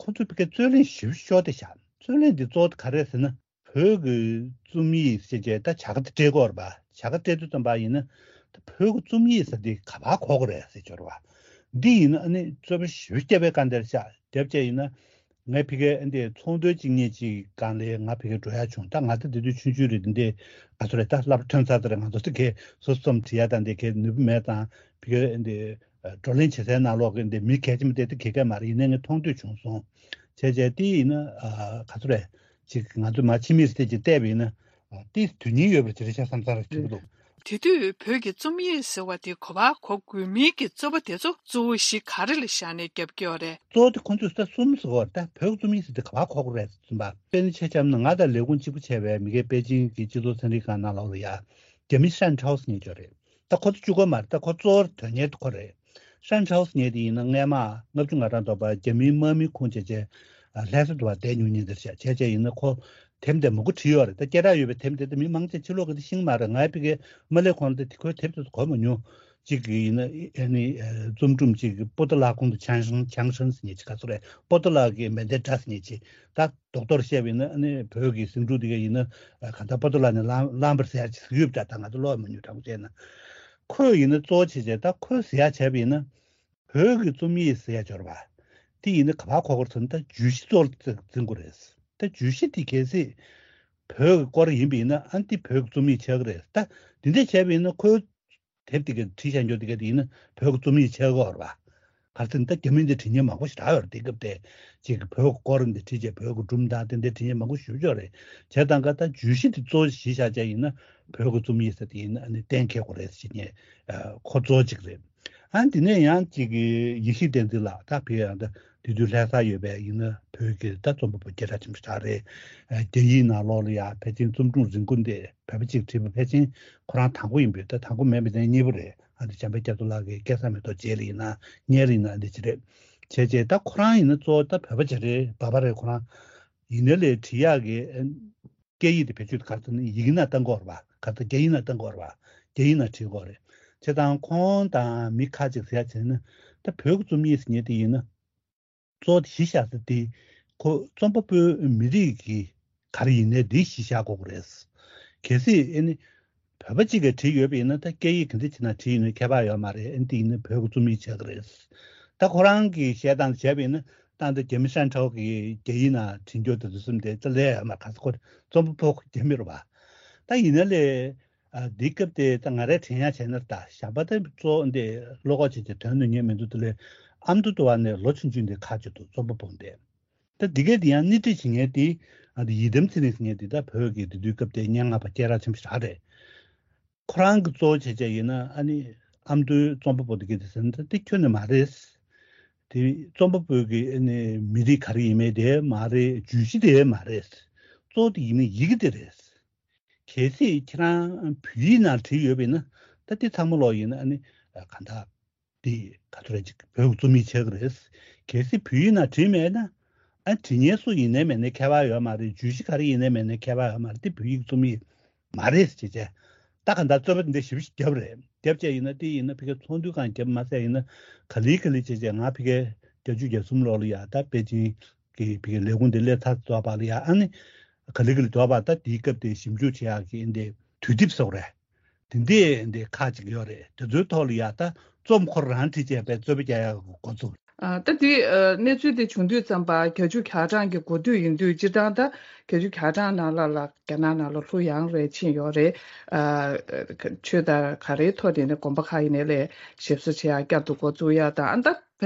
ཁོ་ཚོས་ཕ་གིར་རྩོད་གླེང་ཞེ་པོ་ཤོར་བསྡད་ཤག་རྩོད་གླེང་འདི་གཙོ་བོ་ག་རེ་རེད་ཟེར་ན། བོད་ཀྱི་རྩོམ་ཡིག་ཟེར་བྱས་ད་བྱ་དགའ་དེ་སྤྲད་ཀྱི་ཡོད་རེད་པ། བྱ་དགའ་སྤྲད་དུས་ཙམ་པ་ཡིན་ན་ད་བོད་ཀྱི་རྩོམ་ཡིག་ཟེར་དེ་ག་པར་གོ་གི་རེད་ཟེར་གྱི་ཡོད་རེད་པ། འདི་ཡིན་ན་ཨ་ནི་རྩོད་པ་ཞེ་པོ་བརྒྱབ་པའི་སྒང་དེར་ཤག་བརྒྱབ་བྱས་ཡིན་ན། ངས་ཕ་གིར་འདི་ཚོགས་འདུ་གཅིག་གཉིས་ཅིག་སྒང་ལ་ང་ཕ་གིར་འགྲོ་ཡག་བྱུང་། ད་ང་ད་དེ་དུས་ཆུང་ཆུང་རེད། འདི་འདི་ག་ཚོད་རེད། ད་སློབ་གྲྭ་ཐོན་ཚར་ཚར་རེད། ང་ཚོ་དེ་གས་སོ་སོ་རྩོམ་འབྲི་ཡག་དང་དེ་གས་ནུས་པ་མེད་ཙང་ཕ་གིར་འདི་བགྲོ་གླེང་བྱེད་སའི་ནང་ལོགས་ཀྱི་འདི་མི་གལ་ཆེན་པོ་དེ་དེ་གས་གས་མ་རེད། ཡིན་ནའི་ངས་མཐོང་ཐོས་བྱུང་སོང་། བྱས་བྱས་དེ་ཡིན་ན་ག་ཚོད་རེད། ཅིག་ང་ཚོ་མ་ཕྱི་མིག་ཟེར་ཅིག་བལྟས་པ་ཡིན་ན་དེ་དོན་སྙིང་ཡོད་པ་ཅིག་རེད་ཤག་བསམ་བསམ་རེད་ཐུབ་ཀྱི་འདུག་དེ་དུས་བོད་ཀྱི་རྩོམ་ཡིག་ཟེར་བ་དེ་གོ་བ་གོ་དགོས་མིན་གྱི་རྩོད་པ་དེ་ཚོ་གཙོ་བོ་གཞི་ག་རེ་ལ་བཞག་ནས་རྒྱབ་ཀྱི་ཡོད་རེད། གཙོ་བོ་དེ་ཁོང་ཚོས་ས་གསུམ་ཟེར་བ་རེད། ད་བོད་ཀྱི་རྩོམ་ཡིག་ཟེར་དེ་ག་པར་གོ་དགོས་རེད་ཟེར་པ། དཔེར་ན་ཆ་བཞག་ན་ང་དང་ལས་ཁུངས་གཅིག་པུ་བྱས་པའི་མི་སྒེར་པེ་ཅིང་གི་སྤྱི་ཚོགས་ཚན་རིག་ཁང་ནང་ལོགས་ལ་ཡ་རྒྱ་མི་ཧྲན་ཁྲའོ་ཟེར་མཁན་ཅིག་ཡོད་རེད། ད་ཁོ་ཚོ་གཅིག་པོ་མ་རེད། ད་ཁོ་གཙོ་བོར་དོན་གཉེར་དེ་ཁོ་རེད། ཧྲན་ཁྲའོ་ཟེར་མཁན་དེ་ཡིན་ན་སྔས་མ་ལྔ་བཅུ་ང་གྲངས་ཐོག་པ་རྒྱ་མིའི་དམག་མི་ཁུངས་བྱས་བྱས་ལྷ་ས་དུ་བ་བསྡད་མྱོང་མཁན་དེ་རེད་ཤག་བྱས་བྱས་ཡིན་ན་ཁོ་དེབ་དེ་མང་པོ་བྲིས་ཡོད་རེད། ད་སྐད་གྲགས་ཡོད་པའི་དེབ་དེ་ད་མི་མང་ཆེ་ཕྱི་ལོགས་ཀྱི་དེ་ཤེས་ཀྱི་མ་རེད། ང་ཕ་གིར་མ་སླེབས་གོང་ལ་དེ་ཁོའི་དེབ་དེ་ཚོ་གོ་མ་མྱོང་། གཅིག་གི་ཡིན་ན་ཨ་ནི་རྩོམ་སྒྲུང་གཅིག་པོ་ཏི་ལ་ཁོང་དུ་ཆང་ཧྲང་ཆང་ཧྲང་ཟེར་མཁན་ཅིག་ག་ཚོད་རེད། པོ་ཏི་ལ་གི་མེ་མདའི་སྒྲ་ཟེར་མཁན་ཅིག་ད་རྡོག་རྡོག་བཤད་པ་ཡིན་ན་ཨ་ནི་བོད་ཀྱི་ཟིང་འཁྲུག་དེ་ག་ཡིན་ན་གང་ལྟར་པོ་ཏི་ལ་ནས་ལམ་ལམ་བར་ཟེར་ཡག་ཅིག་ཟེར་གྱི་ཡོད་པ་འདྲ། ད་ང་ཚོ་ཀློག་མ་མྱོང་དྲང་པོ་བཤད་ན། ཁོས་ཡིན་ན་གཙོ་བོ་བྱས་བྱས་ད་ཁོས་ཟེར་ཡག་བྱས་པ་ཡིན་ན་བོད་ཀྱི་རྩོམ་ཡིག་ཟེར་ཡག་འབྱོར་བ་དེ་ཡིན་ན་ག་པར་གོ་དགོས་རེད་ཟེར་ན། ད་བརྗོད་གཞི་གཙོ་བོར་འཛིན་དགོས་རེད། ད་བརྗོད་གཞི་དེ་གལ་སྲིད་བོད་ཀྱི་སྐོར་ཡིན་པ་ཡིན་ན་ཨ་ནི་དེ་བོད་ཀྱི་རྩོམ་ཡིག་ཆགས་ཀྱི་རེད། ད་འདི་འདྲ་བྱས་པ་ཡིན་ན་ཁོས་དེབ་དེ་ག་བྲིས་བཞག་རྒྱུ་དེ་ག་དེ་ཡིན་ན་བོད་ཀྱི་རྩོམ་ཡིག་ཆགས་ཀྱི་ཡོད་རེད་པ། ག་རེ་ཟེར་ན་ད་རྒྱ་མི་འདི་འབྲི་མཁན་མང་པོ་ཞེ་དྲག་ཡོད་རེད། དེ་སྐབས་དེ་ཅིག་བོད་ཀྱི་སྐོར་འདི་བྲིས་བྱས་བོད་ཀྱི་སྒྲུང་དང་དེ་འདྲ་འབྲི་མཁན་མང་པོ་ཞེ་པོ་ཅིག་ཡོད་རེད། བྱས་ཙང་ཀ་ད་བརྗོད་གཞི་འདི་གཙོ་བོ་གཞི་བཞག་བྱས་ཡིན་ན་བོད་ཀྱི་རྩོམ་ཡིག་ཟེར་དེ་ཡིན་ན་ཨ་ནི་གཏན་འཁེལ་དགོས་རེད་ཟེར་མཁན་ཁོ་གཙོ་བོ་གཅིག་རེད། ཨ་འདི་ནས་ཡང་ཅིག་ཡེ་ཤེས་བསྟན་འཛིན་ལགས་ད་ཕ་གིར་ཡང་ད་དེ་དུས་ལྷ་སར་ཡོད་པའི་ཡིན་ན་བོད་ཀྱི་ད་རྩོམ་པ་པོ་སྐད་གྲགས་ཆེན་པོ་ཞིག་རེད། རྒྱ་ཡིག་ནང་ལོགས་ལ་ཡང་ཕལ་ཆེར་རྩོམ་སྒྲུང་རིང་པོ་འདི་བོད་པ་གཅིག་བྲིས་པ་ཕལ་ཆེར་ཁོ་རང་དང་པོ་ཡིན་པས། ད་དང་པོ་མིན་པ་དེ་གཉིས་པ་རེད། ཨ་འདི་འཇམ་དཔལ་སྐྱབས་མགོན་ལགས་ཀྱི་སྐལ་བཟང་མེ་ཏོག་རྗེས་ལ་ཡིན་ན་སྔོན་ལ་ཡིན་ན་ཨ་འདི་ཅི་རེད། བྱས་བྱས་ད་ཁོ་རང་ཡིན་ན་གཙོ་བོ་ད་བོད་པ་ཅིག་རེད། བོད་པ་རེད་ཁོ་རང་། ཡིན་ནའི་ལས་བྲིས་ཡག་གི་སྐད་ཡིག་དེ་བེད་སྤྱོད་ག་རེ་ཟེར་ན་ཡི་གེ་ནང་བཏང་གི་ཡོད་རེད་པ། ག་རེ་ཟེར་རྒྱ་ཡིག་ནང་བཏང་གི་ཡོད་རེད་པ། རྒྱ་ཡིག་ནང་བྲིས་ཀྱི་ཡོད་རེད། བྱས་ཙང་ཁོང་དང་མི་ཁ་ཅིག་ཟེར་ཡག་བྱས་ན་ད་བོད་ཀྱི་རྩོམ་ཡིག་ཟེར་མཁན་དེ་ཡིན་ན་གཙོ་བོ་གཞི་བཞག་ས་དེ་ཁོ་རྩོམ་པ་པོའི་མི་རིགས་ཀྱི་ག་རེ་ཡིན་ནའི་དེ་གཞི་བཞག་དགོས་ཀྱི་རེད། གལ་སྲིད་ཨ་ནི་བོད་པ་གཅིག་གིས་བྲིས་ཡོད་པ་ཡིན་ན་ད་སྐད་ཡིག་ག་འདྲ་ཅིག་ནང་བྲིས་ཡོད་ན་ཁྱད་པར་ཡོད་མ་རེད། ཨ་ནི་དེ་ཡིན་ན་བོད་ཀྱི་རྩོམ་ཡིག་ཆགས་ཀྱི་རེད། ད་ཁོ་རང་གིས་བཤད་སྟངས་བྱས་པ་ཡིན་ན་ད་ལྟ་རྒྱ་མི་ཧྲན་ཁྲའོ་གིས་རྒྱ་ཡིག་ནང་བྲིས་རྒྱུ་དེ་ཚོ་གསུམ་དེ་ད་ལས་ཡོད་མ་རེད། ག་ས་ཁོ་རྩོམ་པ་པོ་རྒྱ་མི་རེད་པ། ད་ཡིན་ན་ལས་ཨ་འདི་སྐབས་དེ་ད་ང་རས་དྲན་ཡག་བྱས་ན་ད་ཞག་པ་ད་གཙོ་བོ་འདི་བློ་ཁོག་བྱས་ཏེ་དོན་གནང་མཁན་མི་འདུག་དེ་ལས་ཨ་མདོ་དུ་བ་ནས་ལོ་ཆུང་ཆུང་འདི་ཁ་ཆེ་འདུག་རྩོམ་པ་པོ་འདི། ད་འདི་གས་དེ་ཡང་སྣེ་ཁྲིད་བྱེད་མཁན་དེ་ཨ་འདི་ཡི་དམ་ཚེ་རིང་ཟེར་མཁན་དེ་ད་བོད་ཀྱི་དེ་དུས་སྐབས་དེ་སྙན་ངག་པ་སྐད་གྲགས་ཆེན་པོ་ཞིག་རེད། ཁོ་རང་གི་གཙོ་བོ་བྱས་བྱས་ཡིན་ན་ཨ་ནི་ཨ་མདོའི་རྩོམ་པ་པོ་དེ་གས་དེ་ཟེར་ན་ད་དེ་ཁྱོན་ནས་མ་རེད། དེ་རྩོམ་པ་པོའི་གི་ཨ་ནི་མི་རིགས་ག་རེ་ཡིན་མིན་དེ་མ་རེད། བརྗོད་གཞི་དེ་མ་རེད། གཙོ་བོ་དེ་ཡིན་ན་ཡི་གེ་དེ་རེད། གལ་སྲིད་ཁྱེད་རང་བོད་ཡིག་ནང་བྲིས་ཡོད་པ་ཡིན་ན་ད་དེ་ཚང་མ་ལོག་ཡིན་ན་ཨ་ནི་གང་ལྟར་དེ་ག་ཚོད་རེད་ཅིག་བོད་ཀྱི་རྩོམ་ཡིག་ཆགས་ཀྱི་རེད། གལ་སྲིད་བོད་ཡིག་ནང་བྲིས་མེད་ན་ཨ་བྲིས་མཁན་སུ་ཡིན་ནའི་མེད་ནའི་ཁྱད་པར་ཡོད་མ་རེད། བརྗོད་གཞི་ག་རེ་ཡིན་ནའི་མེད་ནའི་ཁྱད་པར་ཡོད་མ་རེད། དེ་བོད་ཡིག་རྩོམ་ཡིག་མ་རེད་ཅེས་བྱས། ད་ག་འདྲ་རྩོད་པ་འདི་ཞིབ་ཞིབ་བརྒྱབ་རེད། བརྒྱབ་བྱས་ཡིན་ན་དེ་ཡིན་ན་ཕ་གི་ཚོགས་འདུའི་སྒང་བརྒྱབ་མ་ཟད་ཡིན་ན་ག་ལེ་ག་ལེ་བྱས་བྱས་ང་ཕ་གི་བརྒྱད་ཅུ་གྱ་གསུམ་ལོ་ལ་ཡ་ད་པེ་ཅིང་གི་ཕ་གི་ལས་ཁུངས་འདི་སླེབས་ཚར་དུས་ཙམ་པ་ལ་ཡ་ཨ་ནི་ག་ལེ་ག་ལེ་དུས་ཙམ་པ་ད་དེའི་སྐབས་དེ་ཞིབ་འཇུག་བྱེད་ཡག་གི་འདི་དུས་དེབ་ཟེར་བ་རེད། དེ་འདྲའི་འདི་ཁག་ཅིག་ཡོད་རེད། དེ་ཚོའི་ཐོག་ལ་ཡ་ད་རྩོམ་ཁོ་རང་བྲིས་བྱས་པའི་རྩོད་པ་རྒྱག་ཡག་གི་འགོ་བཙུགས། ཨ་ད་དེ་ཨ་གནས་ཚུལ་དེ་བྱུང་དུས་ཙམ་པ་བརྒྱད་ཅུ་གྱ་གྲངས་ཀྱི་འགོ་སྟོད་ཡིན་དུས་སྤྱིར་བཏང་ད་བརྒྱད་ཅུ་གྱ་གྲངས་ནང་ལ་ལ་རྒྱ་ནག་ནང་ལ་ལྷོད་ཡངས་རེད་ཕྱིན་ཡོད་རེད། ཨ་ཆོས་དང་ག་རེའི་ཐོག་ནས་ནས་དགོན་པ་ཁག་ཡིན་ནའི་ལས་ཞིབ་བཟོ་བྱེད་ཡག་བསྐྱར་དུ་འགོ་བཙུགས་ཡག་དང་ཨ་ད་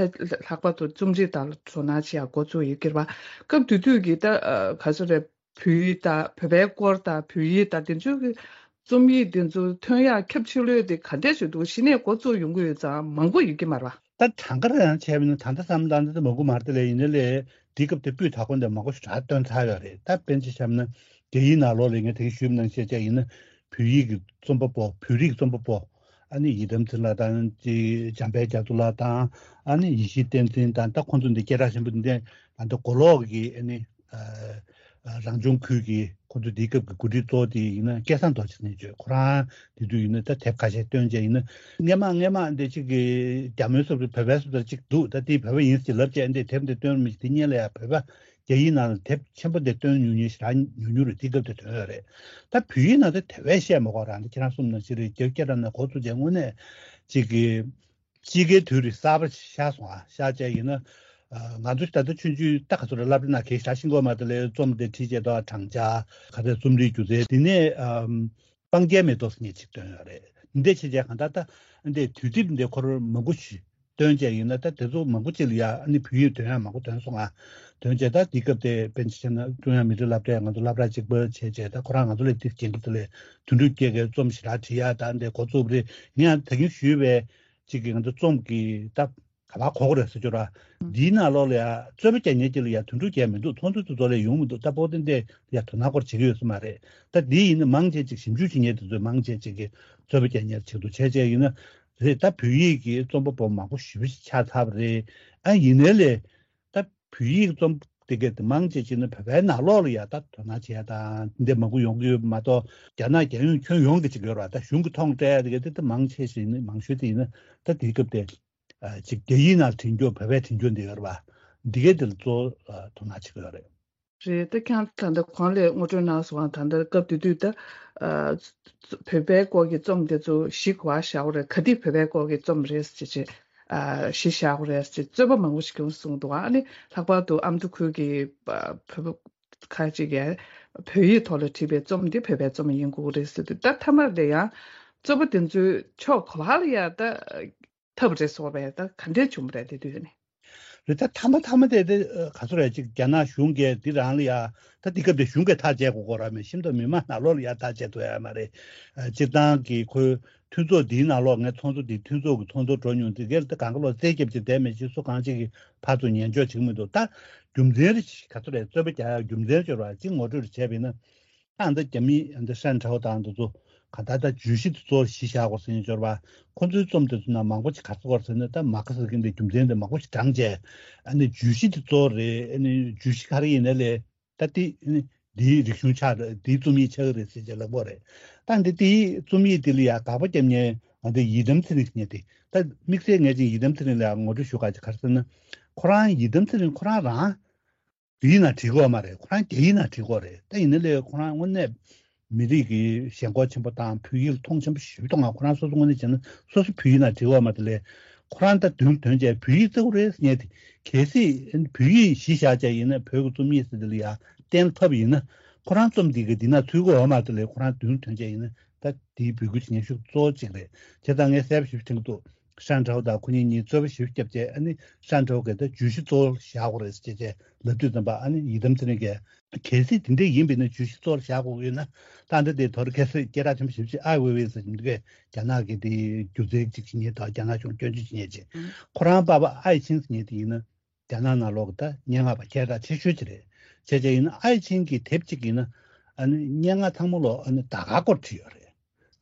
ལྷག་པར་དུ་རྩོམ་རིག་དང་དོ་སྣང་བྱེད་ཡག་འགོ་བཙུགས་ཡོད་ཀྱི་རེད་པ། སྐབས་དེ་དུས་ཀྱི་ད་ཨ་ག་ཚོད་རེད། བོད་ཡིག་དང་བོད་པའི་སྐོར་དང་བོད་ཡིག་དང་དེ་ཚོའི་གི་རྩོམ་ཡིག་དེ་ཚོ་ཐོན་ཡག་ཁྱབ་ཆེ་ལོས་དེ་ག་འདྲས་ཞིག་འདུག་གཞི་ནས་འགོ་བཙུགས་ཡོང་གི་ཡོད་ཙང་མང་པོ་ཡོད་ཀྱི་མ་རེད་པ། ད་གྲངས་ཀ་རང་བྱས་པ་ཡིན་ན་ད་ལྟ་བསམ་བློ་བཏང་ན་ད་མང་པོ་མ་རེད་དེ་ལས་ཡིན་ནའི་ལས་དེའི་སྐབས་དེ་སྤུས་དག་པོ་འདི་མང་པོ་ཞེ་དྲག་བཏོན་ཚར་ཡོད་རེད། ད་དཔེར་ན་ཆ་བཞག་ན་རྒྱ་ཡིག་ནང་ལོགས་ལ་ངས་དེ་གི་ཞུས་པ་ནང་བཞིན་བྱས་བྱས་ཡིན་ན་བོད་ཡིག་གི་རྩོམ་པ་པོ་བོད་རིགས་རྩོམ་པ་པོ་ ཨ་ནི་ཡི་དམ་འཛིན་ལགས་དང་ཅིག་འཇམ་དཔལ་རྒྱ་མཚོ་ལགས་དང་ཨ་ནི་ཡེ་ཤེས་བསྟན་འཛིན་དང་ད་ཁོང་ཚོ་འདི་སྐད་གྲགས་ཆེན་པོ་འདི་འདྲ་ད་ལྟ་མགོ་ལོག་གི་ཨ་ནི་རང་སྐྱོང་ཁུལ་གྱི་ཁོང་ཚོ་དེའི་སྐབས་ཀྱི་འགོ་ཁྲིད་གཙོ་བོ་དེ་ཡིན་ན་སྐལ་བཟང་རྡོ་རྗེ་ཟེར་མཁན་ཅིག་ཡོད། ཁོ་རང་དེ་དུས་ཡིན་ན་ད་དེབ་ཁ་ཤས་བཏོན་བྱས་ཡིན་ན་སྔས་མ་སྔས་མ་འདི་གཅིག་གི་རྒྱ་མོའི་སོབ་རི་བོད་པའི་སོབ་རི་གཅིག་འདུག་ད་དེ་བོད་པ་ཡིན་ཟེར་ལབ་བྱས་འདི་དེབ་འདི་བཏོན་མི་དེ་སྔོན་ལ་ཡང་བོད་པ་རྒྱ་ཡིག་ནང་ལ་དེབ་ཆེན་པོ་འདི་བཏོན་ཉུང་ཉུང་ཞེ་དྲག་ཉུང་ཉུང་རེད། དེ་སྐབས་དེ་ཐོན་ཡོད་རེད། ད་བོད་ཡིག་ནང་དེ་དེ་བས་བཤད་མ་དགོས་རང་དེ་ཁྱེད་རང་གསུངས་ནང་བཞིན་རེད། རྒྱ་སྐད་རང་ནས་འགོ་ཚུགས་བྱས་དངོས་གནས་གཅིག་གི་དཔྱིད་ཀའི་དུས་རེད། གསར་པ་ཤར་སོང་ཨ། ཤར་བྱས་ཡིན་ན་ང་ཚོ་ད་ལྟ་ཆུང་ཆུང་ད་ག་ཚོད་རེད་སློབ་གྲྭ་ནང་གི་ཞག་ཤིང་གོ་མ་དེ་ལས་རྩོམ་དེ་བྲིས་བྱས་ཏོ་བགྲང་བྱ་ག་ཚོད་རྩོམ་རིག་སྒྱུ་རྩལ་དེ་ནས་སྤང་རྒྱལ་མེ་ཏོག་ཟེར་མཁན་ཅིག་བཏོན་ཡོད་རེད། འདི་འདྲ་བྱས་བྱས་གང་ལྟར་ད་འདི་དུས་དེབ་འདི་ཁོ་རང་མང་པོ་ཞིག་བཏོན་བྱས་ཡིན་ན་ད་དེ་ཚོ་མང་པོ་ཅིག་ལ་ཡ་ཨ་ནི་བོད་ཡིག་འདོན་ཡག་མང་པོ་འདོན་སོང་ང་། འདོན་བྱས་ད་དེ་སྐབས་དེ་དཔེར་ན་ཆ་བཞག་ན་ཀྲུང་དབྱང་མི་རིགས་སློབ་གྲྭའི་ང་ཚོ་སློབ་གྲྭ་གཅིག་པ་བྱས་བྱས་ད་ཁོ་རང་ང་ཚོ་ལས་དེ་རྒྱན་གྱི་དེ་ལས་དོན་གྲུབ་རྒྱལ་གྱི་རྩོམ་ཞེ་དྲག་བྲིས་ཡག་ད་འདི་འགོ་བཙུགས་པ་རེད། ངས་ཡང་ད་གིན་ཞུས་པའི་གཅིག་གི་ང་ཚོ་རྩོམ་གྱི་ད་ག་པར་གོ་དགོས་རེད་ཟེར་ཅོ་ར། འདིའི་ནང་ལོགས་ལ་ཡ་རྩོད་པ་རྒྱག་མཁན་གཅིག་ལ་ཡ་དོན་གྲུབ་རྒྱལ་མི་འདུག་མཐོང་ཚུལ་དེ་ཚོ་ལ་ཡོང་མི་འདུག་ད་པོ་ཏི་འདི་ཡ་དོ་སྣང་སྐོར་བྱེད་ཀྱི་ཡོད་ས་མ་རེད། ད་འདི་ཡིན་ན་མང་ཆེ་ཅིག་ཞིབ་འཇུག་བྱེད་མཁན་དེ་ཚོས་མང་ཆེ་ཅིག་གིས་རྩོད་པ་རྒྱག་མཁན་ཆེད་དུ་བྱས་བྱས་ཡིན་ན་རེད། ད་བོད་ཡིག་གི་རྩོམ་པ་པོ་མང་པོ་ཞེ་པོ་ཅིག་ཆགས་ཚར་བ་རེད། ཨ་ཡིན་ནའི་ལས་ད་བོད་ཡིག་རྩོམ་དེ་ག་དེ་མང་ཆེ་ཅིག་ནི་བོད་པའི་ནང་ལོགས་ལ་ཡ་ད་དོ་སྣང་བྱེད་ཡ་དང་འདི་མང་པོ་ཡོང་གི་ཡོད་པ་མ་གཏོགས་རྒྱ་ནག་རྒྱལ་ཡོངས་ཁྱོན་ཡོངས་ཀྱི་ཅིག་ཡོད་ར། ད་གཞུང་གི་ཐོག་སྤྲད་ཡ་དེ་ག་དེ་ད་མང་ཆེ་ཞིག་ནི་མང་ཤོས་དེ་ཡིན་ན་ད་དེའི་སྐབས་དེ་ཅིག་རྒྱ་ཡིག་ནང་བྲིས་རྒྱུ་བོད་པས་བྲིས་རྒྱུ་འདི་ཡོད་ར་བ། འདི་ག་དེ་ལ་གཙོ་བོ་དོ་སྣང་བྱེད་ཀྱི་ཡོད་རེད། རེད། ད་ཁྱེད་རང་ད་ལྟ་གོང་ལ་ངོ་སྤྲོད་གནང་སོང་བ། ད་ལྟ་སྐབས་དེ་དུས་ད་ཨ་བོད་པའི་སྐོར་གྱི་རྩོམ་དེ་ཚོ་བཞི་ག་པར་བཞག་དགོས་རེད། ག་དུས་བོད་པའི་སྐོར་གྱི་རྩོམ་རེད་ཟེར་བྱས་ཨ་བཞི་བཞག་དགོས་རེད་ཟེར་རྩོད་པ་མང་པོ་ཞིག་ཡོང་སོང་འདུག་ཨ་ནི་ལྷག་པར་དུ་ཨ་མདོ་ཁུལ་གྱི་ཨ་བོད་པ་ཁ་ཅིག་གིས་བོད་ཡིག་ཐོག་ལ་བྲིས་པའི་རྩོམ་འདི་བོད་པའི་རྩོམ་ཡིན་དགོས་རེད་ཟེར་དུས་ད་མཐའ་མར་དེ་ཡང་རྩོད་པ་དེ་ཚོའི་ཕྱོགས་ག་པར་ལ་ཡང་ད་ཐབས་རེ་སོགས་པས་ད་ག་འདྲས་བྱུང་བ་རེད་དེ་དུས་ནས། རེད། ད་མཐའ་མ་མཐའ་མ་དེ་དེ་ག་ཚོད་རེད་ཅིག་རྒྱ་ནག་གཞུང་གིས་འདི་རང་ལ་ཡ་ད་འདི་སྐབས་དེ་གཞུང་གིས་ཐག་བཅད་དགོས་སྐོར་ར་མེད། ཤིན་ཏུ་མི་མང་ནང་ལོགས་ལ་ཡ་ཐག་བཅད་ཐུབ་ཡ་མ་རེད། སྤྱིར་བཏང་གི་ཁོའི་མཐུན་ཚོགས་འདིའི་ནང་ལོགས་ངས་ཚོགས་གཙོ་འདི་མཐུན་ཚོགས་ཀྱི་ཚོགས་གཙོ་འགྲོ་མྱོང་དེ་གར་ད་གང་ག་ལོག་རྩད་རྒྱབ་ཅིག་བསྡད་མེད་ཅིག་སུ་གང་ཅིག་གི་ཕར་ཚུར་ཉན་འཇོག་བྱེད་ཀྱི་མི་འདུག་ད་རྒྱུ་མཚན་རེ་ག་ཚོད་རེད། རྩོད་པ་རྒྱག་ཡ་རྒྱུ་མཚན་ཅོར་བ་ཅིག་ངོ་སྤྲོད་རེ་བྱས་པ་ཡིན་ན། ཨ་འདི་རྒྱ་མི་འདི་ཧྲན་ཁྲའོ་དང་འདི་ཚོ་ག་ད་ལྟ་བརྗོད་གཞི་དེ་གཙོ་བོ་གཞི་བཞག་དགོས་ཟེར་ནས་འབྱོར་བ། ཁོ་ཚོའི་རྩོམ་དེ་ཚོ་ནང་མང་པོ་ཞིག་ག་རེ་ཟེར་ཟེར་ན་ད་མ་ཁ་ཟེར་མཁན་དེ་རྒྱུ་མཚན་དེ་མང་པོ་ཞིག་དྲངས་བྱས། ཨ་ནི་བརྗོད་གཞི་དེ་གཙོ་བོ་རེད། ཨ་ནི་བརྗོད་གཞི་ག་རེ་ཡིན་ན་ལས་ད་དེ་ཨ་ནི་འདིའི་རིག་གཞུང་ཆགས་རེད། འདིའི་རྩོམ་ཡིག་ཆགས་ཀྱི་རེད་ཟེར་བྱས་ལབ་པ་རེད། ད་འདི་དེའི་རྩོམ་ཡིག་དེ་ལ་ཡ་དགག་པ་བརྒྱབ་མཁན་ང་ཚོའི་ཡི་དམ་ཚེ་རིང་ཟེར་མཁན་དེ་ད་དམིགས་བསལ་ངས་ཅིག་ཡི་དམ་ཚེ་རིང་ལ་ཡ་ངོ་སྤྲོད་ཞུ་ག་ཅིག་ག་རེ་ཟེར་ན། ཁོ་རང་ཡི་དམ་ཚེ་རིང་ཁོ་རང་རང་བོད་ཡིག་ནང་བྲིས་ཀྱི་ཡོད་མ་རེད། ཁོ་རང་རྒྱ་ཡིག་ནང་བྲིས་ཀྱི་ཡོད་རེད། ད་ཡིན་ན་ལས་ཁོ་རང་དངོས་གནས་མི་རིགས་ཀྱི་ཞེན་ཁོག་ཆེན་པོ་དང་བོད་ཡིག་ལ་མཐོང་ཆེན་པོ་ཞེ་པོ་གཏོང་བ། ཁོ་རང་སོ་སོ་དངོས་གནས་བྱས་ན་སོ་སོ་བོད་ཡིག་ནང་བྲིས་ཀྱི་ཡོད་མ་རེད། དེ་ལས་ཁོ་རང་ད་མདུན་ཐོན་བྱས་བོད་ཡིག་བརྩི་དགོས་རེད་ཟེར་མཁན་དེ། གལ་སྲིད་བོད་ཡིག་གཞི་བཞག་བྱས་ཡིན་ན་བོད་ཀྱི་རྩོམ་ཡིག་ཟེར་དེ་ལ་ཡ་གཏན་ལ་ཕབ་པ་ཡིན་ན་ཁོ་རང་རྩོམ་འདི་གི་འདི་ན་ཚུད་ཀྱི་ཡོད་མ་རེད། དེ་ལས་ཁོ་རང་མདུན་ཐོན་བྱས་ཡིན་ན་ད་དེའི་འབོད་སྐུལ་བྱེད་མཁན་ཤུགས་གཙོ་བོ་གཅིག་རེད། བྱས་ཙང་ངས་གསལ་པོ་ཞེ་པོ་དྲན་གྱི་འདུག་ཧྲན་ཁྲའོ་དང་ཁོ་གཉིས་གཉིས་རྩོད་པ་ཞེ་པོ་བརྒྱབ་བྱས། ཨ་ནི་ཧྲན་ཁྲའོ་གིས་ད་བརྗོད་གཞི་གཙོ་བོར་བཞག་དགོས་རེད་ཟེར་བྱས་ལབ་དུས་ཙམ་པ། ཨ་ནི་ཡི་དམ་ཚེ་རིང་གིས་གལ་སྲིད་དེ་འདྲས་ཡིན་པ་ཡིན་ན་བརྗོད་གཞི་གཙོ་བོར་བཞག་དགོས་ཀྱི་ཡོད་ན་ད་འདི་དེ་དོར་གལ་སྲིད་སྐད་གྲགས་ཆེན་པོ་ཞེ་པོ་ཅིག་ཨའི་ཝེ་ཝེ་ཟེར་གྱི་འདུག་གས། རྒྱ་ནག་གི་དེ་སྒྱུ་རྩལ་ཅིག་བྱེད་མཁན་དང་རྒྱ་ནག་གཞུང་སྐྱོན་བརྗོད་བྱེད་མཁན་ཅིག་ཁོ་རང་པ་ཕ་ཨའི་ཆིང་ཟེར་མཁན་དེ་ཡིན་ན་རྒྱ་ནག་ནང་ལོགས་ཀྱི་ད་སྙན་ངག་པ་སྐད་གྲགས་ཆེ་ཤོས་ཅིག་རེད། བྱས་བྱས་ཡིན་ན་ཨའི་ཆིང་གི་དེབ་ཅིག་ཡིན་ན་ཨ་ནི་སྙན་ངག་ཚང་མ་ལོ་ཨ་ནི་ཟླ་སྐར་སྐོར་བྲིས་ཡོད་རེད།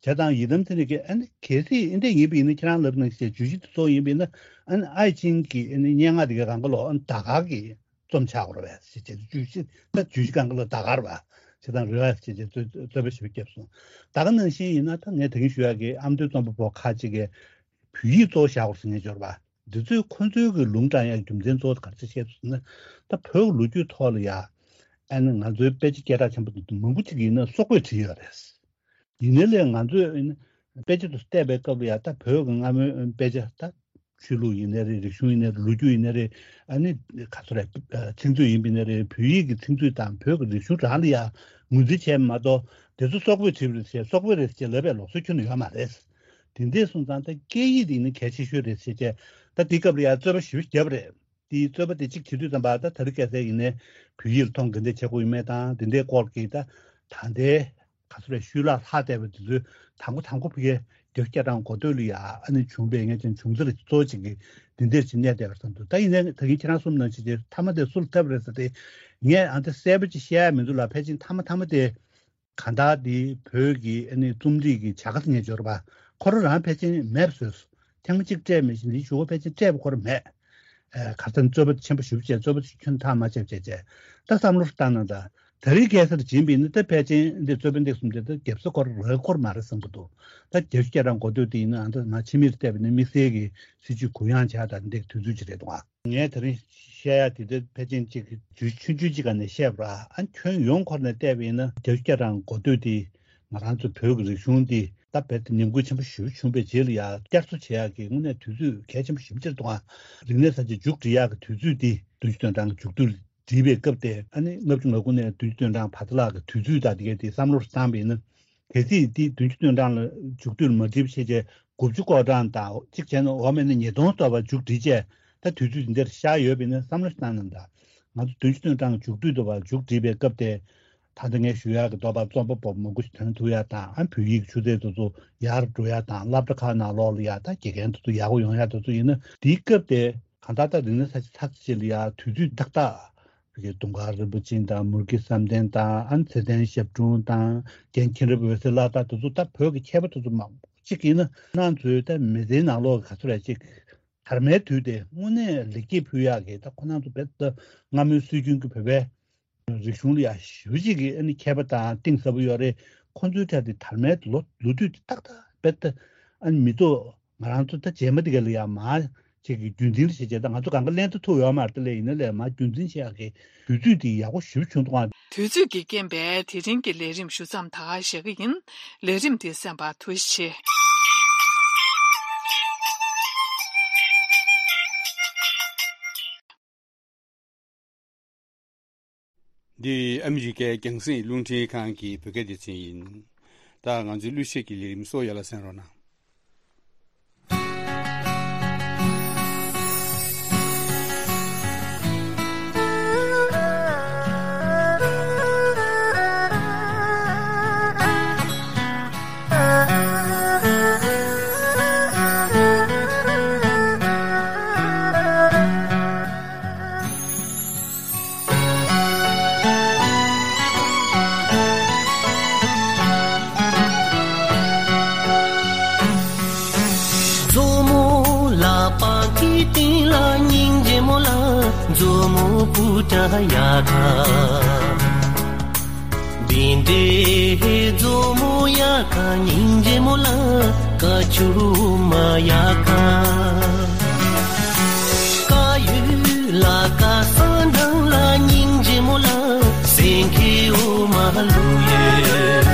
བྱས་ཙང་ཡི་དམ་ཚེ་རིང་གིས་ཨ་ནི་གལ་སྲིད་ཨ་འདྲས་ཡིན་པ་ཡིན་ན་ཁྱེད་རང་ལབ་ནང་བཞིན་བརྗོད་གཞི་དེ་གཙོ་བོ་ཡིན་པ་ཡིན་ན་ཨ་ནི་ཨའི་ཆིང་གི་ཨ་ནི་སྙན་ངག་དེ་གའི་སྒང་ག་ལོ་ཨ་ནི་ཟླ་སྐར་གྱི་རྩོམ་ཆགས་ཡོད་རེད་པས་ཟེར་བྱས་བརྗོད་གཞི་ད་བརྗོད་གཞི་སྒང་ག་ལོ་ཟླ་སྐར་བ་བྱས་ཙང་རེད་པས་ཟེར་བྱས་རྩོད་རྩོད་པ་ཞེ་པོ་བརྒྱབ་སོང་། ད་ག་ནང་བཞིན་ཡིན་ན་ད་ངས་ད་གིན་ཞུ་ཡག་གི་ཨ་མདོའི་རྩོམ་པ་པོ་ཁག་ཅིག་གིས་བོད་ཡིག་གཙོ་བོ་བཞག་དགོས་ཟེར་མཁན་འབྱོར་པ། འདི་ཚོས་ཁོ་ཚོའི་གི་ལུང་དྲངས་ཡག་རྒྱུ་མཚན་གཙོ་བོ་ག་རེ་བཤད་ཟེར་ན། ད་བོད་ཀྱི་ལོ་རྒྱུས་ཐོག་ལ་ཡ་ཨ་ནི་ང་ཚོའི་དཔེ་ཆ་སྐད་གྲགས་ཆེན་པོ་འདི་མང་པོ་ཅིག་ཡིན་ན་སོག་པོས་བྲིས་ཡོད་རེད། ཡིན་ནའི་ལས་ང་ཚོས་ཨ་ནི་དཔེ་ཆ་དེ་བལྟས་པའི་སྐབས་ལ་ཡ་ད་བོད་ཀྱི་སྔ་མོའི་དཔེ་ཆ་ད་ཆོས་ལུགས་ཡིན་ནའི་རེད། རིག་གཞུང་ཡིན་ནའི་རེད། ལོ་རྒྱུས་ཡིན་ནའི་རེད། ཨ་ནི་ག་ཚོད་རེད། ཚིག་མཛོད་ཡིན་པ་ཡིན་ནའི་རེད། བོད་ཡིག་གི་ཚིག་མཛོད་དང་བོད་ཀྱི་རིག་གཞུང་རང་ལ་ཡ་ངོས་འཛིན་བྱས་མ་གཏོགས་དེ་ཚོ་སོག་པོས་བྲིས་པ་རེད་ཟེར་སོག་པོའི་རེད་ཟེར་ལབ་པའི་ལུགས་སྲོལ་ཁྱོན་ནས་ཡོད་མ་རེད། དེ་འདྲས་སོང་ཙང་ད་སྐད་ཡིག་དེ་ནི་གལ་ཆེ་ཤོས་རེད་ཟེར་བྱས་ད་དེའི་སྐབས་ལ་ཡང་རྩོད་པ་ཞེ་པོ་བརྒྱབ་པ་རེད། དེའི་རྩོད་པ་དེ་གཅིག་བྱེད་དུས་ཙམ་པ་ད་དེ་རིང་ཁ་སང་ཡིན་ནའི་བོད་ཡིག་ལ་མཐོང་གི་འདི་བྱེད་དགོས་ཡོད་མེད་དང་དེ་འདྲའི་སྐོར་གྱི་ད་ད་ལྟའི་ག་ཚོད་རེད་ཤུལ་ལྷག་ལྷག་བསྡད་པ་དེ་ཚོའི་དང་པོ་དང་པོ་ཕ་གིའི་རྒྱ་སྐད་གྲགས་འགོ་སྟོད་ལ་ཡ་ཨ་ནི་བྱུང་བའི་ངས་ཀྱང་བྱུང་ཚུལ་གཙོ་བོ་གཅིག་གི་འདི་འདྲས་ཅིག་གནས་བསྡད་པ་བསམ་འདུག་ད་ཡིན་ནའི་ད་གིན་ཁྱེད་རང་གསུངས་ནང་བཞིན་དེ་མཐའ་མ་དེ་སུ་ལ་ཐབས་རེད་ཟེར་ཏེ་ངས་ཨ་འདི་གསལ་པོ་ཅིག་བཤད་ཡ་མི་འདུག་ལ། ཕལ་ཆེར་མཐའ་མ་མཐའ་མ་དེ། གང་ལྟར་འདི་བོད་ཀྱི་ཨ་ནི་རྩོམ་རིག་གི་བྱ་དགའ་ཟེར་མཁན་འབྱོར་པ་ ཁོ་རང་རང་ཕལ་ཆེར་མེད་པ་བཟོས་སོང་། ཐེངས་མ་གཅིག་སྤྲད་མི་ཤེས། ལི་ཞུ་བོ་ཕལ་ཆེར་སྤྲད་པ་ཁོ་རང་མེད། ཨ་གར་སྟེང་རྩོད་པ་ཆེན་པོ་ཞེ་པོ་བྱས། རྩོད་པ་ཆུ་ཁྱོན་ཐག་མ་ཆོད་བྱས་བྱས། ད་བསམ་བློ་བཏང་ན་ད། ད་རེས་གེ་སར་སྦྱིན་པ་ཡིན་ན་ད་ཕལ་ཆེར་འདི་རྩོད་དཔོན་འདི་གསུམ་དེ་ད་རྒྱབ་ས་ཁོ་རང་རག་ཁོ་རང་མ་རེད་བསམ་གྱི་འདུག་ད་བརྒྱད་ཅུ་གྱ་གྲངས་འགོ་སྟོད་དེ་ཡིན་ན་ཨ་ད་ང་ཕྱི་མིར་བལྟས་པ་ཡིན་ན་དམིགས་བསལ་གྱི་སྲིད་ཇུས་གུ་ཡངས་བྱས་ད་འདི་དུས་ཚོད་ཅིག་རེད་འདུག་ཨ། ངས་དེ་རིང་བཤད་ཡ་དེ་ད་ཕལ་ཆེར་ཅིག་དུས་ཆུང་ཆུང་ཅིག་ག་ནས་བཤད་པ་ར། ཨ་ཁྱོན་ཡོངས་ཁོ་ནས་བལྟས་པ་ཡིན་ན་བརྒྱད་ཅུ་གྱ་གྲངས་འགོ་སྟོད་དེ་ང་རང་ཚོ་བོད་ཀྱི་རིག་གཞུང་འདི་ད་རྦད་དེ་ཉམས་རྒུད་ཆེན་པོ་ཞེ་པོ་བྱུང་བའི་རྗེས་ལ་ཡ་བསྐྱར་གསོ་བྱེད་ཡག་གི་དངོས་གནས་དུས་ཚོད་གལ་ཆེན་པོ་ཞེ་པོ་ཅིག་རེད་འདུག་ཨ། རིག་གནས་གསར་བརྗེ་མཇུག་སྒྲིལ་ཡག་གི་དུས་ཚོད་འདི་བདུན་ཅུ་དོན་གྲངས་མཇུག་བསྡུ་བསྒྲིལ་བའི་སྐབས་དེ། ཨ་ནི་ལྔ་བཅུ་ང་དགུ་ནས་བདུན་ཅུ་དོན་གྲངས་བར་དུ་ལ་གི་དུས་ཚོད་དང་དེ་གའི་དེ་བསམ་བློར་བཏང་བ་ཡིན་ན། གལ་སྲིད་དེ་བདུན་ཅུ་དོན་གྲངས་ལ་མཇུག་བསྡུ་མ་བསྒྲིལ་བ་བྱས་རྗེས་དགུ་བཅུ་གོ་གྲངས་དང་གཅིག་བྱས་ན་འོ་མེད་ན་ཉིས་སྟོང་ཐོབ་པ་མཇུག་བསྒྲིལ་བྱས། ད་དུས་ཚོད་དེ་འདིར་བཞག་ཡོད་པ་ཡིན་ན་བསམ་བློ་བཏང་ན་ད། ང་ཚོ་བདུན་ཅུ་དོན་གྲངས་མཇུག་བསྡུ་ཐུབ་པ་མཇུག་བསྒྲིལ་བའི་སྐབས་དེ། ད་ལྟ་ངས་ཞུ་ཡག་གི་འདོད་པ་རྩོམ་པ་པོ་མང་པོ་ཞིག་ཐོན་ཐུབ་ཡག་དང་། ཨ་བོད་ཡིག་ཆུ་ཚད་དེ་ཚོ་ཡར་འགྲོ་ཡག་དང་། སློབ་གྲྭ་ཁག་ནང་ལོགས་ལ་ཡ་ད་དགེ་རྒན་དེ་ཚོ་ཡག་པོ་ཡོང་ཡག་དེ་ཚོ་ཡིན་ན་དེའི་སྐབས་དེ། གང་ལྟར་ད་རིག་གནས་གསར་བརྗེ་ཚར་ཚེ་ལ་ཡ་དུས་ཚོད་ཏག་ཏག་བོད་ཀྱི་དུང་དཀར་རིན་པོ་ཆེ་དང་། མུར་གེ་བསམ་གཏན་དང་། ཨ་ཚེ་བརྟན་ཞབས་དྲུང་དང་། རྒན་མཁྱེན་རབ་འོད་ཟེར་ལགས་དང་། དེ་ཚོ་ད་བོད་ཀྱི་མཁས་པ་དེ་ཚོ་མང་པོ་ཅིག་ཡིན་ན་ང་ཚོའི་ད་མི་ཚེའི་ནང་ལོགས་ག་ཚོད་རེད་ཅིག་དར་མའི་དུས་དེ་དངོས་གནས་ལེགས་སྐྱེས་ཕུལ་ཡག་གི་ད་ཁོ་རང་ཚོ་རྦད་དེ་སྔ་མོའི་སྲོལ་རྒྱུན་གྱི་བོད་པའི་རིག་གཞུང་ལ་ཡ་ཞེ་པོ་ཅིག་གི་ཨ་ནི་མཁས་པ་དང་གཏིང་ཟབ་པོ་ཡོད་རེད། ཁོང་ཚོའི་གྲས་དེ་དར་མའི་ལོ་ལོ་དུས་དེ་ཏག་ཏག་རྦད་དེ་ཨ་ནི་མི་ཐོག་ང་རང་ཚོ་ད་རྗེས་མ་དེ་ག་ལ་ཡ་མར་ཅིག་གི་རྒྱུན་འཛིན་ལ་བྱེད་བྱེད། ད་ང་ཚོ་གང་ག་ལེན་ད་ཐུབ་ཡོད་མ་རེད། དེ་ལས་ཡིན་ན་ལས་མར་རྒྱུན་འཛིན་བྱེད་ཡག་གི་དུས་ཚོད་དེ་ཡག་པོ་ཞེ་པོ་བྱུང་འདུག་ཨ། དུས་ཚོད་ཀྱི་རྐྱེན་པས་དེ་རིང་གི་ལས་རིམ་ཞུ་མཚམས་ད་ག་བཞག་གི་ཡིན། ལས་རིམ་དེ་གསན་པར་ཐུགས་རྗེ་ཆེ། འདི་ཨ་མི་རི་ཀའི་རྒྱང་སྲིང་རླུང་འཕྲིན་ཁང་གི་བོད་སྐད་སྡེ་ཚན་ཡིན། ད་ང་ཚོའི་གླུ་གཞས་ཀྱི་ལས་རིམ་སོགས་ཡར་ལ་གསན་རོགས་གནང་། མཛོ་མོ་ལ་པང་ཁའི་སྟེང་ལ་སྙིང་རྗེ་མོ་ལ། མཛོ་མོ་སྤུ་ཏྲ་ཡ་ཁ། འདི་འདྲའི་མཛོ་མོ་ཡ་ཁ་སྙིང་རྗེ་མོ་ལ། ཀ་ཆུ་མ་ཡ་ཁ། ཀ་ཡུ་ལ་ཀ་ས་འདྲང་ལ་སྙིང་རྗེ་མོ་ལ། སེང་གེ་འོ་མ་ལུ་ཡོད།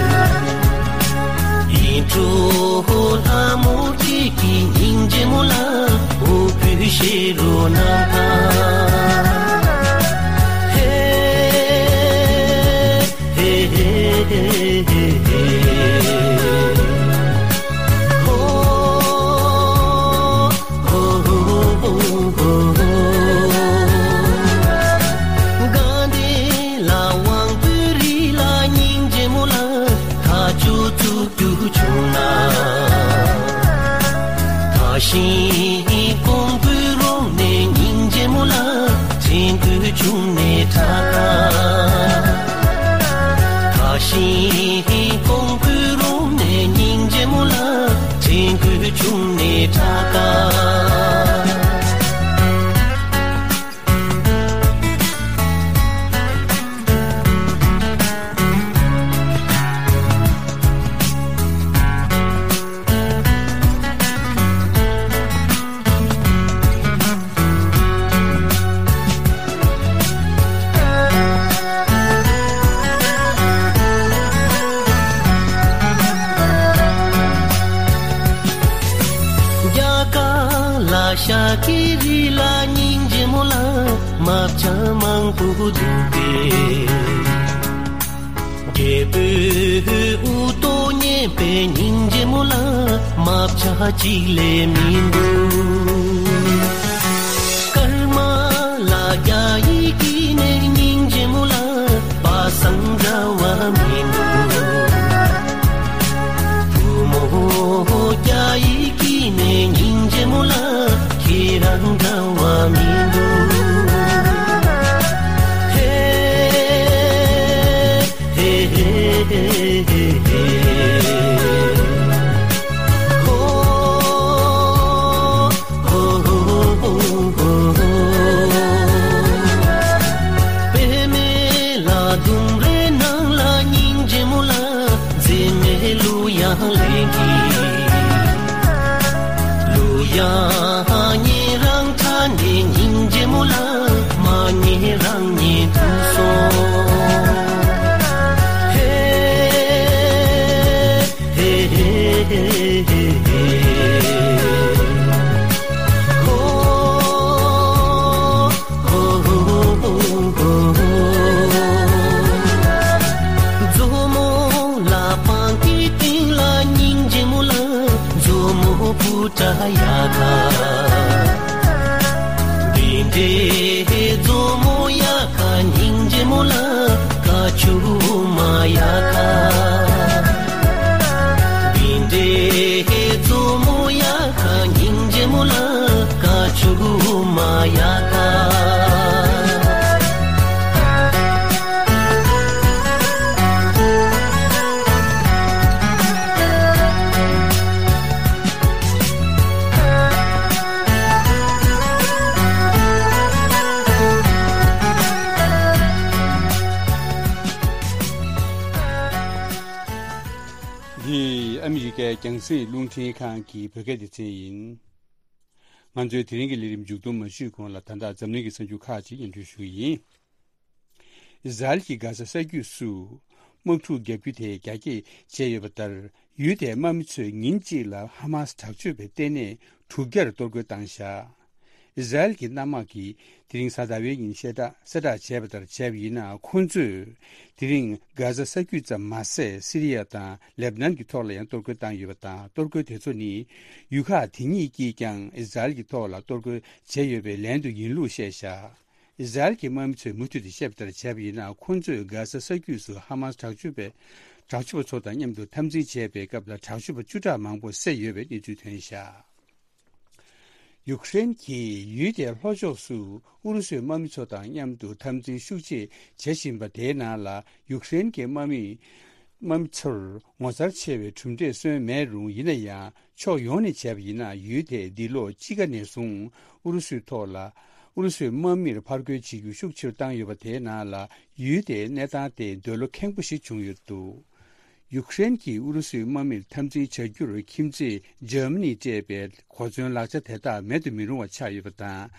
ཡིད་འཕྲོག་ལྷ་མོ་ཁྱེད་ཀྱི་སྙིང་རྗེ་མོ་ལ། འོ་བུ་ཤེ་རོ་ན་ཁ། ཧེ། ཧེ་ཧེ་ཧེ་ཧེ་ཧེ། ཧོ། ཧོ་ཧོ་ཧོ་ཧོ། དགའ་ལྡན་ལ་དབང་པོའི་རི་ལ་སྙིང་རྗེ་མོ་ལ། ཐག་ཆོད་ཚུགས་རྒྱུ་བྱུང་ན། ཐག་ཤིང་ཀོང་པོའི་རོང་ནས་སྙིང་རྗེ་མོ་ལ། དྲན་སྐུལ་བྱུང་ནས་ཁྲ་ཁ། ཐག་ཤིང་ཀོང་པོའི་རོང་ནས་སྙིང་རྗེ་མོ་ལ། དྲན་སྐུལ་བྱུང་ནས་ཁྲ་ཁ། རྒྱ་གར་ལ་ཤ་ཀི་རི་ལ་སྙིང་རྗེ་མོ་ལ། རྨ་བྱ་མང་པོ་འདུག་པས། རྒྱལ་པོའི་དབུ་ཏོ་མཉེན་པའི་སྙིང་རྗེ་མོ་ལ། རྨ་བྱ་གཅིག་ལས་མི་འདུག། ཀརྨ་ལ་རྒྱ་ཡིག་གི་ནས་སྙིང་རྗེ་མོ་ལ། པ་སངས་འདྲ་བ་མི་འདུག། བུ་མོ་རྒྱ་ཡིག་གི་ནས་སྙིང་རྗེ་མོ་ལ། ཁྱེད་རང་འདྲ་བ་མི་འདུག། ཧེ། ཧེ་ཧེ་ཧེ་ཧེ་ཧེ། ཧོ། མཛོ་མོ་ལ་པང་གི་སྟེང་ལ་སྙིང་རྗེ་མོ་ལ། མཛོ་མོ་བུ་ཏྲ་ཡ་ཁ། འདི་འདྲའི་མཛོ་མོ་ཡ་ཁ་སྙིང་རྗེ་མོ་ལ། ཀ་ཆུ་མ་ཡ་ཁ། འདི་འདྲའི་མཛོ་མོ་ཡ་ཁ་སྙིང་རྗེ་མོ་ལ། ཀ་ཆུ་མ་ཡ་ཁ། འདི་ཨ་མི་རི་ཀའི་རྒྱང་སྲིང་རླུང་འཕྲིན་ཁང་གི་བོད་སྐད་སྡེ་ཚན་ཡིན། ང་ཚོའི་དེ་རིང་གི་ལས་རིམ་མཇུག་སྡོམ་མ་ཞུས་གོང་ལ། ད་ལྟ་འཛམ་གླིང་གི་གསར་འགྱུར་ཁག་ཅིག་སྙན་སྒྲོན་ཞུ་གི་ཡིན། ཨི་ཟ་རེལ་གྱིས་གྷ་ཟ་ས་རྒྱུད་སུ་དམག་འཁྲུག་བརྒྱབ་རྒྱུ་དེ་རྒྱ་སྐྱེད་བྱས་ཡོད་པ་ལྟར། ཡུལ་དེའི་དམག་མི་ཚོས་ཉིན་གཅིག་ལ་ཧ་མ་སི་དྲག་སྤྱོད་པའི་ལྟེ་གནས་དྲུག་བརྒྱར་གཏོར་རྒོལ་བཏང་བཞག་ཨི་ཟ་རེལ་གྱི་གནམ་དམག་གིས་དེ་རིང་གཟའ་ཟླ་བའི་ཉིན་གསལ་བསྒྲགས་གསལ་བསྒྲགས་བྱས་པ་ལྟར་བྱས་པ་ཡིན་ན། ཁོང་ཚོས་དེ་རིང་གྷ་ཟ་ས་རྒྱུད་ཙམ་མ་ཟད། སི་རི་ཡ་དང་ལེབ་ནན་གྱི་ཐོག་ལ་ཡང་གཏོར་རྒོལ་བཏང་ཡོད་པ་དང་། གཏོར་རྒོལ་དེ་ཚོ་ནི་ཡུལ་ཁག་དེ་གཉིས་ཀྱིས་ཀྱང་ཨི་ཟ་རེལ་གྱི་ཐོག་ལ་གཏོར་རྒོལ་བྱས་ཡོད་པའི་ལན་དུ་ཡིན་ལུགས་བཤད་བཞག་ཨི་ཟ་རེལ་གྱི་དམག་མི་ཚོས་མུ་མཐུད་དུ་བཤད་པ་ལྟར་བྱས་པ་ཡིན་ན། ཁོང་ཚོས་གྷ་ཟ་ས་རྒྱུད་སུ་ཧ་མ་སི་དྲག་སྤྱོད་པའི་དྲག་སྤྱོད་པ་ཚོ་དང་མཉམ་དུ་འཐབ་འཛིང་བྱས་པའི་སྐབས་ལ་དྲག་སྤྱོད་པ་བཅུ་ཕྲག་མང་པོ་བསད་ཡོད་པའི་གནས་ཚུལ་ཐོན་བཞག་ཡུཀ་རེན་གྱིས་ཡུལ་དེའི་ལྷོ་ཕྱོགས་སུ་ཨུ་རུ་སུའི་དམག་མི་ཚོ་དང་མཉམ་དུ་འཐབ་འཛིང་ཤུགས་ཆེ་བྱེད་བཞིན་པ་དེའི་ནང་ལ། ཡུཀ་རེན་གྱི་དམག་མི་དམག་མི་ཚོར་ངོ་མཚར་ཆེ་བའི་གྲུབ་འབྲས་སོན་མེད་རུང་། ཡིན་ན་ཡང་ཕྱོགས་ཡོངས་ནས་བྱས་པ་ཡིན་ན། ཡུལ་དེས་འདི་ལོ་དཔྱིད་ཀ་ནས་བཟུང་ཨུ་རུ་སུའི་ཐོག་ལ། ཨུ་རུ་སུའི་དམག་མིར་ཕར་རྒོལ་བྱེད་རྒྱུ་ཤུགས་ཆེ་རུ་བཏང་ཡོད་པ་དེའི་ནང་ལ། ཡུལ་དེའི་གནས་སྟངས་དེ་འདོད་བློ་ཁེངས་པོ་ཞིག་བྱུང་ཡོད་འདུག་ཡུཀ་རེན་གྱིས་ཨུ་རུ་སུའི་དམག་མིར་འཐབ་འཛིང་བྱ་རྒྱུར་ཁྱིམ་མཚེས་འཇར་མ་ནིས་སྤྲད་པའི་གོ་མཚོན་ལག་ཆ་དེ་དག་མེད་དུ་མི་རུང་བ་ཆགས་ཡོད་པ་དང་།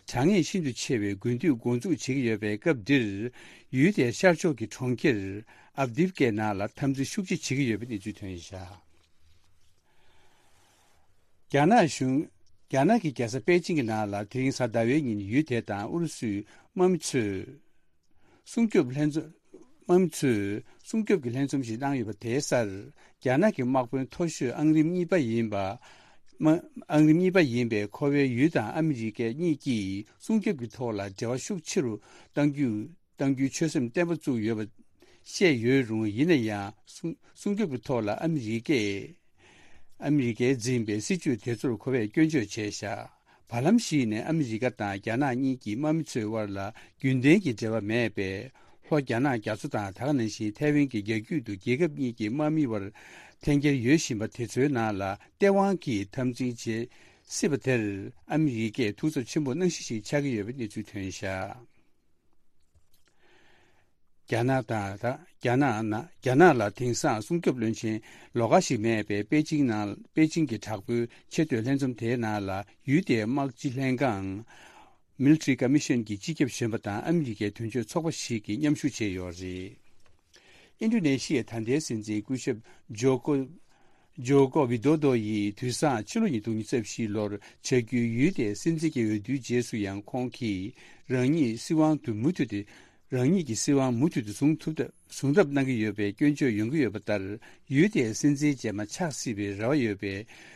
དྲག་ངན་ཤིན་ཏུ་ཆེ་བའི་དགུན་དུས་འགོ་འཛུགས་བྱེད་ཀྱི་ཡོད་པའི་སྐབས་འདིར། ཡུལ་དེའི་ཤར་ཕྱོགས་ཀྱི་གྲོང་ཁྱེར་ཨབ་དིབ་ཀའི་ནང་ལ་འཐབ་འཛིང་ཤུགས་ཆེ་བྱེད་ཀྱི་ཡོད་པའི་གནས་ཚུལ་ཐོན་བཞག་རྒྱ་ནག་གཞུང་། རྒྱ་ནག་གི་རྒྱལ་ས་པེ་ཅིང་གི་ནང་ལ་དེ་རིང་གཟའ་ཟླ་བའི་ཉིན་ཡུལ་དེ་དང་ཨུ་རུ་སུའི་དམག་མི་ཚོས་སྲུང་སྐྱོབ་ལྷན་འཛོམས། དམག་མི་ཚོས་སྲུང་སྐྱོབ་ཀྱི་ལྷན་འཛོམས་ཤིག་གནང་ཡོད་པ་དེའི་སར། རྒྱ་ནག་གི་དམག་དཔོན་མཐོ་ཤོས་ཨང་རིམ་གཉིས་པ་ཡིན་པ། དམག་ཨང་རིམ་གཉིས་པ་ཡིན་པའི་ཁོ་ཝེ་ཡུས་དང་ཨ་མི་རི་ཀ་གཉིས་ཀྱིས་སྲུང་སྐྱོབ་ཀྱི་ཐོག་ལ་འབྲེལ་བ་ཤུགས་ཆེ་རུ་གཏང་རྒྱུ། གཏང་རྒྱུའི་ཆོད་སེམས་བརྟན་པོ་བཙུགས་ཡོད་པ་བཤད་ཡོད་རུང་། ཡིན་ན་ཡང་སྲུང་སྲུང་སྐྱོབ་ཀྱི་ཐོག་ལ་ཨ་མི་རི་ཀས། ཨ་མི་རི་ཀས་འཛིན་པའི་སྲིད་ཇུས་དེ་ཚོར་ཁོ་བས་སྐྱོན་བརྗོད་བྱས་བཞག་བར་ལམ་ཞིག་ནས་ཨ་མི་རི་ཀ་དང་རྒྱ་ནག་གཉིས་ཀྱི་དམག་མི་ཚོའི་དབར་ལ་རྒྱུན་ལྡན་གྱི་འབྲེལ་བ་མེད་པས། ལྷོ་རྒྱ་ནག་རྒྱ་མཚོ་དང་། ད་ག་ནང་བཞིན་ཐའེ་ཝན་གྱི་རྒྱ་རྒྱུད་དུ་རྒྱལ་ཁབ་གཉིས་ཀྱི་དམག་མི་བར་འཐེན་འཁྱེར་ཡོད་བཞིན་པ་དེ་ཚོའི་ནང་ལ་སྟེས་དབང་གིས་འཐབ་འཛིང་བྱེད་སྲིད་པ་དེར་ཨ་མི་རི་ཀས་ཐུགས་འཚབ་ཆེན་པོ་གནང་གཞི་ཞིག་ཆགས་ཀྱི་ཡོད་པའི་གནས་ཚུལ་ཐོན་བཞག་རྒྱ་ནག་དང་། ད་རྒྱ་ནག་ན། རྒྱ་ནག་ལ་དེང་སང་སྲུང་སྐྱོབ་བློན་ཆེན་ལོགས་ཀ་ཞིག་མེད་པའི་པེ་ཅིང་ནང་། པེ་ཅིང་གི་དྲག་པོའི་ཆེས་མཐོའི་ལྷན་འཛོམས་དེའི་ནང་ལ་ཡུལ་དེའི་དམག་སྤྱི་ལྷན་ཁང་། Military Commission གྱི་སྤྱི་ཁྱབ་གཞོན་པ་དང་ཨ་མི་རི་ཀའི་དོན་གཅོད་ཚོགས་པ་ཞིག་གིས་མཉམ་ཞུགས་བྱས་ཡོད་རེད། ཨིན་ཌོ་ནེ་ཤི་ཡའི་ད་ལྟའི་སྲིད་འཛིན་སྐུ་ཞབས་ཇོ་ཀོ། ཇོ་ཀོ་ཝི་དོ་དོ་ཡིས་དུས་སང་ཕྱི་ལོ་ཉིས་སྟོང་ཉི་ཤུ་རྩ་བཞི་ལོར་བྱ་རྒྱུའི་ཡུལ་དེའི་སྲིད་འཛིན་གྱི་འོས་བསྡུའི་རྗེས་སུ་ཡང་ཁོང་གིས་རང་ཉིད་སྲིད་དབང་དུ་མུ་མཐུད་དེ། རང་ཉིད་ཀྱི་སྲིད་དབང་མུ་མཐུད་དུ་བཟུང་ཐུབ་ཐབས། བཟུང་ཐབས་གནང་གི་ཡོད་པའི་སྐྱོན་བརྗོད་ཡོང་གི་ཡོད་པ་ལྟར། ཡུལ་དེའི་སྲིད་འཛིན་རྗེས་མ་ཆགས་སྲིད་པའི་རེ་བ་ཡོད་པའི་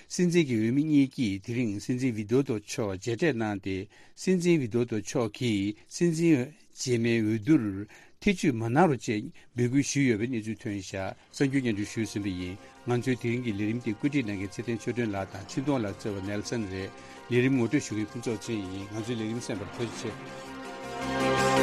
སྲིད་འཛིན་གྱི་འོས་མི་གཉིས་ཀྱིས་དེ་རིང་སྲིད་འཛིན་ཝི་དོ་དོ་མཆོག་མཇལ་འཕྲད་གནང་སྟེ། སྲིད་འཛིན་ཝི་དོ་དོ་མཆོག་གིས་སྲིད་འཛིན་རྗེས་མའི་འོས་བསྡུར་ཐེ་ཇུས་མ་གནང་རོགས་ཅེས་འབོད་སྐུལ་ཞུས་ཡོད་པའི་གནས་ཚུལ་ཐོན་བཞག་གསར་འགྱུར་སྙན་སྒྲོན་ཞུས་ཟིན་པ་ཡིན། ང་ཚོའི་དེ་རིང་གི་ལས་རིམ་དེ་བཀོད་སྒྲིག་གནང་མཁན་ཚེ་བརྟན་ཆོས་སྒྲོན་ལགས་དང་འཕྲིན་གཏོང་ལག་རྩལ་བ་ནེལ་སན་རེད། ལས་རིམ་ངོ་སྤྲོད་ཞུ་མཁན་ཕུན་ཚོགས་ཚེ་རིང་ཡིན། ང་ཚོའི་ལས་རིམ་གསན་པར་ཐུགས་རྗེ་ཆེ།